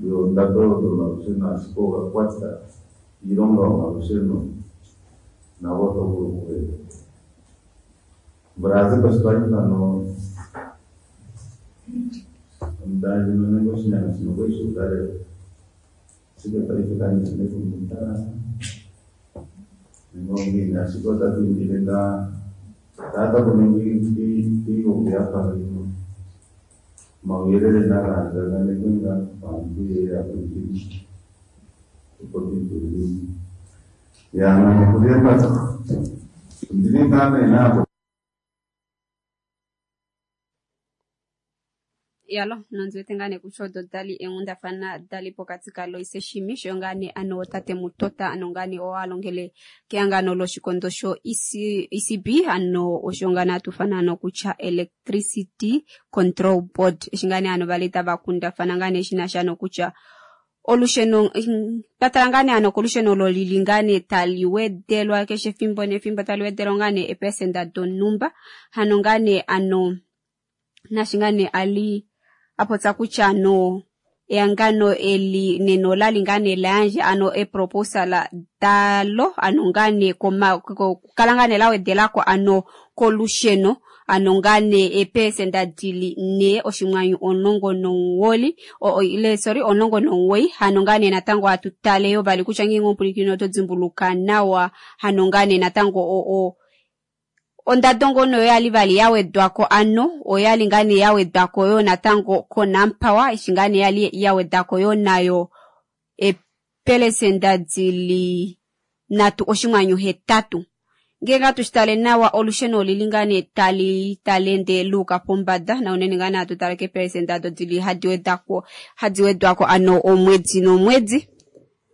yoondando dhomalusheno ashike oga kwata iilonga yomalusheno nago oto vulu okuga eta po. Omvula ya zi ko sho twali mpano ondunda ndjino nenge oshinyanga shino okwali shu udha lela, ashike paife kandi shi methimbo mutalala nenge ongiini, ashike otatu indile ngaa shaa taku ningwa iigongi ya fa mbino omauyelele naga andjaganekwe ngaa opo aantu yeye ya pulakene opo tu itulile mo. Ya ngame okuza mpaka ondili ngaa nee napo. Yalo nondi wete ngaa nee kutya odo dali eenghundafana dali pokati kaLoise Shimi sho ngaa nee ano tate Mutota ano ngaa nee oo a longele kehangano loshikondo sho ECB ano osho ngaa nee hatu ufana ano kutya Electricity Control Board eshi ngaa nee ano vali tava kundafana ngaa nee shina sha nokutya olusheno twa tala ngaa nee ano kolusheno olo lili ngaa nee tali wedelwa keshe efimbo nefimbo tali wedelwa ngaa nee eepesenda donhumba hano ngaa nee ano nashi ngaa nee ali a popya kutya no ehangano eli nena olali ngaa nee la yandja ano eproposal dalo ano ngaa nee kukala ngaa nee la wedelako ano kolusheno ano ngaa nee eepesenda dili 4.19 ile sorry 19 hano ngaa nee natango hatu tale yo vali kutya ngeenge omupwilikini oto dimbuluka nawa hano ngaa nee natango o, o. Ondado ngono oyali vali ya wedwako ano oyali ngaa nee ya wedwako yo natango koNampower eshi ngaa nee yali ya wedako yo nayo eepelesenda dili 3.8. Ngele hatu shi tale nawa olusheno olili ngaa nee tali tali ende luuka pombada na unene ngaa nee hatu tale keepelesenda odo dili hadi wedako hadi wedwako ano omwedi nomwedi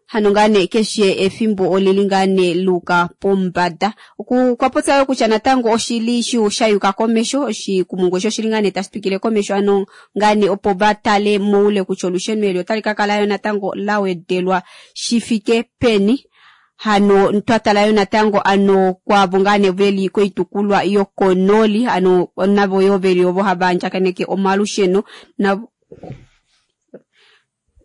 hano ngaa nee keshe efimbo olili ngaa nee luuka pombada. Okwa popya yo kutya natango oshili shayuka komesho oshikumungu eshi oshili ngaa nee tashi twikile komesho ano ngaa nee opo vatale moule kutya olusheno eli otali ka kala yo natango la wedelwa shi fike peni. Hano twatala yo natango ano kwaavo ngaa nee veli koitukulwa yokonooli ano navo yo veli ovo hava andjakaneke omalusheno navo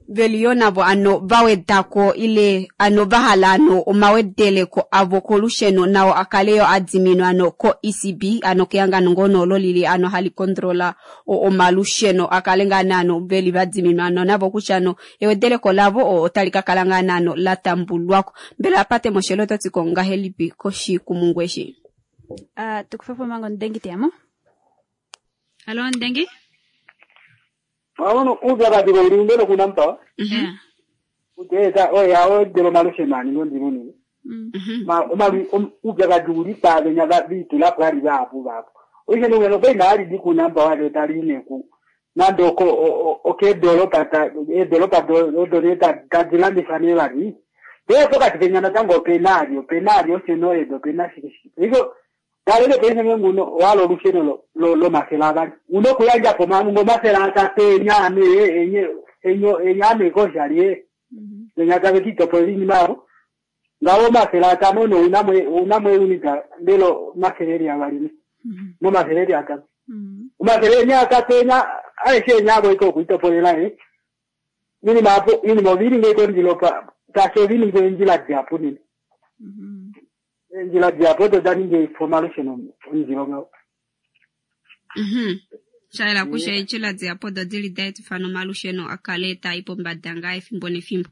veli yo navo ano vawedako ile ano vahala ano omawedeleko avo kolusheno nao akale yo adiminwa ano ko ECB ano kehangano ngono olo lili ano hali kontrola omalusheno akale ngaa naano veli vadiminwa ano navo kutya ano ewedeleko lavo otali ka kala ngaa naano la tambulwako. Mbela pate moshelo oto tiko ngahelipi koshikumungu eshi? Tukufe mango ndengi teyamo. Alo ndengi? Maono uupyakadhi uli mbele kuNampower. Uteza oya odelo malusheno ani ngondimuni. Ma uupyakadhi uli pavenya vitula pwali vapo vapo. Olusheno ngeno pengali di kuNampower lo tali neku. Nando ko oke dolopa ta e dolopa do do ta tadilandisa ne vali. Pe pokati penya natango penario penario seno edo penasi. Iko Dalele pese nguno walo olusheno lo lo masela bani. Uno kuyanja koma ngo masela tate nyame enye enyo enyame koshali. Nya kabe kito polini maro. Ngawo masela tamono unamwe unamwe unita ndelo maseleri abalimi. Mo maseleri aka. Umaseleri nya katenya aishe nyabo iko kuito polela eh. Mini mapo mini movili ngeko ndilopa tasho vini ngenjila japo nini. Njila japo to dani nge formalation njilo ngao. Shaela kusha njila japo do dili date fano malusheno akaleta ipo mbadanga efimbo nefimbo.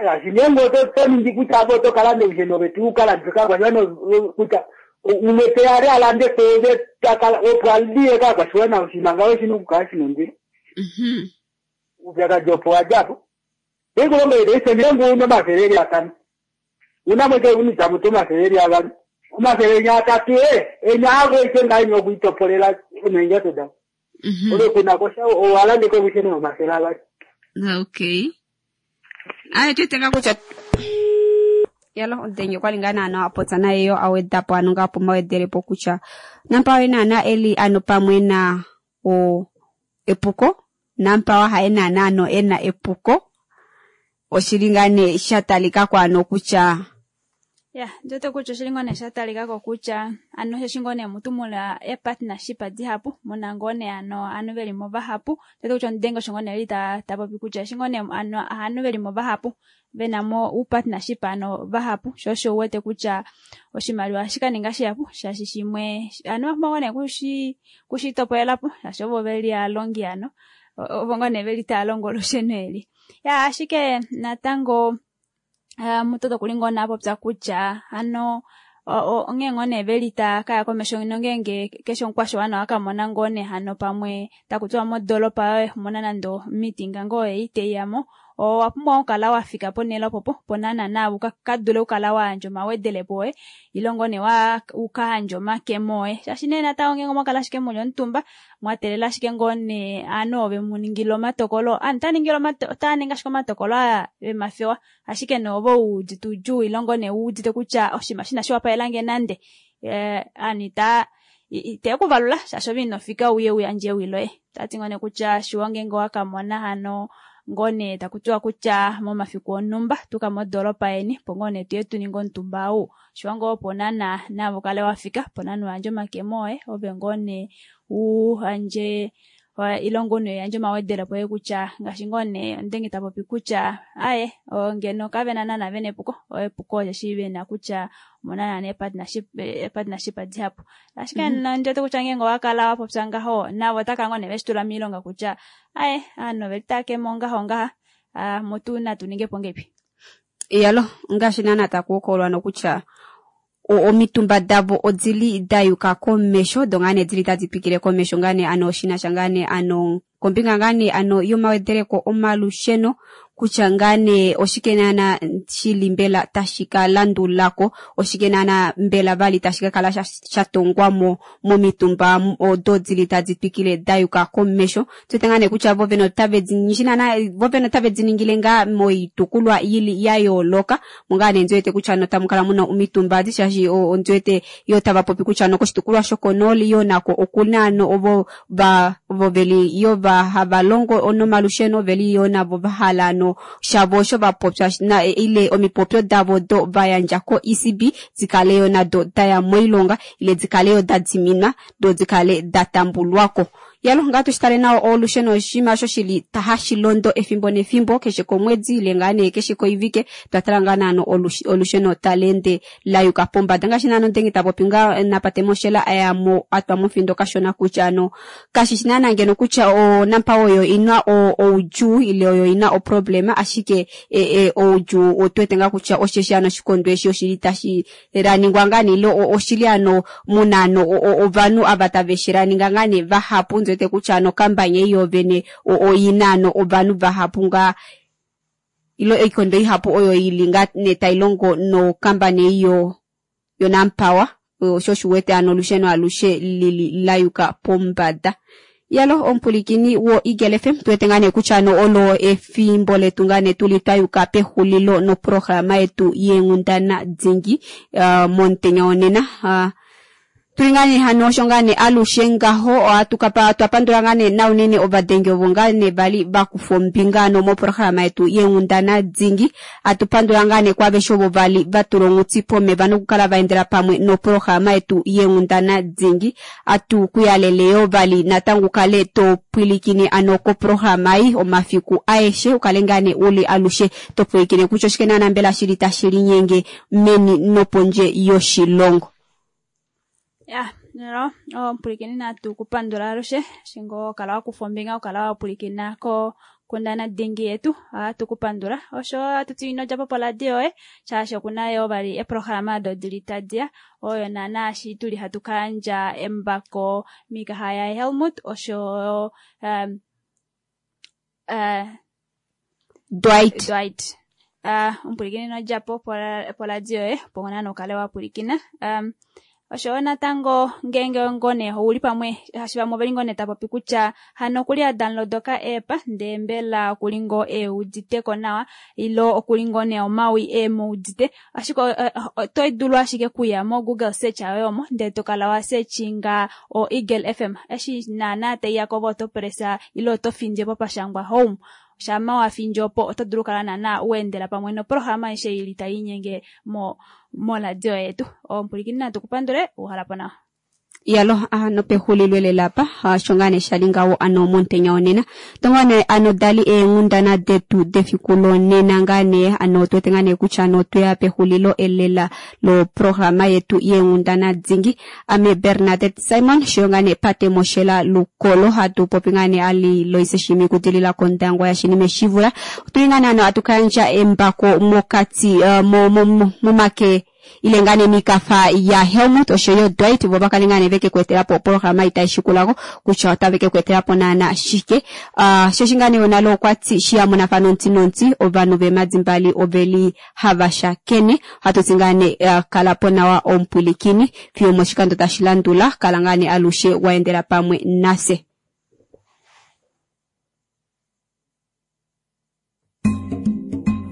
Ya sinyengo to to ndi kutabo to kalande usheno betu kala ndika kwa shano kuta umete alande koze takala opwalie ka kwa shwana usimanga weshinu kashi ndi. Ubyaka jopo ajapo. Ego ngombe ese nyengo uno mafereri atano. Unamwete unita mutu mafereri abantu. Umafereri atatu enyago ise ngayo kuitopolela unenja toda. Ole kuna kosha owalande ko kusheno mafela abantu. Okay. Aye tutenga kucha yalo ndenye kwalingana ano apotsa naye yo awedapo ano ngapo mawedelepo kutya Nampower naana eli ano pamwe na o epuko Nampower haye naana ano ena epuko oshili ngaa nee sha talikako ano kutya ya njote kutya oshili ngoo nee sha talikako kutya ano sheshi ngoo nee mutu muna e-partnership dihapu muna ngoo nee ano anu velimo vahapu njote kutya ondenge osho ngoo nee eli tapopi kutya eshi ngoo nee ano anu velimo vahapu venamo u-partnership ano vahapu sho osho uwete kutya oshimaliwa shikaninga shihapu shaashi shimwe anu vapumbwa ngoo nee kushitopolelapo shaashi ovo veli alongi ano ovo ngoo nee veli taya longo olusheno eli. Ya ashike natango mutoto kuli ngoo nee apopya kutya ano onghee ngoo nee veli ta kaya komesho nongenge keshe omukwashiwana wakamona ngoo nee hano pamwe takutiwa modolopa yoye mona nando meeting ngoo ei teiyamo owa pumbwa okukala wa fika ponhele popo ponana na ukadule ukala wa yandja omawedelepo oye ile ngoo nee ukayandja omakemo oye shaashi nee natango ngenge mwakala ashike muli omutumba mwatelela ashike ngoo nee anu ove muningile omatokolo anu otaningi ashike omatokolo aa vemafewa ashike nee ove uudite udjuu ile ngoo nee uudite kutya oshinima shina shiwapaelange nande anu itekuvalula shaashi ove inofika uye uyandje ewi loye. Tati ngoo nee kutya shiwa ngenge wakamona hano ngone takutiwa kutya momafiku onumba tuka modolopa yeni po ngone tuye tuninge omutumba ou shiwa ngoo ponana navo kale wafika ponana uyandje omakemo oye ove ngone uhandje ilongo ne yandje omawedelepo oye kutya ngaashi ngone ondenge tapopi kutya aye ngeno kavena nana vena epuko epuko osheshi vena kutya monana ne partnership dihapu ashike nondjete kutya ngenge owakala wapopya ngaho navo otaka ngoo nee veshitula miilonga kutya aye ano velitakemo ngaho ngaha mutu natu ningepo ngepi. Iyalo ngaashi naana takuhokolwa nokutya Omitumba davo odili da yuka komesho, do ngaa nee dili tadi twikile komesho ngaa nee ano shinasha ngaa nee ano kombinga ngaa nee ano yomawedereko omalusheno, kutya ngaa nee oshike naana shili mbela tashi ka landulako, oshike naana mbela vali tashi ka kala sha tongwamo momitumba odo dili tadi twikile da yuka komesho. Tuwete ngaa nee kutya vo vene otave di shi naana vo vene otave di ningile ngaa moitukulwa ili ya yooloka, mongaa nee ndiwete kutya notamu kala muna omitumba adi, shaashi ondiwete yo tava popi kutya nokoshitukulwa shokonooli yo nako okuna ano ovo va ovo veli yo va hava longo nomalusheno veli yo navo va hala ano shavo osho va popya na ile omipopyo davo do va yandja ko ECB dikale yo nado daya moilonga ile dikale yo da diminwa do dikale da tambulwako. Yalo ngaa tushitale nawa olusheno oshinima osho shili hashi londo efimbo nefimbo keshe komwedi ile ngaa nee keshe koivike, twatala ngaa naano olusheno tali ende la yuka pombada, ngaashi naano ndenge tapopi ngaa napate moshela ayamo atwa mofindo kashona kutya ano kashishi naana ngeno kutya oNampower oyo ina oudjuu ile oyo ina oproblema, ashike oudjuu otuwete ngaa kutya osheshi ano oshikondo eshi oshili tashi laningwa ngaa nee ile oshili ano muna ano ovanhu ava tave shi laninga ngaa nee vahapu, ndiwete kutya ano okambanya ei yovene oina ano ovanhu vahapu ngaa ilo oikondo ihapu oyo ili ngaa nee tai longo nokambani ei yoNampower, osho oshiwete ano olusheno alushe lili la yuka pombada. Yalo omupulikini wo Eagle FM, tuwete ngaa nee kutya ano olo efimbo letu ngaa nee tuli twayuka pexulilo noprograma yetu yeenghundana dingi momutenya wonena. Tuli ngaa nee hano osho ngaa nee alushe ngaho, ohatu kapa twapandula ngaa nee naunene ovadengi ovo ngaa nee vali vakufa ombinga ano moprograma yetu yeenghundana dingi. Atupandula ngaa nee kwaaveshe ovo vali vatula onghuti pomeva nokukala vaendela pamwe noprograma yetu yeenghundana dingi. Atu kuyalele yo vali natango ukale to pwilikine ano koprograma ei omafiku aeshe, ukale ngaa nee uli alushe to pwilikine kutya oshike naana mbela shili tashi linyenge meni nopondje yoshilongo. Ya, nelo, omupulikini natu kupandula alushe, shingo kala wakufa ombinga, okala wapulikina ko kundana dingi yetu, ohatu kupandula. Osho atuti ino djapo poradio yoye, shaashi okuna yo vali eprograma odo dili tadiya, oyo naana shi tuli hatu kayandja embako miikaha ya Helmut, osho Dwight. Dwight. Omupulikini ino djapo poradio yoye, opo naana ukale wapulikina. Osho natango ngenge ngone ouli pamwe hashi vamwe oveli ngone tapopi kutya hano okuli a download ka app ndee mbela okuli ngoo euditeko nawa ilo okuli ngoo nee omawi emuudite, ashike oto dulu ashike kuya mo Google search yoye omo ndee tokala wa searchinga o Eagle FM, eshi naana taiya kovo oto pressa ilo oto findje po pashangwa home, shama wa findje opo oto dulu kala naana uendela pamwe noprograma aishe ili tainyenge moradio yetu. Omupulikini natu kupandule uhalapo nawa. Yalo ano pexulilo lelapa osho ngaa nee shali ngawo ano momutenya wonena, tonga nee ano dali eenghundana detu defiku lonena ngaa nee ano tuwete ngaa nee kutya ano tweya pexulilo elela loprograma yetu yeenghundana dingi. Ame Bernadette Simon sho ngaa nee Pate Moshela Lukolo hatu popi ngaa nee ali Loise Shimi kudilila kondangwa ya Shinime Shivula. Otuli ngaa nee ano atu kayandja embako mokati momake ile ngaa nee mikafa ya Helmut osho yo Dwight, vo bakale ngaa nee veke kuetelapo oprograma itaishikulako kutya otaveke kuetelapo naana shike. Shoshi ngaa nee onalo okwati shiya monafano nonti ovanhu vemadimbali oveli hava shakene. Ohatu ti ngaa nee kalapo nawa omupulikini fiyo moshikando tashi landula, kala ngaa nee alushe waendela pamwe nase.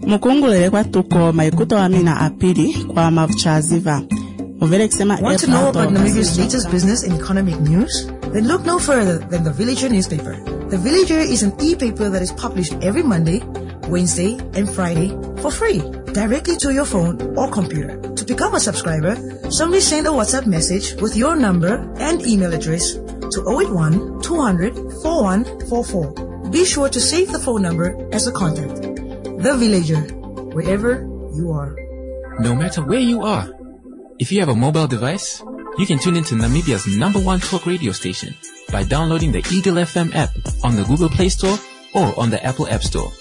Mukungulele kwatuko maikuto wa mina apili kwa mavuchaziva. Muvele kusema Want to know about Namibia's latest business and economic news? Then look no further than the Villager newspaper. The Villager is an e-paper that is published every Monday, Wednesday, and Friday for free, directly to your phone or computer. To become a subscriber, simply send a WhatsApp message with your number and email address to 081 200 4144. Be sure to save the phone number as a contact. The Villager, wherever you are. No matter where you are, if you have a mobile device, you can tune into Namibia's #1 talk radio station by downloading the Eagle FM app on the Google Play Store or on the Apple App Store.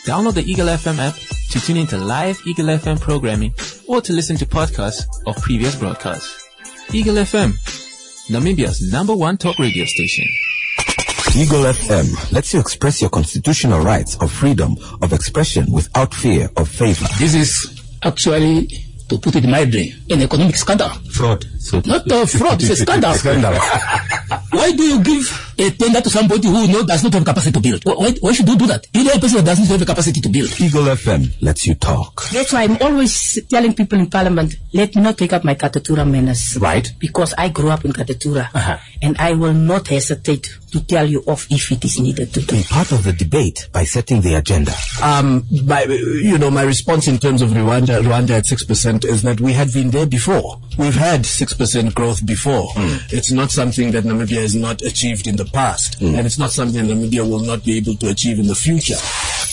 Download the Eagle FM app to tune into live Eagle FM programming or to listen to podcasts of previous broadcasts. Eagle FM, Namibia's number one talk radio station. Eagle FM lets you express your constitutional rights of freedom of expression without fear of favor. This is actually, to put it mildly, an economic scandal. Fraud. So Not a fraud, it's a scandal. Scandal. Why do you give a tender to somebody who does not have capacity to build? Why should you do that? You know a person that does not have the capacity to build. Eagle FM lets you talk. That's why I'm always telling people in parliament, let me not take up my Katutura manners. Right. Because I grew up in Katutura. And I will not hesitate to tell you off if it is needed to do. Be part of the debate by setting the agenda. My response in terms of Rwanda at 6% is that we had been there before. We've had 6% growth before. It's not something that Namibia has not achieved in the past, and it's not something Namibia will not be able to achieve in the future.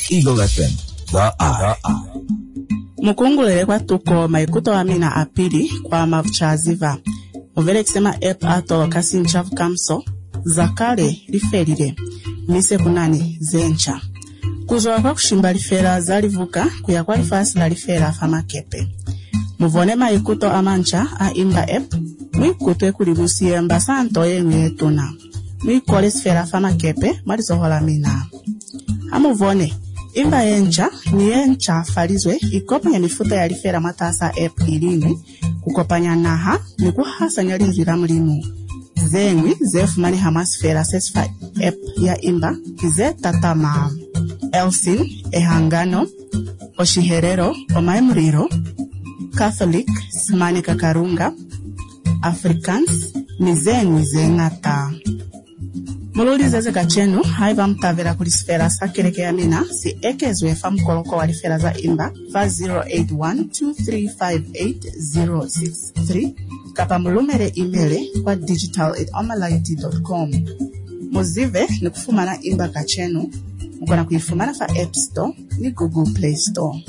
Eagle FM, the eye. Mukungulele kwa tuko maikuto wa mina apili kwa mavuchaziva muvelekisema app atoloka sinchavu kamso zakale lifelile mise kunani zencha kuzwa kwa kushimba lifela zalivuka kuya kwa lifasi la lifela fa makepe muvone maikuto amancha a imba app mwikutwe kuli musiyemba santo yeñwi yetuna mwikole sifela fa makepe mwa lizoho la mina amuvone imba yenca ni yenca falizwe ikopanya mifuta ya lifela mwatasa app iliñwi kukopanya naha ni kuhasanya linzwi la mulimu zeñwi zefumaneha mwa sifela sesifa app ya imba ki ze tatama elsin ehangano oshiherero omaemulilo catholic simanika karunga afrikaans ni zeñwi zeñata mululizeze kacenu haiba mutavela kuli sifela sa keleke ya mina si ekezwe fa mukoloko wa lifela za imba fa 0812358063 kapa mulumele imele kwa digital@omality.com. Muzive ni kufumana imba kacenu mukona kuifumana fa App Store ni Google Play Store.